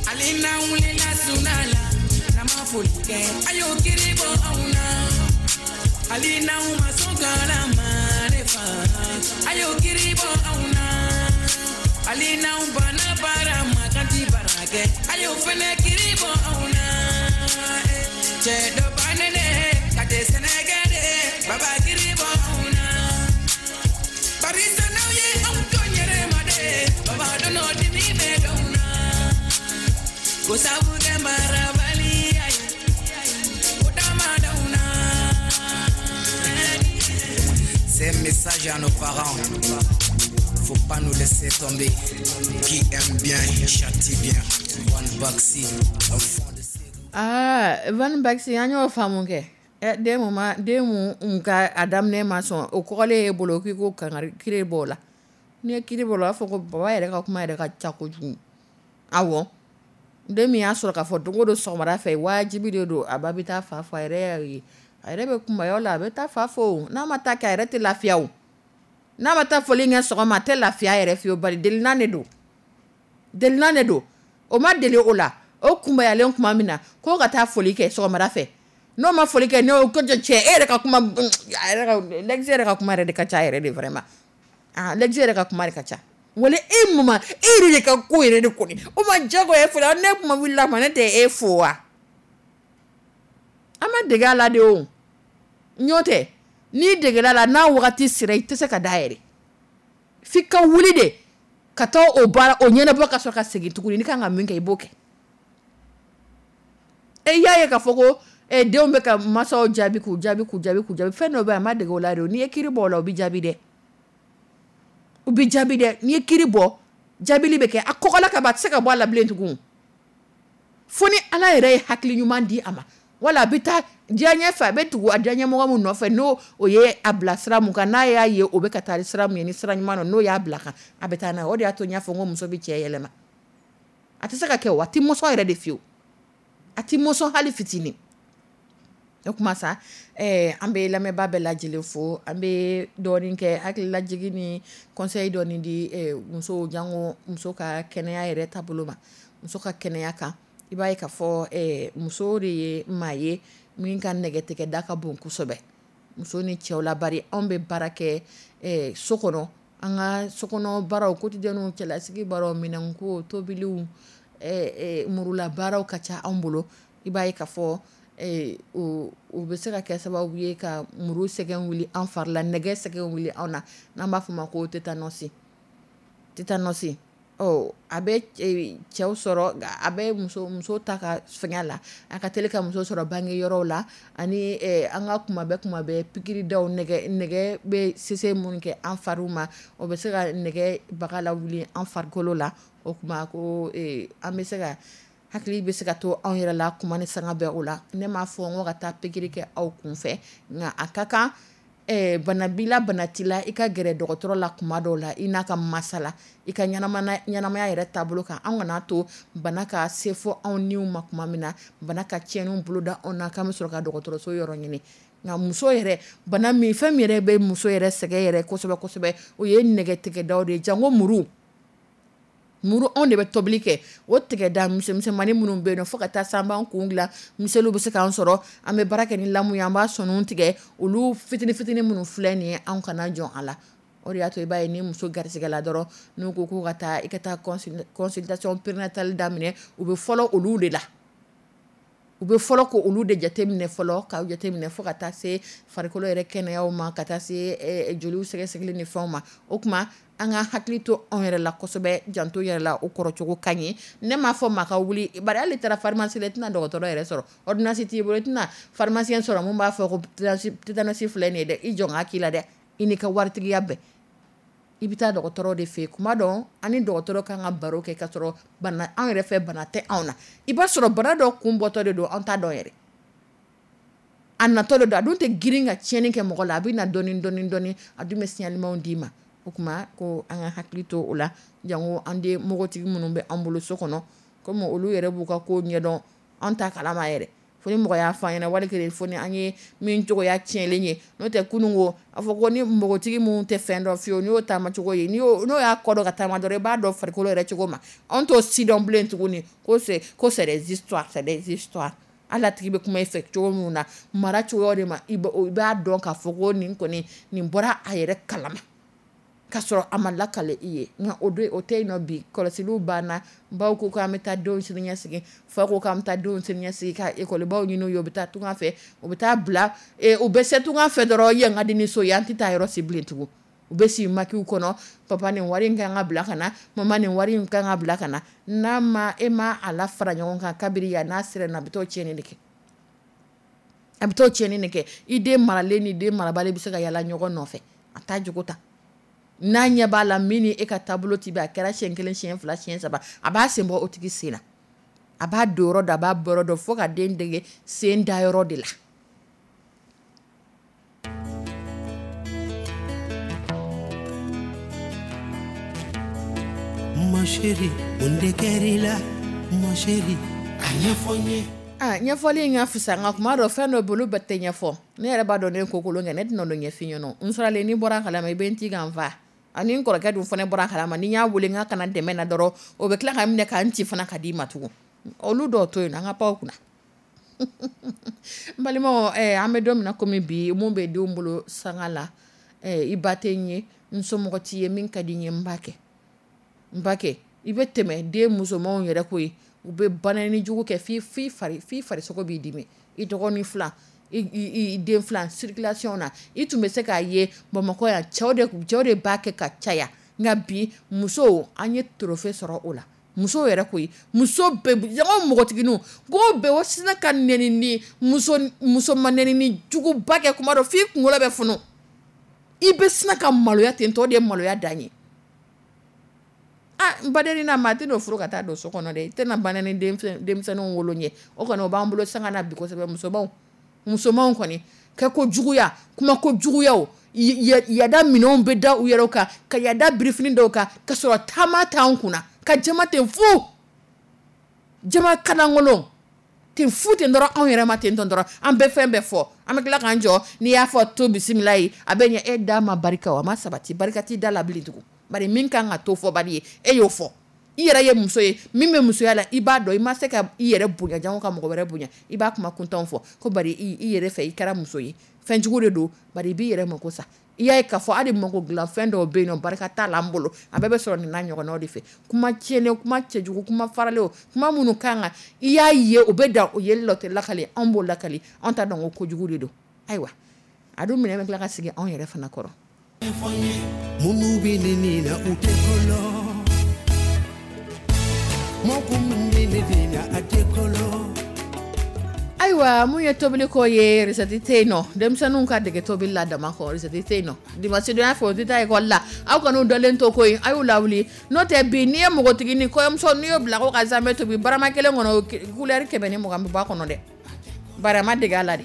Ale na wulila suna la, n'a ma foli kɛ, a y'o kiri bɔ anw na. Ale n'anw ma sɔn kala ma ne fa, a y'o kiri bɔ anw na. Ale n'anw banna baara ma kan ti baara kɛ, a y'o fɛnɛ kiri bɔ anw na. Cɛ dɔ bannen ka tɛ sɛnɛ kɛ de, baba kiri bɔ anw na. Barisa n'aw ye anw to yɛrɛ ma de, baba dɔn dimi bɛ dɔw na. Ko sabu kɛ marabaliya ye, o dama dɔw na. C'est un message à nos parents. Faut pas nous laisser tomber. Qui aime bien, châtie bien. One Baxi, enfant de Ségou. Aa, Van Baxi, an y'o faamu kɛ. Den mun ma den mun ka a daminɛ ma sɔn, o kɔgɔlen ye bolo k'i ko kangari kiri b'o la. N'i ye kiri b'o la, o b'a fɔ ko baba yɛrɛ ka kuma yɛrɛ ka ca kojugu. Awɔ, den min y'a sɔrɔ k'a fɔ don o don sɔgɔmada fɛ wajibi de don, a ba bɛ taa fa fo, a yɛrɛ y'a ye, a yɛrɛ bɛ kunbaya o la, a bɛ taa fa fo. N'a ma taa kɛ, a yɛrɛ tɛ lafiya o. N'a ma taa foli kɛ sɔgɔma, a tɛ lafiya yɛrɛ fiyewu, bari delinan de don, delinan de don. O ma deli o la, o kunbayalen tuma min na k'o ka taa foli kɛ sɔgɔmada fɛ, n'o ma foli kɛ, n'o ko cɛ e yɛrɛ ka kuma, a yɛrɛ ka lɛgisi yɛrɛ ka kuma yɛrɛ de ka ca yɛrɛ de, vraiment. Ah, lɛgisi yɛrɛ ka kuma de ka ca. Wala e mama, e yɛrɛ de ka ko yɛrɛ de kɔni o ma jagoya e fo la. Ne kuma wulila ma, ne tɛ e fo wa? An ma dege a la de o. Ɲɔ tɛ n'i degela la, n'a wagati sera, i tɛ se ka da yɛrɛ, f'i ka wuli de ka taa o baara o ɲɛnabɔ, ka sɔrɔ ka segin tuguni. N'i kan ka min kɛ, i b'o kɛ. E y'a ye k'a fɔ ko denw bɛ ka masaw jaabi, k'u jaabi, k'u jaabi, k'u jaabi. Fɛn dɔ bɛ yen, a ma dege o la de. N'i ye kiri bɔ o la, o bɛ jaabi dɛ, u bɛ jaabi dɛ. N'i ye kiri bɔ, jaabili bɛ kɛ. A kɔgɔla ka ban, a tɛ se ka bɔ a la bilen tugun, fo ni Ala yɛrɛ ye hakili ɲuman di a ma, wala a bɛ taa diyaɲɛ fɛ, a bɛ tugu a diyaɲɛ mɔgɔ min nɔfɛ, n'o o ye a bila sira mun kan, n'a y'a ye o bɛ ka taa sira mun ye, ni sira ɲuman don, n'o y'a bila kan, a bɛ taa n'a ye. O de y'a to n y'a fɔ n ko muso bɛ cɛ yɛlɛma. A tɛ se ka kɛ o, a tɛ mɔsɔn yɛrɛ de fiyewu, a tɛ mɔsɔn hali fitinin. O kuma sa, an bɛ lamɛnbaa bɛɛ lajɛlen fo. An bɛ dɔɔnin kɛ hakililajigin ni conseil dɔɔnin di musow, jango muso ka kɛnɛya yɛrɛ taabolo ma. Muso ka kɛnɛya kan, i b'a ye k'a fɔ muso de ye maa ye min ka nɛgɛtigɛda ka bon kosɛbɛ muso ni cɛw la, bari anw bɛ baara kɛ so kɔnɔ, an ka sokɔnɔ baaraw quotidien, cɛlasigi baaraw, minɛnko, tobiliw, murula baaraw ka ca anw bolo. I b'a ye k'a fɔ o bɛ se ka kɛ sababu ye ka muru sɛgɛn wuli an fari la, nɛgɛ sɛgɛn wuli anw na, n'an b'a fɔ ma ko tétanos. Tétanos, ɔ a bɛ cɛw sɔrɔ, a bɛ muso ta ka fɛngɛ la, a ka teli ka muso sɔrɔ bange yɔrɔw la, ani an ka kuma bɛɛ pikiridaw, nɛgɛ bɛ sese minnu kɛ an fariw ma, o bɛ se ka nɛgɛ baga lawuli an farikolo la. O kuma ko an bɛ se ka hakili bɛ se ka to anw yɛrɛ la kuma ni sanga bɛɛ o la. Ne m'a fɔ n ko ka taa pikiri kɛ aw kun fɛ, nka a ka kan bana b'i la, bana t'i la, i ka gɛrɛ dɔgɔtɔrɔ la kuma dɔw la, i n'a ka masala i ka ɲɛnamaya yɛrɛ taabolo kan. An kana to bana ka se fɔ anw niw ma kuma min na, bana ka tiɲɛniw boloda anw na, k'an bɛ sɔrɔ ka dɔgɔtɔrɔso yɔrɔ ɲini. Nka muso yɛrɛ, bana min, fɛn min yɛrɛ bɛ muso yɛrɛ sɛgɛn yɛrɛ kosɛbɛ kosɛbɛ, o ye nɛgɛtigɛdaw de ye, jango muru. Muru anw de bɛ tobili kɛ, o tigɛda misɛnmisɛnmanin minnu bɛ yen nɔ, fo ka taa se an b'an kun dilan, miseliw bɛ se k'an sɔrɔ, an bɛ baara kɛ ni lamu ye, an b'a sɔniw tigɛ, olu fitinin fitinin minnu filɛ nin ye, anw kana jɔn a la. O de y'a to i b'a ye ni muso garisigɛla dɔrɔn, n'u ko k'u ka taa i ka taa consultation prénatale daminɛ, u bɛ fɔlɔ olu de la. U bɛ fɔlɔ ko olu de jateminɛ fɔlɔ, k'aw jateminɛ fo ka taa se farikolo yɛrɛ kɛnɛyaw ma, ka taa se joliw sɛgɛsɛgɛli ni fɛnw ma. O tuma an ka hakili to anw yɛrɛ la kosɛbɛ, janto yɛrɛ la, o kɔrɔcogo ka ɲi. Ne m'a fɔ maa ka wuli, bari hali taara pharmacie la, i tɛna dɔgɔtɔrɔ yɛrɛ sɔrɔ, ordonnance t'i bolo, i tɛna pharmacien sɔrɔ mun b'a fɔ ko tétanos filɛ nin ye dɛ, i jɔ n k'a k'i la dɛ, i n'i ka waritigiya bɛɛ. I bɛ taa dɔgɔtɔrɔ de fɛ yen. Kuma dɔn an ni dɔgɔtɔrɔ kan ka baro kɛ ka sɔrɔ bana anw yɛrɛ fɛ bana tɛ anw na. I b'a sɔrɔ bana dɔ kun bɔtɔ de don, an t'a dɔn yɛrɛ. A natɔ de don, a dun tɛ girin ka tiɲɛni kɛ mɔgɔ la, a bɛ na dɔɔni dɔɔni dɔɔni, a dun bɛ signalement d'i ma. O tuma ko an ka hakili to o la, jango an den npogotigi minnu bɛ an bolo so kɔnɔ, komi olu yɛrɛ b'u ka ko ɲɛdɔn, an ta kalama yɛrɛ. Fo ni mɔgɔ y'a fɔ an ɲɛna, wali kelen fo ni an ye min cogoya tiɲɛlen ye. N'o tɛ kunun ko a fɔ ko ni npogotigi minnu tɛ fɛn dɔn fiyewu, n'i y'o taamacogo ye, n'o y'a kɔ dɔ ka taama dɔrɔn, i b'a dɔn farikolo yɛrɛ cogo ma. Anw t'o si dɔn bilen tuguni ko c'est des histoires, c'est des histoires. Hali a tigi bɛ kuma i fɛ cogo min na, mara cogoya de ma, i b'a dɔn k'a fɔ ko nin kɔni, nin bɔra a yɛrɛ kalama k'a sɔrɔ a ma lakale i ye. Nka o don o tɛ yen nɔ bi, kɔlɔsiliw banna, baw ko k'an bɛ taa denw sini ɲɛsigi, fa ko k'an bɛ taa denw sini ɲɛsigi, ka ekɔlibaw ɲini u ye, u bɛ taa tunga fɛ, u bɛ taa bila, u bɛ se tunga fɛ dɔrɔn, yan ka di ni so ye, an tɛ taa yɔrɔ si bilen tugun. U bɛ si makiw kɔnɔ, papa nin wari in kan ka bila ka na, mama nin wari in kan ka bila ka na. N'a ma, e ma a la fara ɲɔgɔn kan kabiri yan, n'a sera na, a bɛ t'o tiɲɛni de kɛ. A bɛ t'o tiɲɛni de kɛ. I den maralen ni den marabali bɛ se ka yala ɲɔgɔn nɔfɛ, a t'a jogo ta. N'a ɲɛ b'a la min ni e ka taabolo ti bɛn, a kɛra siɲɛ kelen, siɲɛ fila, siɲɛ saba, a b'a sen bɔ o tigi sen na. A b'a don yɔrɔ dɔn, a b'a bɔ yɔrɔ dɔn, fo ka den dege sen da yɔrɔ de la. Ma chérie, mun de kɛr'i la? Ma chérie, a ɲɛfɔ n ye. Ɲɛfɔli in ka fisa, nka kuma dɔ fɛn dɔ bolo bɛɛ tɛ ɲɛfɔ. Ne yɛrɛ b'a dɔn ne ko kolon kɛ, ne tɛna n'o ɲɛf'i ɲɛna. N sɔrɔlen n'i bɔra a kalama, i bɛ n ci ka n fa. Ani n kɔrɔkɛ dun fana bɔra a kalama, ni n y'a wele n k'a kana dɛmɛ na dɔrɔn, o bɛ tila ka n minɛ k'an ci fana ka d'i ma tugun. Olu dɔw to yen, an ka pan o kunna. N balimaw, an bɛ don min na komi bi, mun bɛ denw bolo sanga la, i ba tɛ n ye, n somɔgɔ t'i ye, min ka di n ye n b'a kɛ. N b'a kɛ. I bɛ tɛmɛ den musomanw yɛrɛ ko ye, u bɛ banani jugu kɛ f'i farisogo b'i dimi. I dɔgɔnin fila, i den fila circulation na, i tun bɛ se k'a ye Bamakɔ yan, cɛw de b'a kɛ ka caya. Nka bi musow, an ye trophée sɔrɔ o la. Musow yɛrɛ koyi, muso bɛɛ, jango npogotigininw, ko bɛɛ o sina ka nɛni ni muso ma nɛni ni juguba kɛ kuma dɔ f'i kunkolo bɛ funu. I bɛ sina ka maloya ten tɔ, o de ye maloya dan ye. N badenni na, maa tɛ n'o furu ka taa don so kɔnɔ dɛ. I tɛna banani denmisɛnninw wolo ɲɛ. O kɔni o b'an bolo sanga na bi kosɛbɛ. Musomanw kɔni, kɛ ko juguya, kuma ko juguyaw, yada minɛnw bɛ da u yɛrɛ kan, ka yada birifini dɔw kan, ka sɔrɔ taama t'an kunna, ka jama ten fu, jama kalankolon ten fu ten dɔrɔn, anw yɛrɛ ma ten tɔn dɔrɔn, an bɛ fɛn bɛɛ fɔ, an bɛ tila k'an jɔ, n'i y'a fɔ to bisimila ye, a bɛ ɲɛ, e da ma barika o, a ma sabati, barika t'i da la bilen tugun. Bari min kan ka to fɔbali ye, e y'o fɔ. I yɛrɛ ye muso ye, min bɛ musoya la, i b'a dɔn, i ma se ka i yɛrɛ bonya, jango ka mɔgɔ wɛrɛ bonya, i b'a kuma kuntanw fɔ, ko bari i yɛrɛ fɛ, i kɛra muso ye. Fɛn jugu de don, bari i b'i yɛrɛ mako sa. I y'a ye k'a fɔ hali mako dilan fɛn dɔw bɛ yen nɔ, barika t'a la an bolo, a bɛɛ bɛ sɔrɔ nin n'a ɲɔgɔnnaw de fɛ. Kuma tiɲɛnen, kuma cɛjugu, kuma faralen, kuma minnu kan kan, i y'a ye o bɛ dan o yeli la, o tɛ lakale, anw b'o lakale, anw t'a dɔn ko kojugu de don. Ayiwa, a dun minɛ bɛ tila ka sigi anw yɛrɛ fana kɔrɔ. Minnu bɛ ne ni na, u tɛ kolo. Mɔgɔ min bɛ ne ni na, a tɛ kolo. Ayiwa, mun ye tobili ko ye, recette tɛ yen nɔ. Denmisɛnninw ka dege tobili la dama kɔ, recette tɛ yen nɔ. Dimanche don ya fɛ, o tɛ taa école la. Aw kan'u dɔlen to koyi, a y'u lawuli. N'o tɛ bi, n'i ye npogotigi ni kɔɲɔmuso, n'i y'o bila ko ka zamɛ tobi, barama kelen kɔnɔ, couleur 120 bɛ bɔ a kɔnɔ dɛ. Bari a ma dege a la de.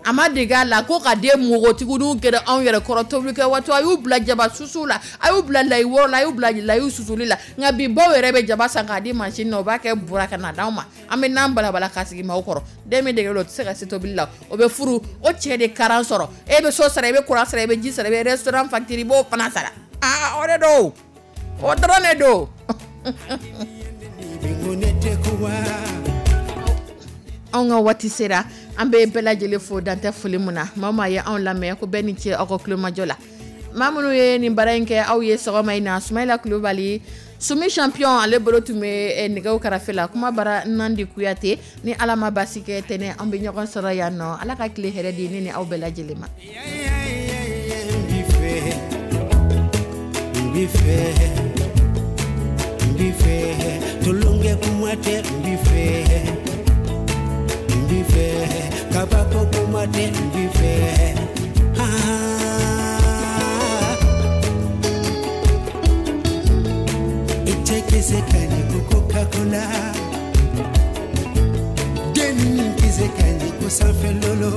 A ma dege a la ko ka den npogotigininw gɛrɛ anw yɛrɛ kɔrɔ tobili kɛ waati, a y'u bila jaba susu la, a y'u bila layi wɔrɔ la, a y'u bila layi susuli la. Nka bi baw yɛrɛ bɛ jaba san k'a di machine na, u b'a kɛ bura ka na d'anw ma. An bɛ n'an balabala k'a sigi maaw kɔrɔ. Den min dege l'o tɛ se ka se tobili la, o bɛ furu, o cɛ de karan sɔrɔ. E bɛ so sara, i bɛ courant sara, i bɛ ji sara, i bɛ restaurant facture, i b'o fana sara. O de don. O dɔrɔn de don. Anw ka waati sera, an bɛ bɛɛ lajɛlen fo dantɛ foli mun na. Maa maa ye anw lamɛn, ko bɛɛ ni ce aw ka kulomajɔ la. Maa minnu ye nin baara in kɛ aw ye sɔgɔma in na, Sumayila Kulubali, Sumi Champion, ale bolo tun bɛ nɛgɛw karafe la. Kuma bara Nandi Kuyate. Ni Ala ma basi kɛ, tɛnɛ an bɛ ɲɔgɔn sɔrɔ yan nɔ. Ala ka tile hɛrɛ di ne ni aw bɛɛ lajɛlen ma. N b'i fɛ, n b'i fɛ, tulonkɛ kuma tɛ, n b'i fɛ, n b'i fɛ, kabako kuma tɛ, n b'i fɛ. Ah, i tɛ kisɛ ka ɲi ko Coca-Cola, dennin kisɛ ka ɲi ko sanfɛ lolo,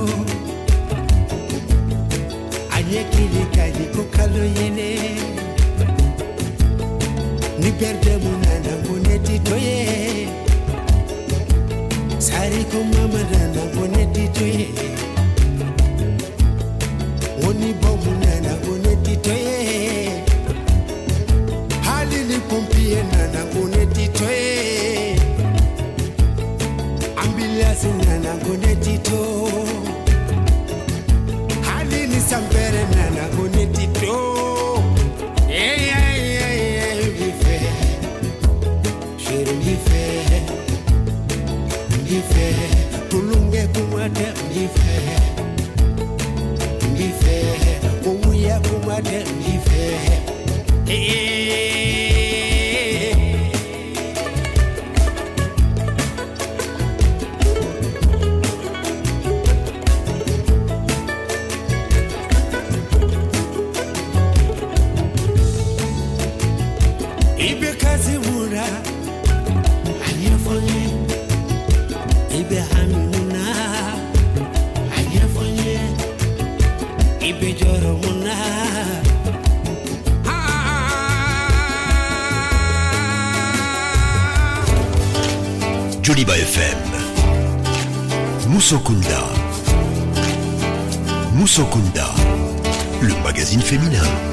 a ɲɛkili ka ɲi ko kalo yɛlɛ. Ni perde mun nana, ko ne ti to ye. Sari ko mama nana, ko ne ti to ye. Woni bɔ mun nana, ko ne ti to ye. Hali ni pompier nana, ko ne ti to ye. Ambulance nana, ko ne ti to. Hali ni sanpɛrɛ nana, ko ne ti to. Yeah, yeah, n b'i fɛ, chérie, n b'i fɛ, n b'i fɛ, tulonkɛ kuma tɛ, n b'i fɛ, n b'i fɛ, owuya kuma tɛ, n b'i fɛ. Hey. I bɛ kasi mun na? A ɲɛfɔ n ye. I bɛ hami mun na? A ɲɛfɔ n ye. I bɛ jɔrɔ mun na? Ah. Joliba FM. Moussokunda. Moussokunda. Le magazine féminin.